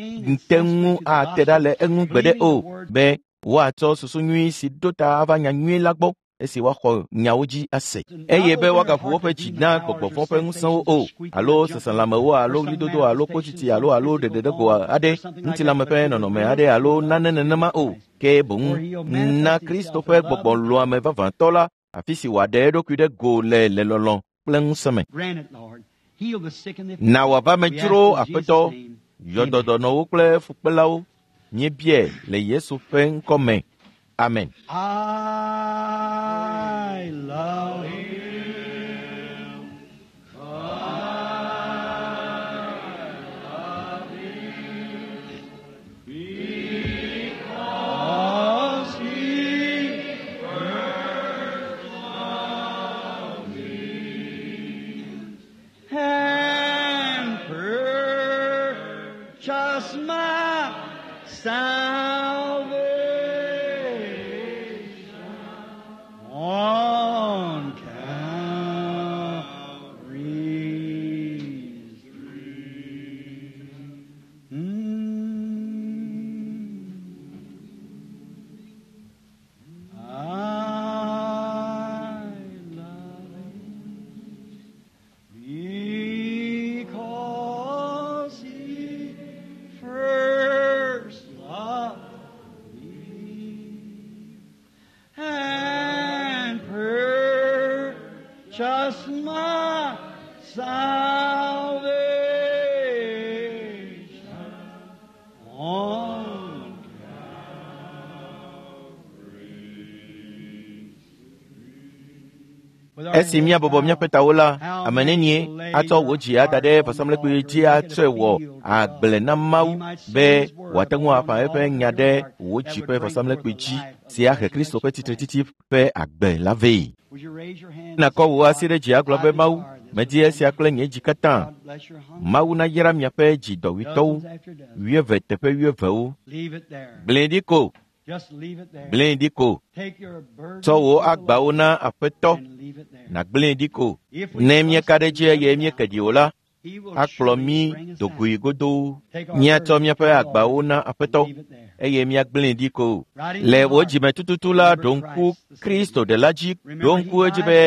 ŋu ate ɖa le eŋu gbeɖe o, be woatsɔ susu nyui si ɖo ta ava nya nyui la gbɔ esi woaxɔ nyawo dzi ase, eye be woagaʋu woƒe dzi na gbɔgbɔ vɔ̃ ƒe ŋusẽwo o, alo seselãmewo alo ɣlidodo alo kpotsitsi alo alo ɖeɖeɖego aɖe, ŋutilãme ƒe nɔnɔme aɖe alo nane nenema o, ke boŋ na Kristo ƒe gbɔgbɔ lɔ̃ame vavãtɔ la, afi si wòaɖe eɖokui ɖe go le le lɔlɔ̃ kple ŋusẽ me. Na wòava me dzro Aƒetɔ, yɔ dɔ dɔnɔwo kple fukpelawo. Míebiae le Yesu ƒe ŋkɔ me. Amen. I love him. I love him. Because he first loved me and purchased my salvation on Calvary's tree. Mm. I love him because he first loved me and purchased my salvation on Esi míabɔbɔ míaƒe tawo la, ame nenie Atsɔ wò dzi ada ɖe vɔsamlekpui dzi atsɔe wɔ agble na Mawu be wòate ŋu aƒã eƒe nya ɖe wò dzi ƒe vɔsamlekpui dzi si ahe Kristo ƒe tsitretsitsi ƒe agbe la vɛ. Nakɔ wò asi ɖe dzi agblɔ be Mawu, medi esia kple nye dzi katã. Mawu nayra miaƒe dzi dɔwuitɔwo wuieve teƒe wuievewo. Gblẽe ɖi ko. Gblẽe ɖi ko. Tsɔ wò agbawo na Aƒetɔ nàgblẽe ɖi ko. Ne míeka ɖe edzi eye míeke ɖi o la, akplɔ mí dogoe godoo. Míatsɔ míaƒe agbawo na Aƒetɔ eye míagblẽe ɖi ko. Le wò dzime tututu la, ɖo ŋku Kristo ɖela dzi, ɖo ŋku edzi be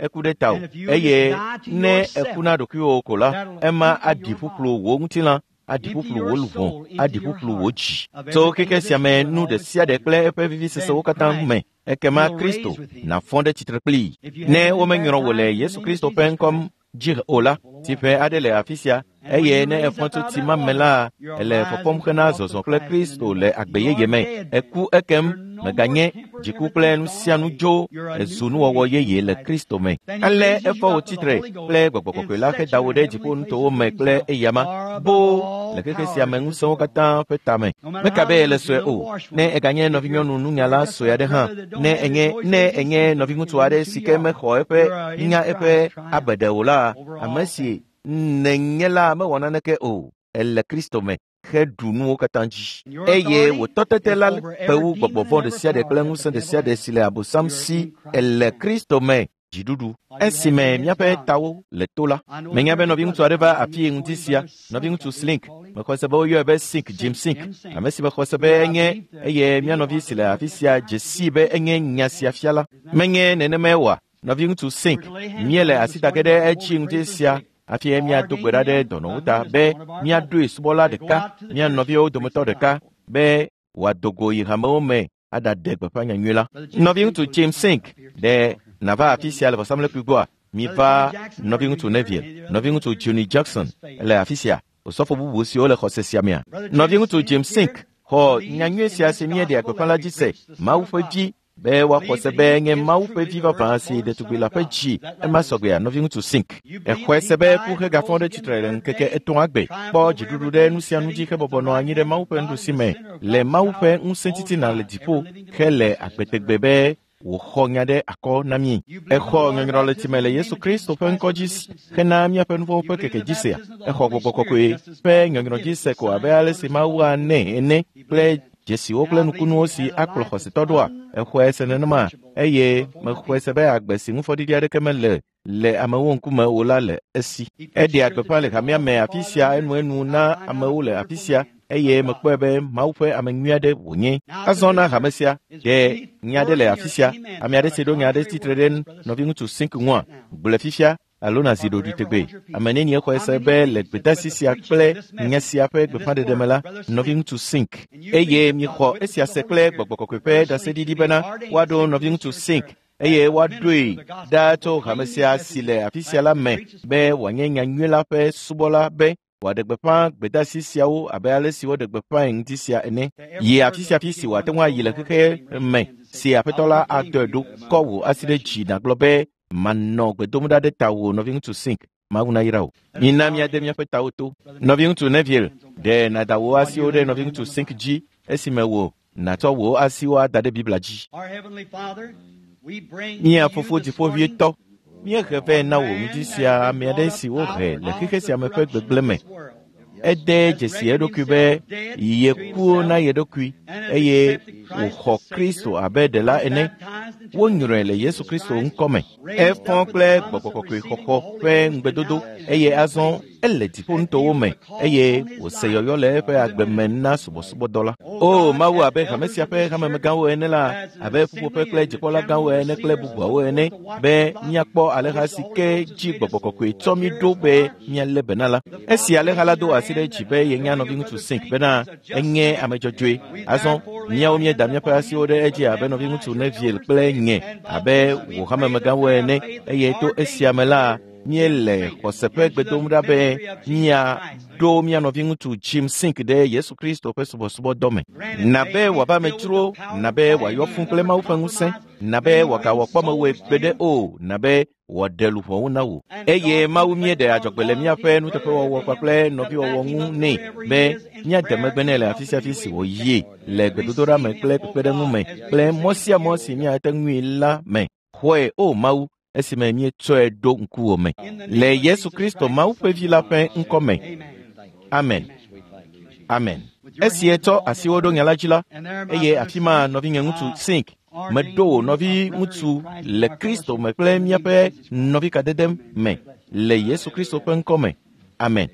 eku ɖe tawò eye ne eku na ɖokuiwò ko la, ema aɖi ƒuƒlu wò ŋutilã, aɖi ƒuƒlu wò luʋɔ, aɖi ƒuƒlu wò dzi. Tso xexe sia me nu ɖe sia ɖe kple eƒe vivisesewo katã me, ekema Kristo nàfɔ ɖe tsitre kplii. Ne womenyrɔ wò le Yesu Kristo ƒe ŋkɔ dzi o la, tsiƒe aɖe le afi sia eye ne efɔ tso tsi ma me la, ele fɔfɔm hena zɔzɔ kple Kristo le agbe yeye me. Eku ekem meganye dziku kple nu sia nu dzo, ezu nuwɔwɔ yeye le Kristo me. Ale efɔ wò tsitre kple Gbɔgbɔ Kɔkɔe la heda wò ɖe dziƒonutowo me kple eyama boo le xexe sia me ŋusẽwo katã ƒe tame. Meka be ele sue o, ne eganye nɔvinyɔnu nunyala sue aɖe hã, ne enye ne enye nɔviŋutsu aɖe si ke mexɔ eƒe nya eƒe abeɖe o la, ame si nenye la mewɔ naneke o, ele Kristo me heɖu nuwo katã dzi. Eye wò tɔtete la ƒe wu gbɔgbɔ vɔ̃ ɖe sia ɖe kple ŋusẽ ɖe sia ɖe si le Abosam si. Ele Kristo me dziɖuɖu. Esime míaƒe tawo le to la, menya be nɔviŋutsu aɖe va afii ŋdi sia, nɔviŋutsu Slink. Mexɔ se be woyɔe be Sink, Jim Sink, ame si mexɔ se be enye eye mía nɔvi si le afi sia dze sii be enye nya sia fiala. Menye nenemae oa? Nɔviŋutsu Sink, míele asi da ge ɖe edzi ŋdi sia hafi míado gbe ɖa ɖe dɔnɔwo ta be míaɖoe subɔla ɖeka, mía nɔviwo dometɔ ɖeka be wòado go yi hamewo me aɖaɖe gbeƒã nyanyui la. Nɔviŋutsu James Sink, ɖe nàva afi sia le vɔsamlekpui gbɔa? Miva nɔviŋutsu Neville, nɔviŋutsu Johnny Jackson le afi sia, osɔfo bubu siwo le xɔse sia mea. Nɔviŋutsu James Sink xɔ nyanyui sia si míeɖea gbeƒã la dzi se, Mawu ƒe vi, be woaxɔ se be nye Mawu ƒe vi vavã si ɖetugbi la ƒe dzi. Ema sɔgbea, nɔviŋutsu Sink. Exɔe se be ku hegafɔ ɖe tsitre le ŋkeke etɔ̃a gbe, kpɔ dziɖuɖu ɖe nu sia nu dzi hebɔbɔ nɔ anyi ɖe Mawu ƒe nuɖusi me le Mawu ƒe ŋusẽ titina le dziƒo hele agbetegbe be wòxɔ nya ɖe akɔ na mí. Exɔ nyɔnyrɔ le tsime le Yesu Kristo ƒe ŋkɔ dzi hena míaƒe nuvɔ̃wo ƒe keke dzi sea. Exɔ Gbɔgbɔ Kɔkɔe ƒe nyɔnyrɔ dzi se ko abe ale si Mawu anɛ ene kple dzesiwo kple nukunuwo si akplɔ xɔsetɔ ɖoa. Exɔe se nenema eye mexɔe se be agbe si ŋufɔɖiɖi aɖeke mele le amewo ŋkume o la le esi. Eɖea gbeƒã le hamea me afi sia enuenu na amewo le afi sia eye mekpɔe be Mawu ƒe ame nyui aɖe wònye. Azɔ na hame sia, ɖe nya aɖe le afi sia, ame aɖe si ɖo nya aɖe tsitre ɖe nɔviŋutsu Sink ŋua, gblɔe fifia alo nàzi ɖoɖoe tegbe. Ame nenie xɔe se be le gbedeasi sia kple nya sia ƒe gbeƒãɖeɖe me la, nɔviŋutsu Sink, eye miexɔ esia se kple Gbɔgbɔ Kɔkɔe ƒe ɖaseɖiɖi bena woaɖo nɔviŋutsu Sink eye woaɖoe ɖa tso hame sia si le afi sia la me be wòanye nyanyui la ƒe subɔla be wòaɖe gbeƒã gbedeasi siawo abe ale si woɖe gbeƒãe ŋdi sia ene. Yi afi sia afi si wòate ŋu ayi le xexe me si Aƒetɔ la adɔe ɖo. Kɔ wò asi ɖe dzi nàgblɔ be manɔ gbe dom ɖa ɖe tawò, nɔviŋutsu Sink. Mawu nayra wò. Mina míade míaƒe tawo to. Nɔviŋutsu Neville, ɖe nàda wò asiwo ɖe nɔviŋutsu Sink dzi esime wò nàtsɔ wò asiwo ada ɖe Biblia dzi. Mía Fofo Dziƒoʋĩtɔ, míehe vɛ na wò ŋdi sia ame aɖe si wohe le xexe sia me ƒe gbegblẽ me. Ede dzesi eɖokui be yeku na ye ɖokui eye wòxɔ Kristo abe ɖela ene. Wonyrɔe le Yesu Kristo ŋkɔ me. Efɔ kple Gbɔgbɔ Kɔkɔe xɔxɔ ƒe ŋugbedodo eye azɔ ele dziƒonutowo me eye wòse yɔyɔ le eƒe agbe me na subɔsubɔdɔ la. O Mawu, abe hame sia ƒe hamemegãwo ene la, abe ƒuƒoƒe kple dzikpɔlagãwo ene kple bubuawo ene, be míakpɔ alẽha si ke dzi Gbɔgbɔ Kɔkɔe tsɔ mí ɖo be míalé be na la. Esi alẽha la do asi ɖe dzi be yenya nɔviŋutsu Sink bena enye ame dzɔdzɔe. Azɔ míawo míeda míaƒe asiwo ɖe edzi abe nɔviŋutsu Neville kple nye abe wò hamemegãwo ene eye to esia me la, míele xɔse ƒe gbe dom ɖa be míaɖo mía nɔviŋutsu Jim Sink ɖe Yesu Kristo ƒe subɔsubɔdɔ me. Na be wòava amedzro, na be wòayɔ fũ kple Mawu ƒe ŋusẽ, Na be wòagawɔ kpɔmewɔe gbeɖe o, na be wòaɖe luʋɔwo na wò. Eye Mawu míeɖe adzɔgbe le míaƒe nuteƒewɔwɔ kpakple nɔviwɔwɔ ŋu nɛ be míade megbe nɛ le afi sia afi si wòyie le gbedodoɖa me kple kpekpeɖeŋu me kple mɔ sia mɔ si míate ŋui la me. Xɔe, o Mawu, esime míetsɔe ɖo ŋkuwò me. Le Yesu Kristo Mawu ƒe Vi la ƒe ŋkɔ me. Amen. Amen. Esi etsɔ asiwo ɖo nya la dzi la, eye afi ma nɔvinye ŋutsu Sink, meɖo wò nɔvi ŋutsu le Kristo me kple míaƒe nɔvikadede me le Yesu Kristo ƒe ŋkɔ me. Amen.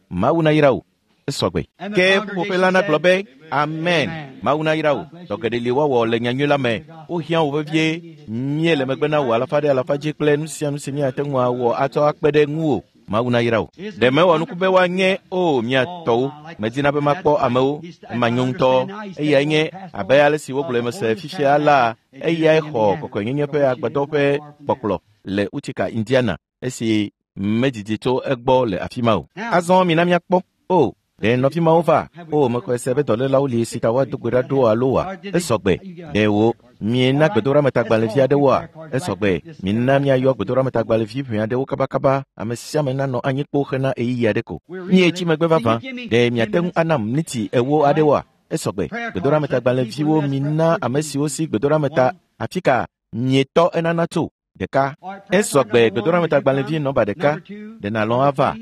Mawu nayra wò. Esɔgbe. Ke ƒuƒoƒe la nagblɔ be, Amen. Mawu nayra wò. Dɔ geɖe li woawɔ le nyanyui la me. Wohiã wò vevie. Míele megbe na wò alafa ɖe alafa dzi kple nu sia nu si míate ŋu awɔ atsɔ akpe ɖe ŋuwò. Mawu nayra wò. Ɖe mewɔ nuku be woanye o mia tɔwo. Medina be makpɔ amewo. Manyo ŋutɔ. Eyae nye abe ale si wogblɔe mese fifia la, eyae xɔ kɔkɔenyenye ƒe agbadɔ ƒe kpɔkplɔ le Utica, Indiana, esi medidi tso egbɔ le afi ma o. Azɔ mina míakpɔ. O, ɖe nɔvi mawo va? O, mexɔe se be dɔlélawo li si ta woado gbe ɖa ɖo alo wa? Esɔgbe. Ɖe wò miena gbedoɖametagbalẽvi aɖewoa? Esɔgbe. Mina míayɔ gbedoɖametagbalẽvi ʋɛ aɖewo kabakaba. Ame sia ame nanɔ anyi kpo hena ɣeyiɣi aɖe ko. Míetsi megbe vavã. Ɖe miate ŋu anam miniti ewo aɖewoa? Esɔgbe. Gbedoɖametagbalẽviwo mina ame siwo si gbedoɖameta afi ka mietɔ enana tso. Ɖeka. Esɔgbe gbedoɖametagbalẽvi nɔba ɖeka. Ɖe nàlɔ̃ ava?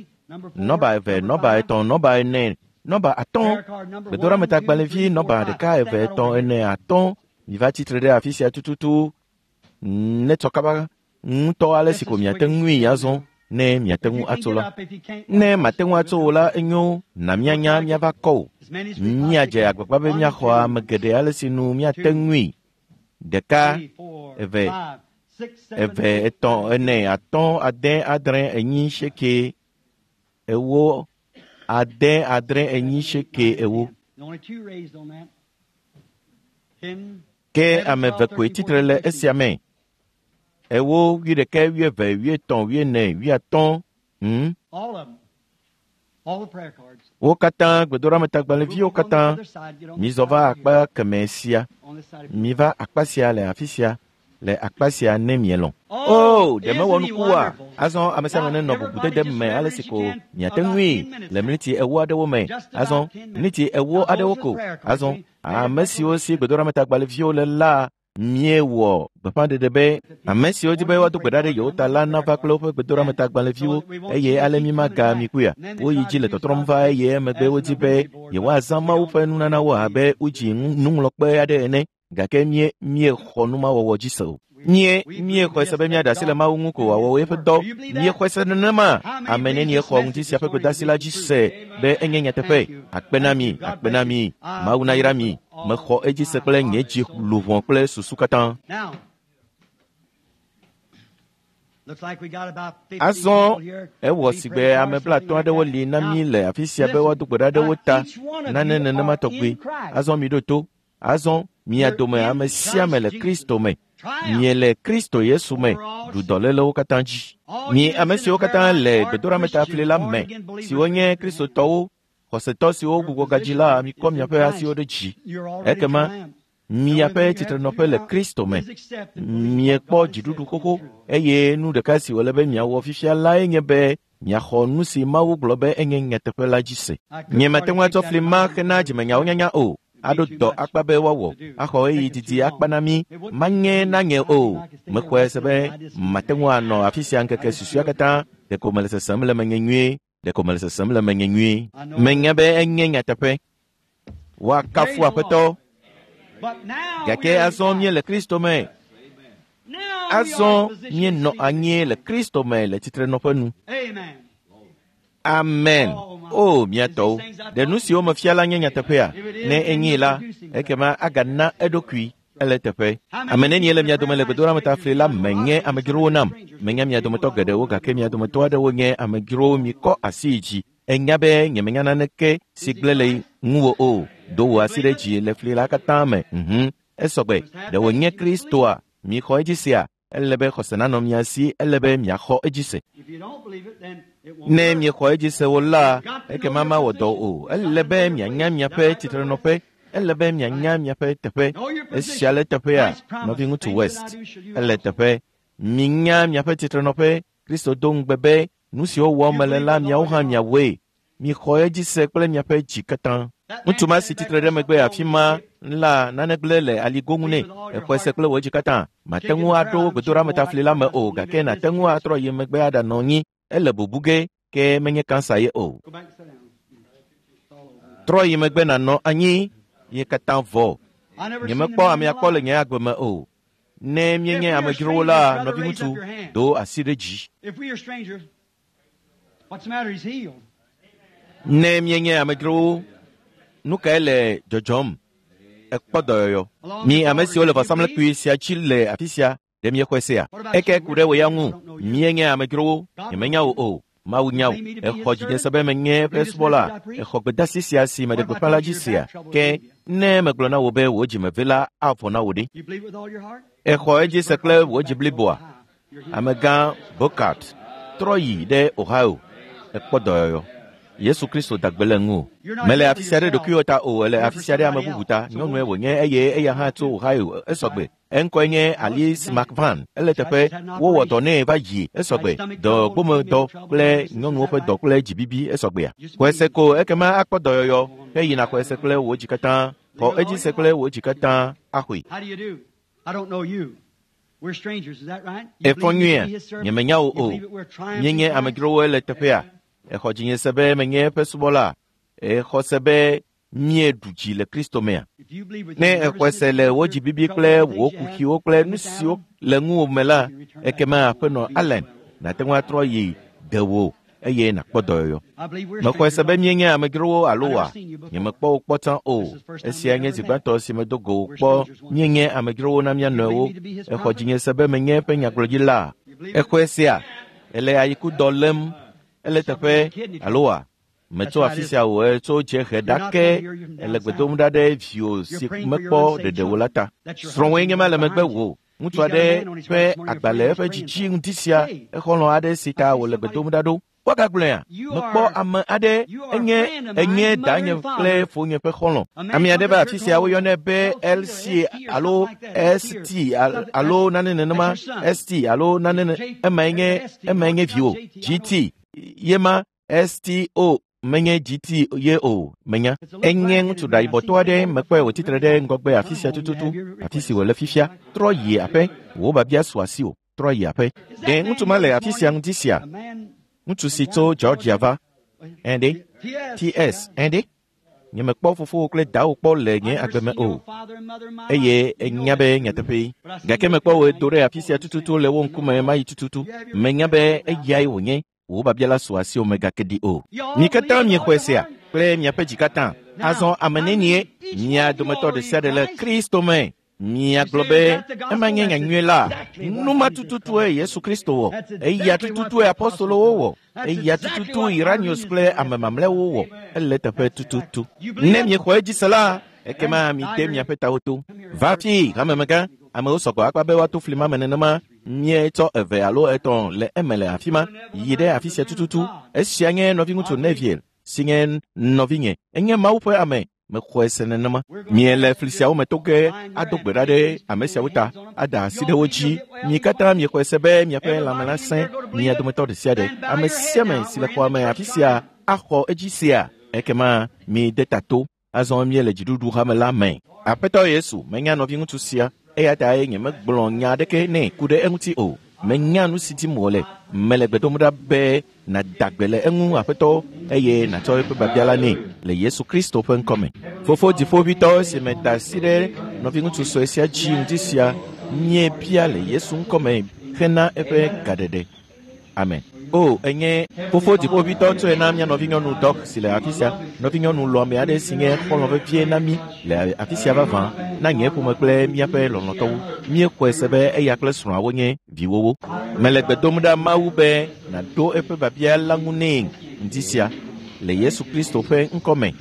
Nɔba eve, nɔba etɔ̃, nɔba ene, nɔba atɔ̃. Gbedoɖametagbalẽvi nɔba ɖeka, eve, etɔ̃, ene, atɔ̃. Miva tsitre ɖe afi sia tututu. Netsɔ kaba ŋutɔ ale si ko miate ŋui azɔ ne miate ŋu atso la. Ne mate ŋu atso o la, enyo na míanya míava kɔ o. Míadze agbagba be míaxɔ ame geɖe ale si nu míate ŋui. Ɖeka, eve, eve, etɔ̃, ene, atɔ̃, ade, adre, enyi, seeke, ewo, ade, adre, enyi, seeke, ewo. Ke ame eve koe tsitre le esia me. Ewo, wuiɖekɛ, wuieve, wuietɔ̃, wuiene, wuiatɔ̃. Hmm? Wo katã gbedoɖametagbalẽviwo katã mizɔ va akpa kemɛ sia. Miva akpa sia le afi sia. Le akpa sia ne mielɔ̃. O, ɖe mewɔ nuku oa? Azɔ ame sia ame nenɔ bubudede me ale si ko miate ŋui le miniti ewo aɖewo me. Azɔ miniti ewo aɖewo ko. Azɔ ame siwo si gbedoɖametagbalẽviwo le la míewɔ gbeƒãɖeɖe be ame siwo di be woado gbe ɖa ɖe yewo ta la nava kple woƒe gbedoɖametagbalẽviwo eye ale mímaga mi kuya. Woyi dzi le tɔtrɔm va eye emegbe wodi be yewoazã Mawu ƒe nunanawo abe wodzi nuŋlɔkpe aɖe ene gake mie míexɔ numawɔwɔ dzi se o. Mie míexɔe se be míaɖe asi le Mawu ŋu ko wòawɔ eƒe dɔ. Míexɔe se nenema. Ame nenie xɔ ŋuti sia ƒe gbedeasi la dzi se be enye nyateƒe. Akpe na mi, akpe na mi. Mawu nayra mi. Mexɔ edzi se kple nye dzi luʋɔ kple susu katã. Azɔ ewɔ sigbe ame blatɔ̃ aɖewo li na mí le afi sia be woado gbe ɖa ɖe wo ta nane nenema tɔgbi. Azɔ miɖo to. Azɔ mia dome ame sia ame le Kristo me. Miele Kristo Yesu me ɖu dɔlélewo katã dzi. Mi ame siwo katã le gbedoɖametafli la me, siwo nye Kristotɔwo, xɔsetɔ siwo gbugbɔ gadzi la, mikɔ miaƒe asiwo ɖe dzi. Ekema miaƒe tsitrenɔƒe le Kristo me. Miekpɔ dziɖuɖu xoxo eye nu ɖeka si wòle be miawɔ fifia lae nye be miaxɔ nu si Mawu gblɔ be enye nyateƒe la dzi se. Nyemate ŋu atsɔ fli ma hena dzimenyawo nyanya o. Aɖo dɔ akpa be woawɔ, axɔ ɣeyiɣi didi akpa na mí, manye na nye o. Mexɔe se be mate ŋu anɔ afi sia ŋkeke susɔea katã. Ɖeko mele sesem le menye nyuie. Ɖeko mele sesem le menye nyuie. Menya be enye nyateƒe. Woakafu Aƒetɔ. Gake azɔ míele Kristo me. Azɔ míenɔ anyi le Kristo me le tsitrenɔƒe nu. Amen. O, mia tɔwo, ɖe nu siwo mefia la nye nyateƒea? Ne enyee la, ekema agana eɖokui ele teƒe. Ame nenie le mia dome le gbedoɖametafli la me nye amedzrowo nam. Menya mia dometɔ geɖewo gake mia dometɔ aɖewo nye amedzrowo mikɔ asi yi dzi. Enya be nyemenya naneke si gblẽ le ŋuwò o. Do wò asi ɖe dzi le fli la katã me. Mhm. Esɔgbe. Ɖe wònye Kristoa? Mixɔ edzi sea? Ele be xɔse nanɔ mia si, ele be miaxɔ edzi se. Ne miexɔ edzi se o la, ekema mawɔ dɔ o. Ele be mianya miaƒe tsitrenɔƒe. Ele be mianya miaƒe teƒe. Esia le teƒea, nɔviŋutsu West. Ele teƒe. Minya miaƒe tsitrenɔƒe. Kristo do ŋugbe be nu siwo wɔm mele la miawo hã miawɔe. Mixɔ edzi se kple miaƒe dzi katã. Ŋutsu ma si tsitre ɖe megbe afi ma la nane gblẽ le aligo ŋu nɛ. Exɔe se kple wò dzi katã. Mate ŋu aɖo gbedoɖametafli la me o, gake nàte ŋu atrɔ yi megbe aɖanɔ anyi. Ele bubu ge, ke menye kansa ye o. Trɔ yi megbe nànɔ anyi. Ye katã vɔ. Nyemekpɔ amea kpɔ le nye agbe me o. Ne míenye amedzrowo la, nɔviŋutsu, do asi ɖe dzi. Ne míenye amedzrowo, nu kae le dzɔdzɔm? Ekpɔ dɔyɔyɔ. Mi ame siwo le vɔsamlekpui sia dzi le afi sia, ɖe miexɔe sea? Eke ku ɖe wò ya ŋu. Míenye amedzrowo, nyemenya wò o. Mawu nya wò. Exɔ dzinye se be menye eƒe subɔla. Exɔ gbedeasi sia si meɖe gbeƒã la dzi sea. Ke ne megblɔ na wò be wò dzimeve la avɔ na wò ɖe. Exɔ edzi se kple wò dzi bliboa. Amegã Bokart trɔ yi ɖe Ohio. Ekpɔ dɔyɔyɔ. Yesu Kristo da gbe le ŋu. Mele afi sia ɖe ɖokuiwò ta o, ele afi sia ɖe ame bubu ta. Nyɔnue wònye eye eya hã tso Ohio esɔgbe. Eŋkɔe nye Alice McVan. Ele teƒe wowɔ dɔ nɛ va yi esɔgbe. Dɔgbomedɔ kple nyɔnuwo ƒe dɔ kple dzibibi esɔgbea. Xɔe se ko ekema akpɔ dɔyɔyɔ. Ke yina xɔe se kple wò dzi katã. Xɔ edzi se kple wò dzi katã axɔe. Efɔ nyuia? Nyemenya wò o. Míenye amedzrowo le teƒea. Exɔ dzinye se be menye eƒe subɔla. Exɔ se be míeɖu dzi le Kristo mea. Ne exɔe se le wò dzibibi kple wò kuxiwo kple nu siwo le ŋuwò me la, ekema aƒenɔ Allen nàte ŋu atrɔ yi dewò eye nàkpɔ dɔyɔyɔ. Mexɔe se be míenye amedzrowo alo wa? Nyemekpɔ wò kpɔ tsã o. Esia nye zi gbãtɔ si medo go wò kpɔ. Míenye amedzrowo na mía nɔewo. Exɔ dzinye se be menye eƒe nyagblɔɖila. Exɔe sea? Ele ayikudɔ lém. Ele teƒe alo wa? Metso afi sia o, etso dziehe ɖake. Ele gbe dom ɖa ɖe viwò si mekpɔ ɖeɖe o la ta. Srɔ̃wòe nye ma le megbe wò. Ŋutsu aɖe ƒe agbalẽ eƒe dzidzi ŋuti sia exɔlɔ̃ aɖe si ta wòle gbe dom ɖa ɖo. Woagagblɔea? Mekpɔ ame aɖe enye enye danye kple fonye ƒe xɔlɔ̃. Ame aɖe va afi sia woyɔnɛ be L C alo S T alo nane nenema S T alo nane emae nye emae nye viwò G T ye ma S T O menye G T ye o menya. Enye ŋutsu ɖayibɔtɔ aɖe mekpɔe wòtsitre ɖe ŋgɔgbe afi sia tututu afi si wòle fifia. Trɔ yi aƒe, wò babia su asiwò. Trɔ yi aƒe. Ɖe ŋutsu ma le afi sia ŋuti sia? Ŋutsu si tso Georgia va. Ɛɖe? T S ɛɖe? Nyemekpɔ fofowò kple dawò kpɔ le nye agbe me o. Eye enya be nyateƒee. Gake mekpɔ wò do ɖe afi sia tututu le wo ŋkume mayi tututu. Menya be eyae wònye. Wò babia la su asiwò megake ɖi o. Mi katã miexɔe sea kple miaƒe dzi katã. Azɔ ame nenie mia dometɔ ɖe sia ɖe le Kristo me. Miagblɔ be ema nye nyanyui la. Nu ma tututue Yesu Kristo wɔ. Eya tututue apostolowo wɔ. Eya tututu Iranius kple ame mamlɛwo wɔ. Ele teƒe tututu. Ne miexɔ edzi se la, ekema mide miaƒe tawo to. Va fi hamemegã. Amewo sɔgbɔ akpa be woato fli ma me nenema. Mietsɔ eve alo etɔ̃ le eme le afi ma. Yi ɖe afi sia tututu. Esia nye nɔviŋutsu Neville si nye nɔvinye. Enye Mawu ƒe ame. Mexɔe se nenema. Miele fli siawo me to ge ado gbe ɖa ɖe ame siawo ta, ada asi ɖe wo dzi. Mi katã miexɔe se be miaƒe lãme la sẽ mia dometɔ ɖe sia ɖe. Ame sia ame si le xɔa me afi sia axɔ edzi sea. Ekema mide ta to. Azɔ míele dziɖuɖu hame la me. Aƒetɔ Yesu, menya nɔviŋutsu sia. Eya tae nyemegblɔ nya aɖeke nɛ ku ɖe eŋuti o. Menya nu si dim wòle. Mele gbe dom ɖa be nàda gbe le eŋu aƒetɔ eye nàtsɔ eƒe babia la nɛ le Yesu Kristo ƒe ŋkɔme. Fofo dziƒoʋĩtɔ si meda asi ɖe nɔviŋutsu sue sia dzi ŋuti sia míebia le Yesu ŋkɔme hena eƒe gaɖeɖe. Amen. O, enye fofo dziƒoʋĩtɔ tsɔe na mía nɔvinyɔnu Dɔk si le afi sia. Nɔvinyɔnu lɔ̃ame aɖe si nye xɔlɔ̃ vevie na mí le afi sia vavã na nye ƒome kple míaƒe lɔlɔ̃tɔwo. Míexɔe se be eya kple srɔ̃awo nye viwowo. Mele gbe dom ɖa Mawu be nàɖo eƒe babia la ŋu nɛ ŋdi sia le Yesu Kristo ƒe ŋkɔme.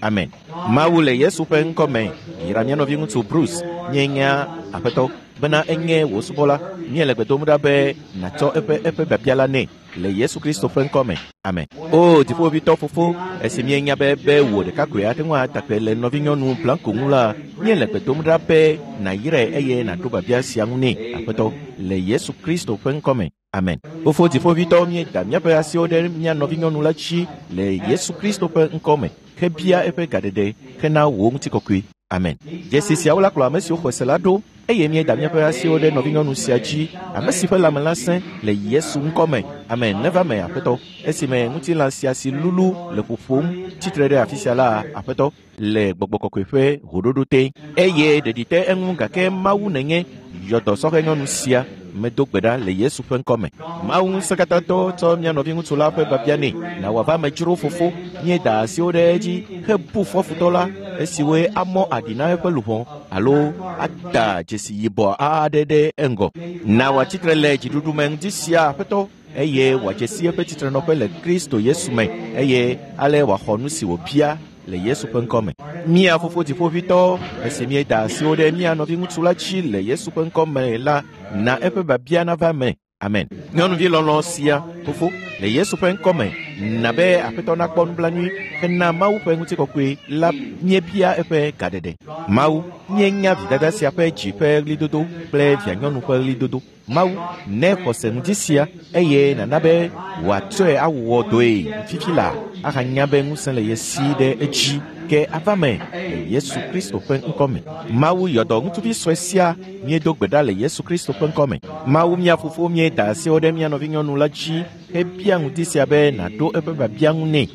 Amen. Mawu le Yesu ƒe ŋkɔme yra mía nɔviŋutsu Bruce. Míenya Aƒetɔ, bena enye wò subɔla, míele gbe dom ɖa be nàtsɔ eƒe eƒe biabia la nɛ le Yesu Kristo ƒe ŋkɔ me. Amen. O dziƒovitɔ fofo, esi míenya be be wò ɖekakpui ate ŋu atakpe le nɔvinyɔnu Blanco ŋu la, míele gbe dom ɖa be nàyrae eye nàɖo biabia sia ŋu nɛ, Aƒetɔ, le Yesu Kristo ƒe ŋkɔ me. Amen. Fofo dziƒovitɔ, míeda míaƒe asiwo ɖe mía nɔvinyɔnu la dzi le Yesu Kristo ƒe ŋkɔ me hebia eƒe gaɖeɖe hena wò ŋutikɔkɔe. Amen. Dzesi siawo la kplɔ ame siwo xɔ se la ɖo eye míeda míaƒe asiwo ɖe nɔvinyɔnu sia dzi, ame si ƒe lãme la sẽ le Yesu ŋkɔ me. Amen. Neva me, Aƒetɔ, esime ŋutilã sia si lulu le ƒoƒom tsitre ɖe afi sia la, Aƒetɔ, le gbɔgbɔ kɔkɔe ƒe hoɖoɖo te eye ɖeɖi te eŋu gake Mawu nènye yɔ dɔ sɔhɛ nyɔnu sia medo gbe ɖa le Yesu ƒe ŋkɔ me. Mawu ŋusẽkatãtɔ tsɔ mía nɔviŋutsu la ƒe biabia nɛ na wòava amedzro fofo. Míeda asiwo ɖe edzi hebu fɔ futɔ la esiwoe amɔ aɖi na eƒe luʋɔ alo ada dzesi yibɔ aɖe ɖe eŋgɔ. Na wòatsitre le dziɖuɖu me ŋdi sia, Aƒetɔ, eye wòadze si eƒe tsitrenɔƒe le Kristo Yesu me eye ale wòaxɔ nu si wòbia le Yesu ƒe ŋkɔ me. Mía fofo dziƒovitɔ, esi míeda asiwo ɖe mía nɔviŋutsu la dzi le Yesu ƒe ŋkɔ me la, na eƒe biabia nava eme. Amen. Nyɔnuvi lɔlɔ̃ sia, fofo, le Yesu ƒe ŋkɔ me, na be Aƒetɔ nakpɔ nublanui hena Mawu ƒe ŋutikɔkɔe la míebia eƒe gaɖeɖe. Mawu, míenya vidada sia ƒe dzi ƒe ɣlidodo kple vianyɔnu ƒe ɣlidodo. Mawu, ne xɔse ŋdi sia eye nana be wòatsɔe awɔ dɔe fifi la ahanya be ŋusẽ le ye si ɖe edzi ke ava me le Yesu Kristo ƒe ŋkɔ me. Mawu yɔ dɔ ŋutsuvi sue sia míedo gbe ɖa le Yesu Kristo ƒe ŋkɔ me. Mawu mía fofo míeda asiwo ɖe mía nɔvinyɔnu la dzi hebia ŋdi sia be nàɖo eƒe biabia ŋu nɛ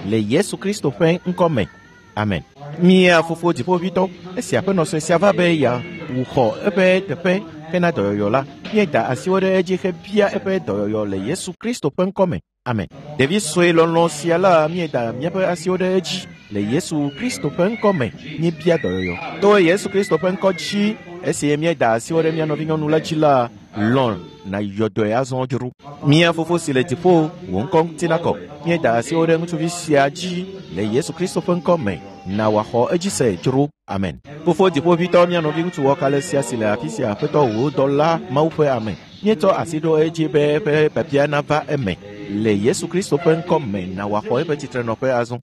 le Yesu Kristo ƒe ŋkɔ me. Amen. Mía fofo dziƒovitɔ, esi aƒenɔ sue sia va be yeawuxɔ eƒe teƒe hena dɔyɔyɔ la, míeda asiwo ɖe edzi hebia eƒe dɔyɔyɔ le Yesu Kristo ƒe ŋkɔ me. Amen. Ɖevi sue lɔlɔ̃ sia la, míeda míaƒe asiwo ɖe edzi le Yesu Kristo ƒe ŋkɔ me. Míebia dɔyɔyɔ to Yesu Kristo ƒe ŋkɔ dzi. Esi míeda asiwo ɖe mía nɔvinyɔnu la dzi la, lɔ̃ nàyɔ dɔe azɔ dzro. Mía fofo si le dziƒo, wò ŋkɔ ŋuti nakɔ. Míeda asiwo ɖe ŋutsuvi sia dzi le Yesu Kristo ƒe ŋkɔ me. Na wòaxɔ edzi se dzro. Amen. Fofo dziƒovitɔ, mía nɔviŋutsu wɔkalẽ sia si le afi sia, Aƒetɔ, wò dɔla Mawu ƒe ame, míetsɔ asi ɖo edzi be eƒe biabia nava eme le Yesu Kristo ƒe ŋkɔ me. Na wòaxɔ eƒe tsitrenɔƒe azɔ.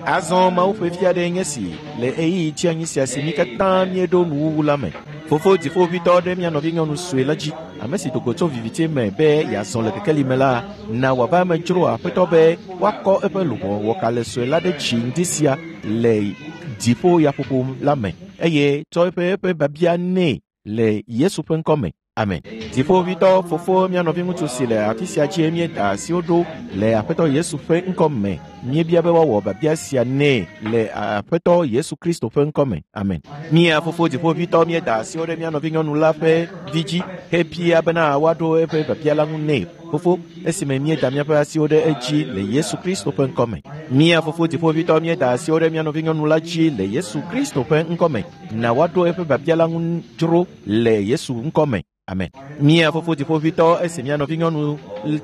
Azɔ Mawu ƒe vi aɖe nye si le ɣeyiɣi tsianyi sia si mí katã míeɖo nuwuwu la me. Fofo dziƒovitɔ ɖe mía nɔvinyɔnu sue la dzi, ame si do go tso viviti me be yeazɔ le kekeli me la, na wòava amedzro Aƒetɔ be woakɔ eƒe luʋɔ wɔkalẽ sue la ɖe dzi ŋdi sia le dziƒo yaƒoƒo la me eye tsɔ eƒe eƒe biabia nɛ le Yesu ƒe ŋkɔ me. Amen. Dziƒovitɔ fofo mía nɔviŋutsu si le afi sia dzie míeda asiwo ɖo le Aƒetɔ Yesu ƒe ŋkɔ me. Míebia be woawɔ biabia sia nɛ le Aƒetɔ Yesu Kristo ƒe ŋkɔ me. Amen. Mía fofo dziƒovitɔ, míeda asiwo ɖe mía nɔvinyɔnu la ƒe vi dzi hebia bena woaɖo eƒe biabia la ŋu nɛ. Fofo, esime míeda míaƒe asiwo ɖe edzi le Yesu Kristo ƒe ŋkɔ me. Mía fofo dziƒovitɔ, míeda asiwo ɖe mía nɔvinyɔnu la dzi le Yesu Kristo ƒe ŋkɔ me. Na woaɖo eƒe biabia la ŋu dzro le Yesu ŋkɔ me. Amen. Mía fofo dziƒovitɔ, esi mía nɔvinyɔnu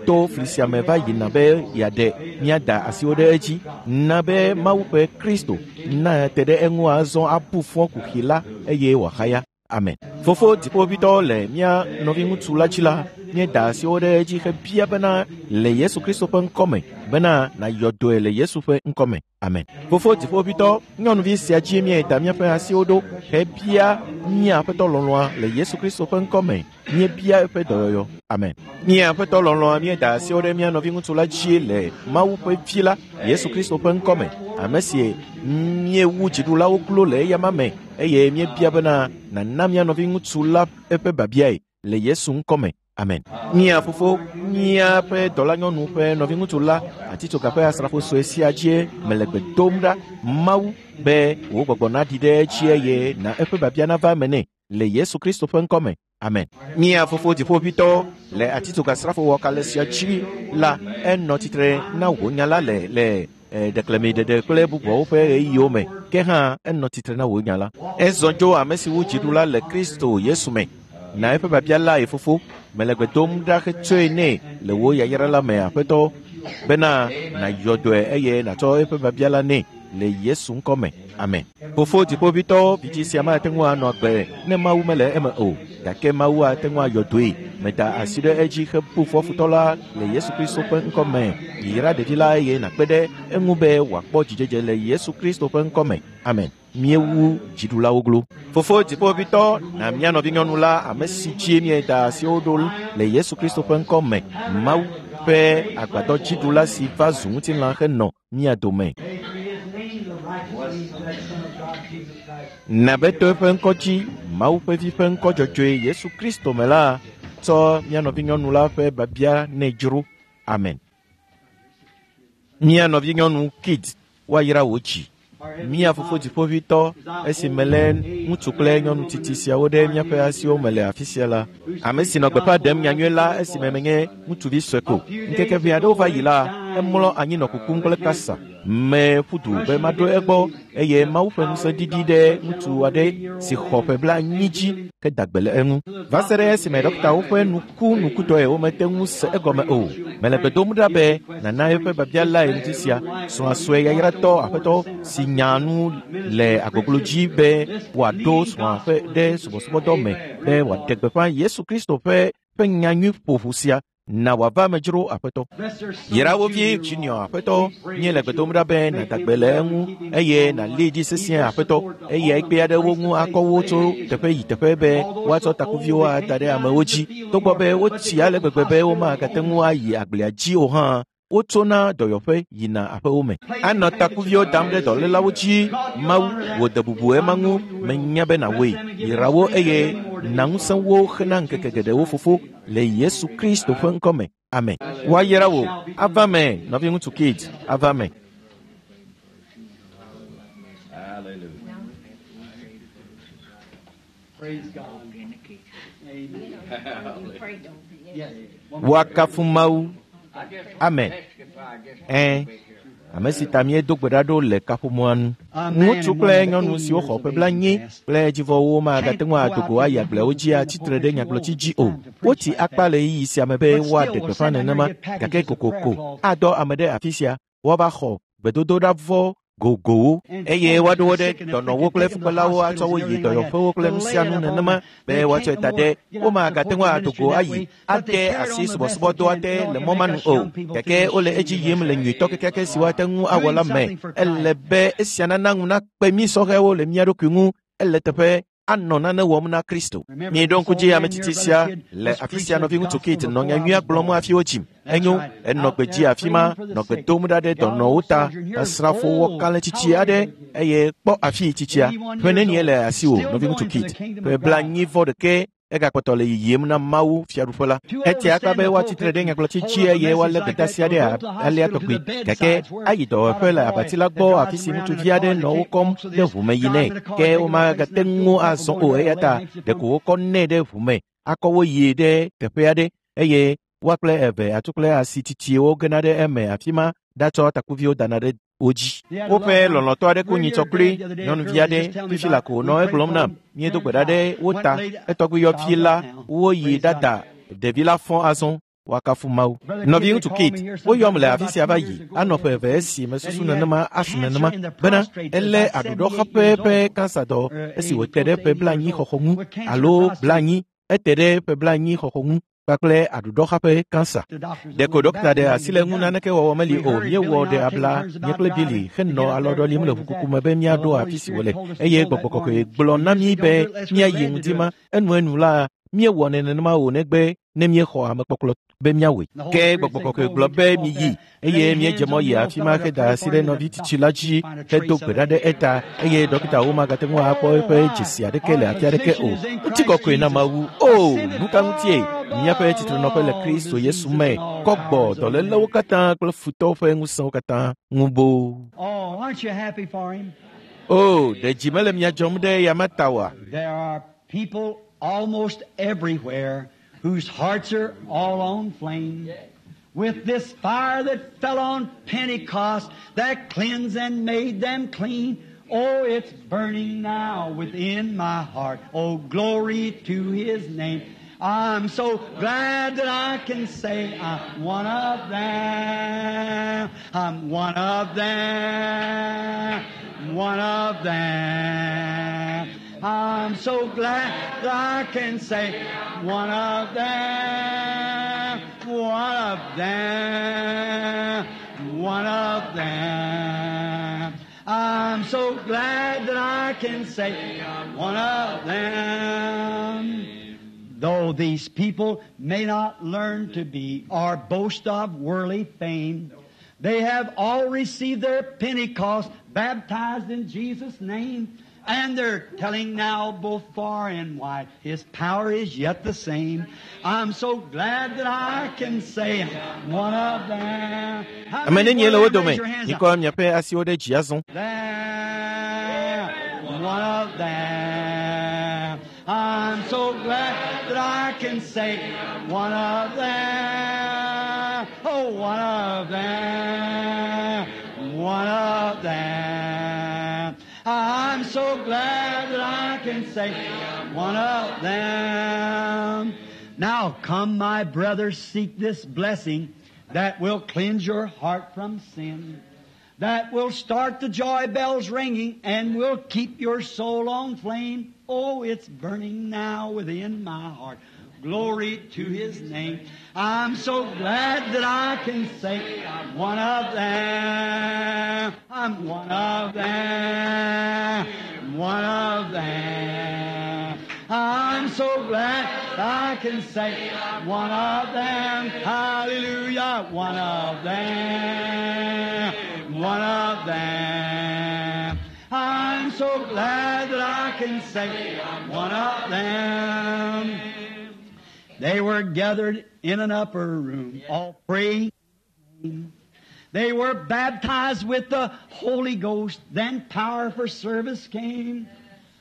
to fli sia me va yina be yeaɖe míada asiwo ɖe edzi, na be Mawu ƒe Kristo na te ɖe eŋu azɔ abu fɔ kuxi la eye wòahaya. Amen. Fofo dziƒovitɔ, le mía nɔviŋutsu la dzi la, míeda asiwo ɖe edzi hebia bena le Yesu Kristo ƒe ŋkɔ me bena nàyɔ dɔe le Yesu ƒe ŋkɔ me. Amen. Fofo dziƒovitɔ, nyɔnuvi sia dzi míeda míaƒe asiwo ɖo hebia mía Aƒetɔ lɔlɔ̃a le Yesu Kristo ƒe ŋkɔ me. Míebia eƒe dɔyɔyɔ. Amen. Mía Aƒetɔ lɔlɔ̃a, míeda asiwo ɖe mía nɔviŋutsu la dzi le Mawu ƒe Vi la, Yesu Kristo ƒe ŋkɔ me, ame si míewu dziɖulawo klo le eyama me eye míebia bena nàna mía nɔviŋutsu la eƒe biabiae le Yesu ŋkɔ me. Amen. Mía fofo, míaƒe dɔlanyɔnu ƒe nɔviŋutsu la, atitsoga ƒe asrafo sue sia dzie mele gbe dom ɖa Mawu be wò gbɔgbɔ naɖi ɖe edzi eye na eƒe biabia nava eme nɛ le Yesu Kristo ƒe ŋkɔ me. Amen. Mía fofo dziƒovitɔ, le atitsoga srafo wɔkalẽ sia dzi la, enɔ tsitre na wò nya la le le ɖeklemiɖeɖe kple bubuawo ƒe ɣeyiɣiwo me. Ke hã enɔ tsitre na wò nya la. Ezɔ tso ame si wu dziɖula le Kristo Yesu me. Na eƒe biabia lae fofo, mele gbe dom ɖa hetsɔe nɛ le wò yayra la me, Aƒetɔ, bena nàyɔ dɔe eye nàtsɔ eƒe biabia la nɛ le Yesu ŋkɔ me. Amen. Fofo dziƒoʋĩtɔ, vidzi sia mate ŋu anɔ agbe ne Mawu mele eme o, gake Mawu ate ŋu ayɔ dɔe. Meda asi ɖe edzi hebu fɔ futɔ la le Yesu Kristo ƒe ŋkɔ me. Yra ɖevi la eye nàkpe ɖe eŋu be wòakpɔ dzidzedze le Yesu Kristo ƒe ŋkɔ me. Amen. Míewu dziɖulawo glo. Fofo dziƒoʋĩtɔ, na mía nɔvinyɔnu la, ame si dzi míeda asiwo ɖo le Yesu Kristo ƒe ŋkɔ me, Mawu ƒe agbadɔ dziɖula si va zu ŋutilã henɔ mía dome. Na be to eƒe ŋkɔ dzi, Mawu ƒe vi ƒe ŋkɔ dzɔdzɔe Yesu Kristo me la, tsɔ mía nɔvinyɔnu la ƒe biabia nɛ dzro. Amen. Mía nɔvinyɔnu Kid, woayra wò dzi. Mía fofo dziƒoʋĩtɔ, esi melé ŋutsu kple nyɔnu tsitsi siawo ɖe míaƒe asiwo me le afi sia la, ame si nɔ gbeƒã ɖem nyanyui la esime menye ŋutsuvi sue ko. Ŋkeke ʋɛ aɖewo va yi la, emlɔ anyi nɔ kukum kple kasa. Meƒu du be maɖo egbɔ eye Mawu ƒe ŋusẽ ɖiɖi ɖe ŋutsu aɖe si xɔ ƒe blaenyi dzi heda gbe le eŋu. Va se ɖe esime ɖɔktawo ƒe nu ku nukutɔe womete ŋu se egɔme o. Mele gbe dom ɖa be nana eƒe biabia lae ŋuti sia. Srɔ̃a sue yayratɔ aƒetɔ si nya nu le agboglo dzi be wòaɖo srɔ̃a ƒe ɖe subɔsubɔdɔ me be wòaɖe gbeƒã Yesu Kristo ƒe ƒe nyanyui ƒoƒu sia. Na wòava eme dzro aƒetɔ. Yra wo vi Junior aƒetɔ, míele gbe dom ɖa be nàda gbe le eŋu eye nàlée dzi sesĩe aƒetɔ. Eyae kpe ɖe wo ŋu akɔ wo tso teƒe yi teƒe be woatsɔ takuviwo ada ɖe amewo dzi. Togbɔ be wotsi ale gbegbe be womagate ŋu ayi agblea dzi o hã, wotsona dɔyɔƒe yina aƒewo me. Anɔ takuviwo dam ɖe dɔlélawo dzi. Mawu, wò de bubu ema ŋu, menya be nàwɔe. Yra wo eye na ŋusẽ wo hena ŋkeke geɖewo fofo le Yesu Kristo ƒe ŋkɔ me. Amen. Woayra wò. Ava me, nɔviŋutsu Kid, ava me. Woakafu Mawu. Amen. Ɛ̃, ame si ta míedo gbe ɖa ɖo le kaƒomɔa nu. Ŋutsu kple nyɔnu siwo xɔ ƒe blaenyi kple dzivɔwo magate ŋu ado go ayi agbleawo dzi atsitre ɖe nyagblɔtsi dzi o. Wotsi akpa le ɣeyiɣi sia me be woaɖe gbeƒã nenema, gake kokoko adɔ ame ɖe afi sia woava xɔ gbedodoɖavɔ gogowo eye woaɖo wo ɖe dɔnɔwo kple fukpelawo atsɔ wo yi dɔyɔƒewo kple nu sia nu nenema be woatsɔe da ɖe womagate ŋu ado go ayi ade asi subɔsubɔdɔa te le mɔ ma nu o, gake wole edzi yim le nyuitɔ kekeake si woate ŋu awɔ la me. Ele be esia nana ŋu nakpe mí sɔhɛwo le mía ɖokui ŋu. Ele teƒe anɔ nane wɔm na Kristo. Míeɖo ŋku dzi ame tsitsi sia le afi sia nɔviŋutsu Kate nɔ nyanyuia gblɔm hafi wodzim. Enyo, enɔ gbe dzi afi ma, nɔ gbe dom ɖa ɖe dɔnɔwo ta, asrafo wɔ kalẽtsitsi aɖe eye kpɔ afii tsitsia. Ƒe nenie le asiwò, nɔviŋutsu Kate? Ƒe blaenyi vɔ ɖekɛ egakpɔtɔ le yiyim na Mawu fiaɖuƒe la. Etia akpa be woatsitre ɖe nyagblɔtsi dzi eye woalé gbedeasi aɖe alea tɔgbi, gake ayi dɔwɔƒe le abati la gbɔ afi si ŋutsuvi aɖe nɔ wo kɔm ɖe ʋu me yinɛ, ke womagate ŋu azɔ o eya ta ɖeko wokɔ nɛ ɖe ʋu me akɔ wo yi ɖe teƒe aɖe eye woa kple eve atu kple asi tsitsiwo gena ɖe eme afi ma ɖatsɔ takuviwo dana ɖe wo dzi. Woƒe lɔlɔ̃tɔ aɖe ku nyitsɔ kloe, nyɔnuvi aɖe fifi la ko nɔ egblɔm nam. Míedo gbe ɖa ɖe wo ta. Etɔgbuiyɔvi la woyi ɖada ɖevi la fɔ azɔ. Woakafu Mawu. Nɔviŋutsu Kate, woyɔm le afi sia va yi anɔ ƒe eve esi mesusu nenema asu nenema bena elé aɖuɖɔxaƒe ƒe kansadɔ esi wòte ɖe ƒe blaenyi xɔxɔ ŋu alo blaenyi ete ɖe ƒe blaenyi xɔxɔ ŋu kpakple aɖuɖɔxaƒe kansa. Ɖeko ɖɔkta ɖe asi le ŋu naneke wɔwɔ meli o. Míewɔ ɖe abla nye kple Billy henɔ alɔɖɔlim le ʋukuku me be míaɖo afi si wòle eye gbɔgbɔ kɔkɔe gblɔ na mí be míayi ŋdi ma. Enuenu la míewɔnɛ nenema o negbe ne míexɔ amekpɔkplɔ be míawɔe. Ke gbɔgbɔ kɔkɔe gblɔ be miyi eye míedze mɔ yi afi ma heda asi ɖe nɔvi tsitsi la dzi hedo gbe ɖa ɖe eta eye ɖɔkitawo magate ŋu akpɔ eƒe dzesi aɖeke le afi aɖeke o. Ŋutikɔkɔe na Mawu. O, nu ka ŋutie míaƒe tsitrenɔƒe le Kristo Yesu me kɔ gbɔ dɔlélewo katã kple futɔwo ƒe ŋusẽwo katã ŋu boo. O, ɖe dzi mele mia dzɔm ɖe eya ta oa? Almost everywhere whose hearts are all on flame with this fire that fell on Pentecost that cleansed and made them clean. Oh, it's burning now within my heart. Oh, glory to His name. I'm so glad that I can say I'm one of them. I'm one of them. One of them. I'm so glad that I can say one of them. One of them. One of them. I'm so glad that I can say one of them. Though these people may not learn to be or boast of worldly fame, they have all received their Pentecost, baptized in Jesus' name, and they're telling now both far and wide, His power is yet the same. I'm so glad that I can say I'm one of them. How Ame many nenye le wo want to dome? raise your hands up? Mikɔ miaƒe asiwo ɖe dzi azɔ. them, one of them. I'm so glad that I can say one of them, oh, one of them, one of them. I'm so glad that I can say one of them. Now come, my brothers, seek this blessing that will cleanse your heart from sin, that will start the joy bells ringing and will keep your soul on flame. Oh, it's burning now within my heart. Glory to His name. I'm so glad that I can say I'm one of them. I'm one of them. One of them. I'm so glad I can say one of them. Hallelujah. One of them. One of them. I'm so glad that I can say I'm one of them. They were gathered in an upper room, all praying. They were baptized with the Holy Ghost. Then power for service came.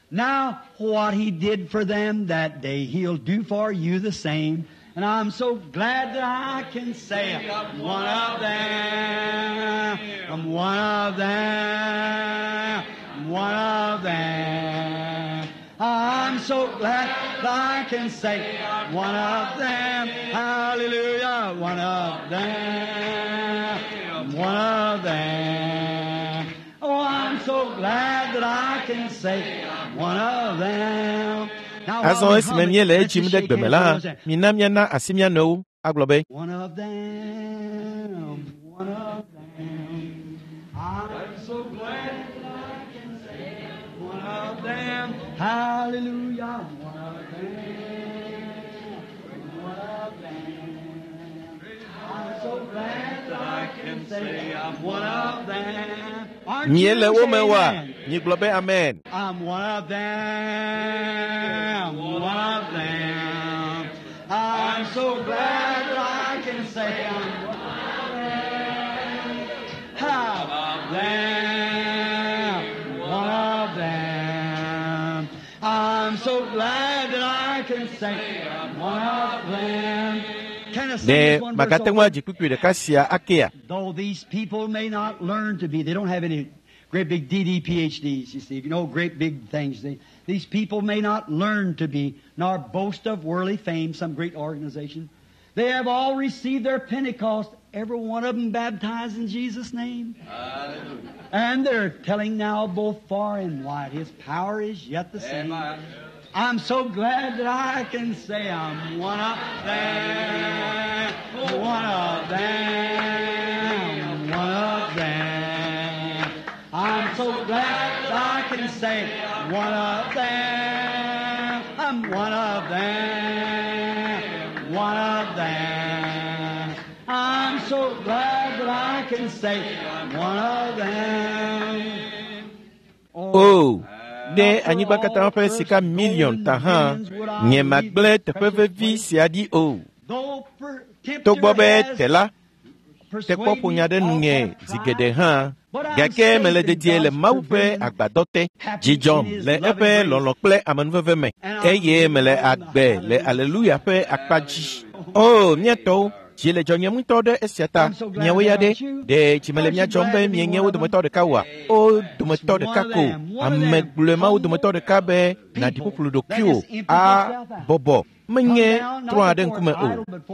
Now, what He did for them that day, He'll do for you the same. And I'm so glad that I can say I'm one of them. I'm one of them. One of them. I'm so glad that I can say one of them. Hallelujah. One of them. One of them. Oh, I'm so glad that I can say one of them. Now, Azɔ while we esime hum it, míele let's edzim just ɖe shake gbeme hands la, with those. mina míana asi mía nɔewo agblɔ be, One of them, one of them. I'm so glad that I can say one of them. Hallelujah, one of them, one of them. I'm so glad that I can say I'm one of them. Aren't you? Míele wo Say me oa? amen. Mígblɔ be amen. I'm one of them, one of them. I'm so glad that I can say I'm one of them. Of them, one of them. I'm so glad that I can say I'm one of them. Can I sing Ɖe this one verse magate ŋu over? adzi kpukpui ɖeka sia akea? Though these people may not learn to be, they don't have any great big D D PhDs, you see, you know, great big things. They, these people may not learn to be, nor boast of worldly fame, some great organization. They have all received their Pentecost, every one of them baptized in Jesus' name. And they're telling now both far and wide, His power is yet the same. I'm so glad that I can say I'm one of them, one of them, one of them. I'm so glad that I can say one of them, I'm one of them, one of them. I'm so glad that I can say one of them. O, ɖe anyigba katã ƒe sika miliɔn ta hã, nye magblẽ teƒe vevi sia ɖi o. Togbɔ be tela tekpɔ ƒo nya ɖe nunye zi geɖe hã, gake mele dedie le Mawu ƒe agbadɔ te. Dzi dzɔm le eƒe lɔlɔ̃ kple amenuveve me eye mele agbe le aleluya ƒe akpa dzi. O, mía tɔwo, Dzi le dzɔnyem ŋutɔ ɖe esia ta. Miawo ya ɖe, ɖe dzi mele mia dzɔm be mienye wo dometɔ ɖeka oa? Wo dometɔ ɖeka ko. Ame gblɔe ma wo dometɔ ɖeka be nàɖi ƒuƒlu ɖokuiwò abɔbɔ. Menye trɔ aɖe ŋkume o.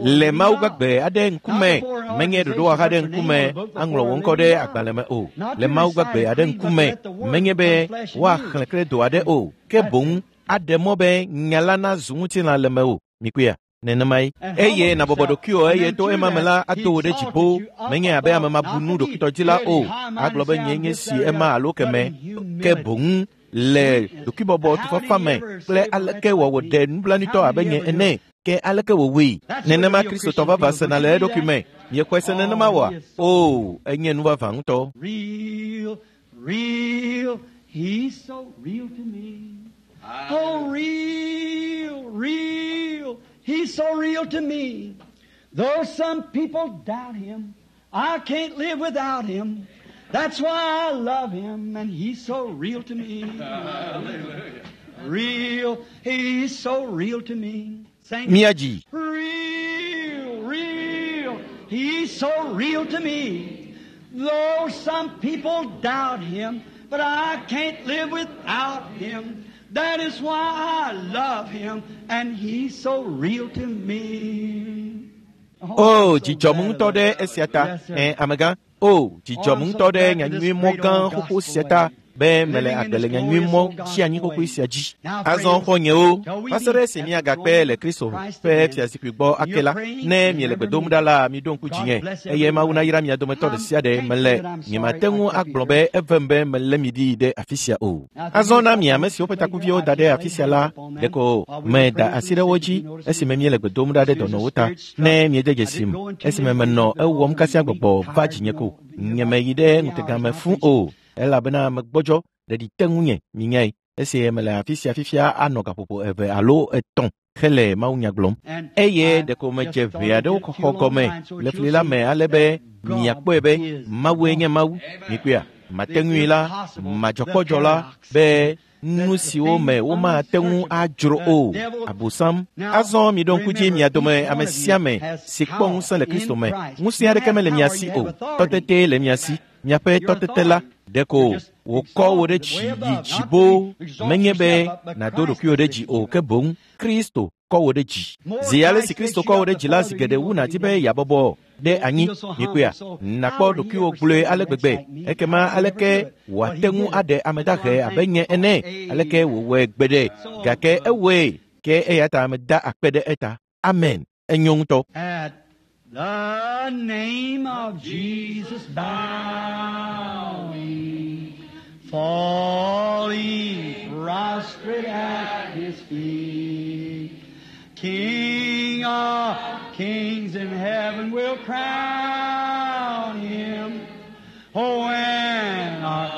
Le Mawu gbagbe aɖe ŋkume, menye ɖoɖowɔha aɖe ŋkume aŋlɔ wò ŋkɔ ɖe agbalẽ me o. Le Mawu gbagbe aɖe ŋkume, menye be woaxlẽ kredo aɖe o, ke boŋ aɖe mɔ be nya la nazu ŋutilã le mewò. Mikuya. Nenemae. Eye nàbɔbɔ ɖokuiwò eye to ema me la ado wò ɖe dziƒo. Menye abe ame mabunu ɖokuitɔdzila o. Agblɔ be nye nye si ema alo keme. Ke boŋ le ɖokuibɔbɔ tufafa me kple aleke wòawɔ ɖe nublanuitɔ abe nye ene. Ke aleke wòwɔe? Nenema Kristotɔ vavã sena le eɖokui me. Miexɔe se nenema oa? O, enye nu vavã ŋutɔ. Real, real, he's so real to me. Oh, real, real, he's so real to me. Though some people doubt him, I can't live without him. That's why I love him, and he's so real to me. Real, he's so real to me. Sing it. Míadzi. Real, real, he's so real to me. Though some people doubt him, but I can't live without him. That is why I love him, and he's so real to me. O, dzidzɔm ŋutɔ ɖe esia ta. Ɛ, amegã. O, dzidzɔm ŋutɔ ɖe nyanyuimɔ gã xoxo sia ta be mele agbe le nyanyuimɔ tsi anyi xoxoe sia dzi. Azɔ xɔ̃nyewo, va se ɖe esi míagakpe le Kristo ƒe fiazikpui gbɔ ake la, ne miele gbe dom ɖa la, miɖo ŋku dzinye eye Mawu nayra mia dometɔ ɖe sia ɖe. Mele nyemate ŋu agblɔ be evem be melé mi ɖi ɖe afi sia o. Azɔ na mi ame siwo ƒe takuviwo da ɖe afi sia la, ɖeko meda asi ɖe wo dzi esime míele gbe dom ɖa ɖe dɔnɔwo ta. Ne miede dzesim esime menɔ ewɔm kasia gbɔgbɔ va dzinye ko. Nyemeyi ɖe ŋutega me fũ o, elabena megbɔdzɔ ɖeɖi te ŋunye minyae. Esi mele afi sia fifia anɔ gaƒoƒo eve alo etɔ̃ hele mawunya gblɔm. Eye ɖeko medze ʋe aɖewo xɔxɔ gɔme le fli la me ale be miakpɔe be Mawue nye Mawu. Mikpɔea, mate ŋui la, madzɔkpɔdzɔ la be nu siwo me womate ŋu adzro o. Abosam. Azɔ miɖo ŋku dzi mia dome ame sia ame si kpɔ ŋusẽ le Kristo me. Ŋusẽ aɖeke mele mia si o. Tɔtete le mia si. Miaƒe tɔtete la ɖeko wòkɔ wò ɖe dzi yi dzibo. Menye be nàdo ɖokuiwò ɖe dzi o, ke boŋ Kristo kɔ wò ɖe dzi. Zi ale si Kristo kɔ wò ɖe dzi la, zi geɖe wu nàdi be yeabɔbɔ ɖe anyi. Mikpɔea, nàkpɔ ɖokuiwò gblɔe ale gbegbe. Ekema aleke wòate ŋu aɖe ame dahe abe nye ene? Aleke wòwɔe gbeɖe? Gake ewɔe. Ke eya ta meda akpe ɖe eta. Amen. Enyo ŋutɔ. At the name of Jesus bowing, falling prostrate at his feet. King of kings in heaven will crown him. Oh, when our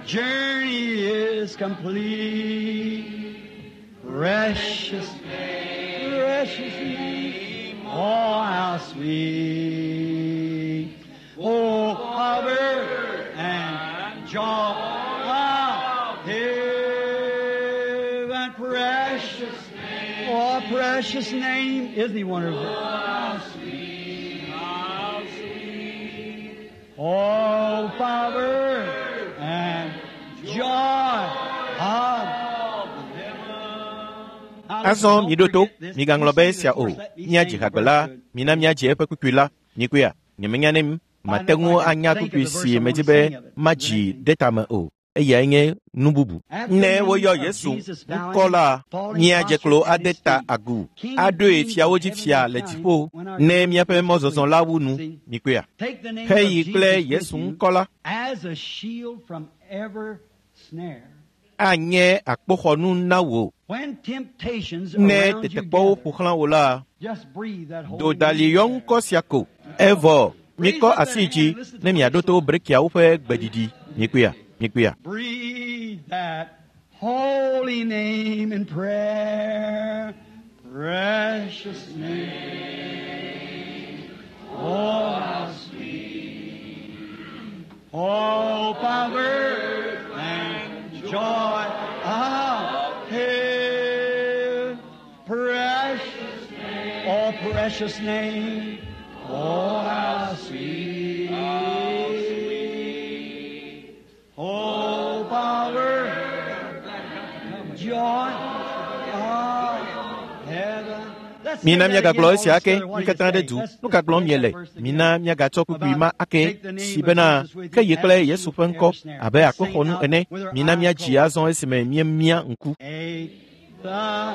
journey is complete, precious, precious name, oh, how sweet. Oh, power and joy of heaven, precious, oh, precious name. Isn't he wonderful? How sweet, how sweet. Oh, power and joy of Azɔ miɖo to, migaŋlɔ be esia o. Míadzi hagbe la, mina míadzi eƒe kpukpui la. Mikpɔea, nyemenya ne mate ŋu anya kpukpui si medzi be madzi ɖe tame o. Eyae nye nu bubu. Ne woyɔ Yesu ŋkɔ la, míadze klo ade ta agu, aɖoe fiawo dzi fia le dziƒo, ne míaƒe mɔzɔzɔ la wu nu. Mikpɔea, Take the name heyi of kple Jesus Yesu with you ŋkɔ la as a shield from every snare. anye akpoxɔnu na wò. When temptations Ne around you tetekpɔwo gather, ƒo xlã wò la, just breathe that holy dodali yɔ name ŋkɔ sia ko. Evɔ, mikɔ asi dzi ne miaɖo to brekiawo ƒe gbeɖiɖi. Mikpɔea, mikpɔea. Breathe that holy name in prayer. Precious name. Oh, how sweet. Oh, power and joy of heaven. Precious name. Oh, precious name. Oh, how sweet. Oh, power, joy of heaven. Let's say Mina that míagagblɔ again all esia ake together. What mí do you katã ɖe say? du Let's nu ka gblɔm take miele that verse mina again. míagatsɔ kpukpui About ma ake take the si name of bena Jesus with ke you ye kple as Yesu shield ƒe from ŋkɔ every snare. abe Let's sing akpoxɔnu out ene with our mina eyes míadzi closed. azɔ esime míemia ŋku Take the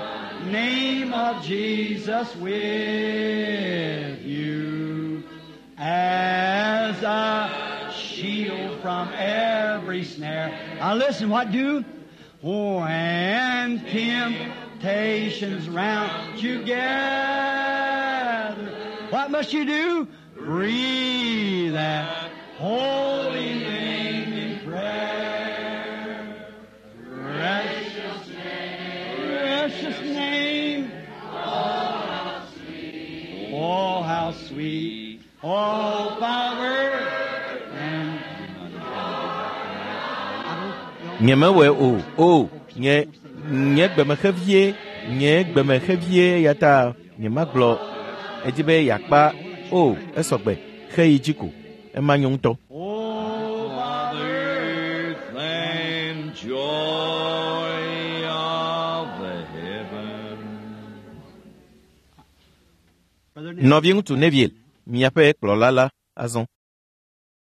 name of Jesus with you as a shield from every snare. Now listen, what do? When temptations round you gather, what must you do? Breathe that holy name in prayer. Precious precious name. Oh, how sweet. Oh, power. And Nyemewɔe o o nye nye gbemexevie nye gbemexevie eya ta nyemagblɔ edzi be yeakpa o esɔgbe xeyi dzi ko ema nyo ŋutɔ. Oh, Father. Earth and joy of the heaven. Brother Nɔviŋutsu Neville, miaƒe kplɔla la azɔ.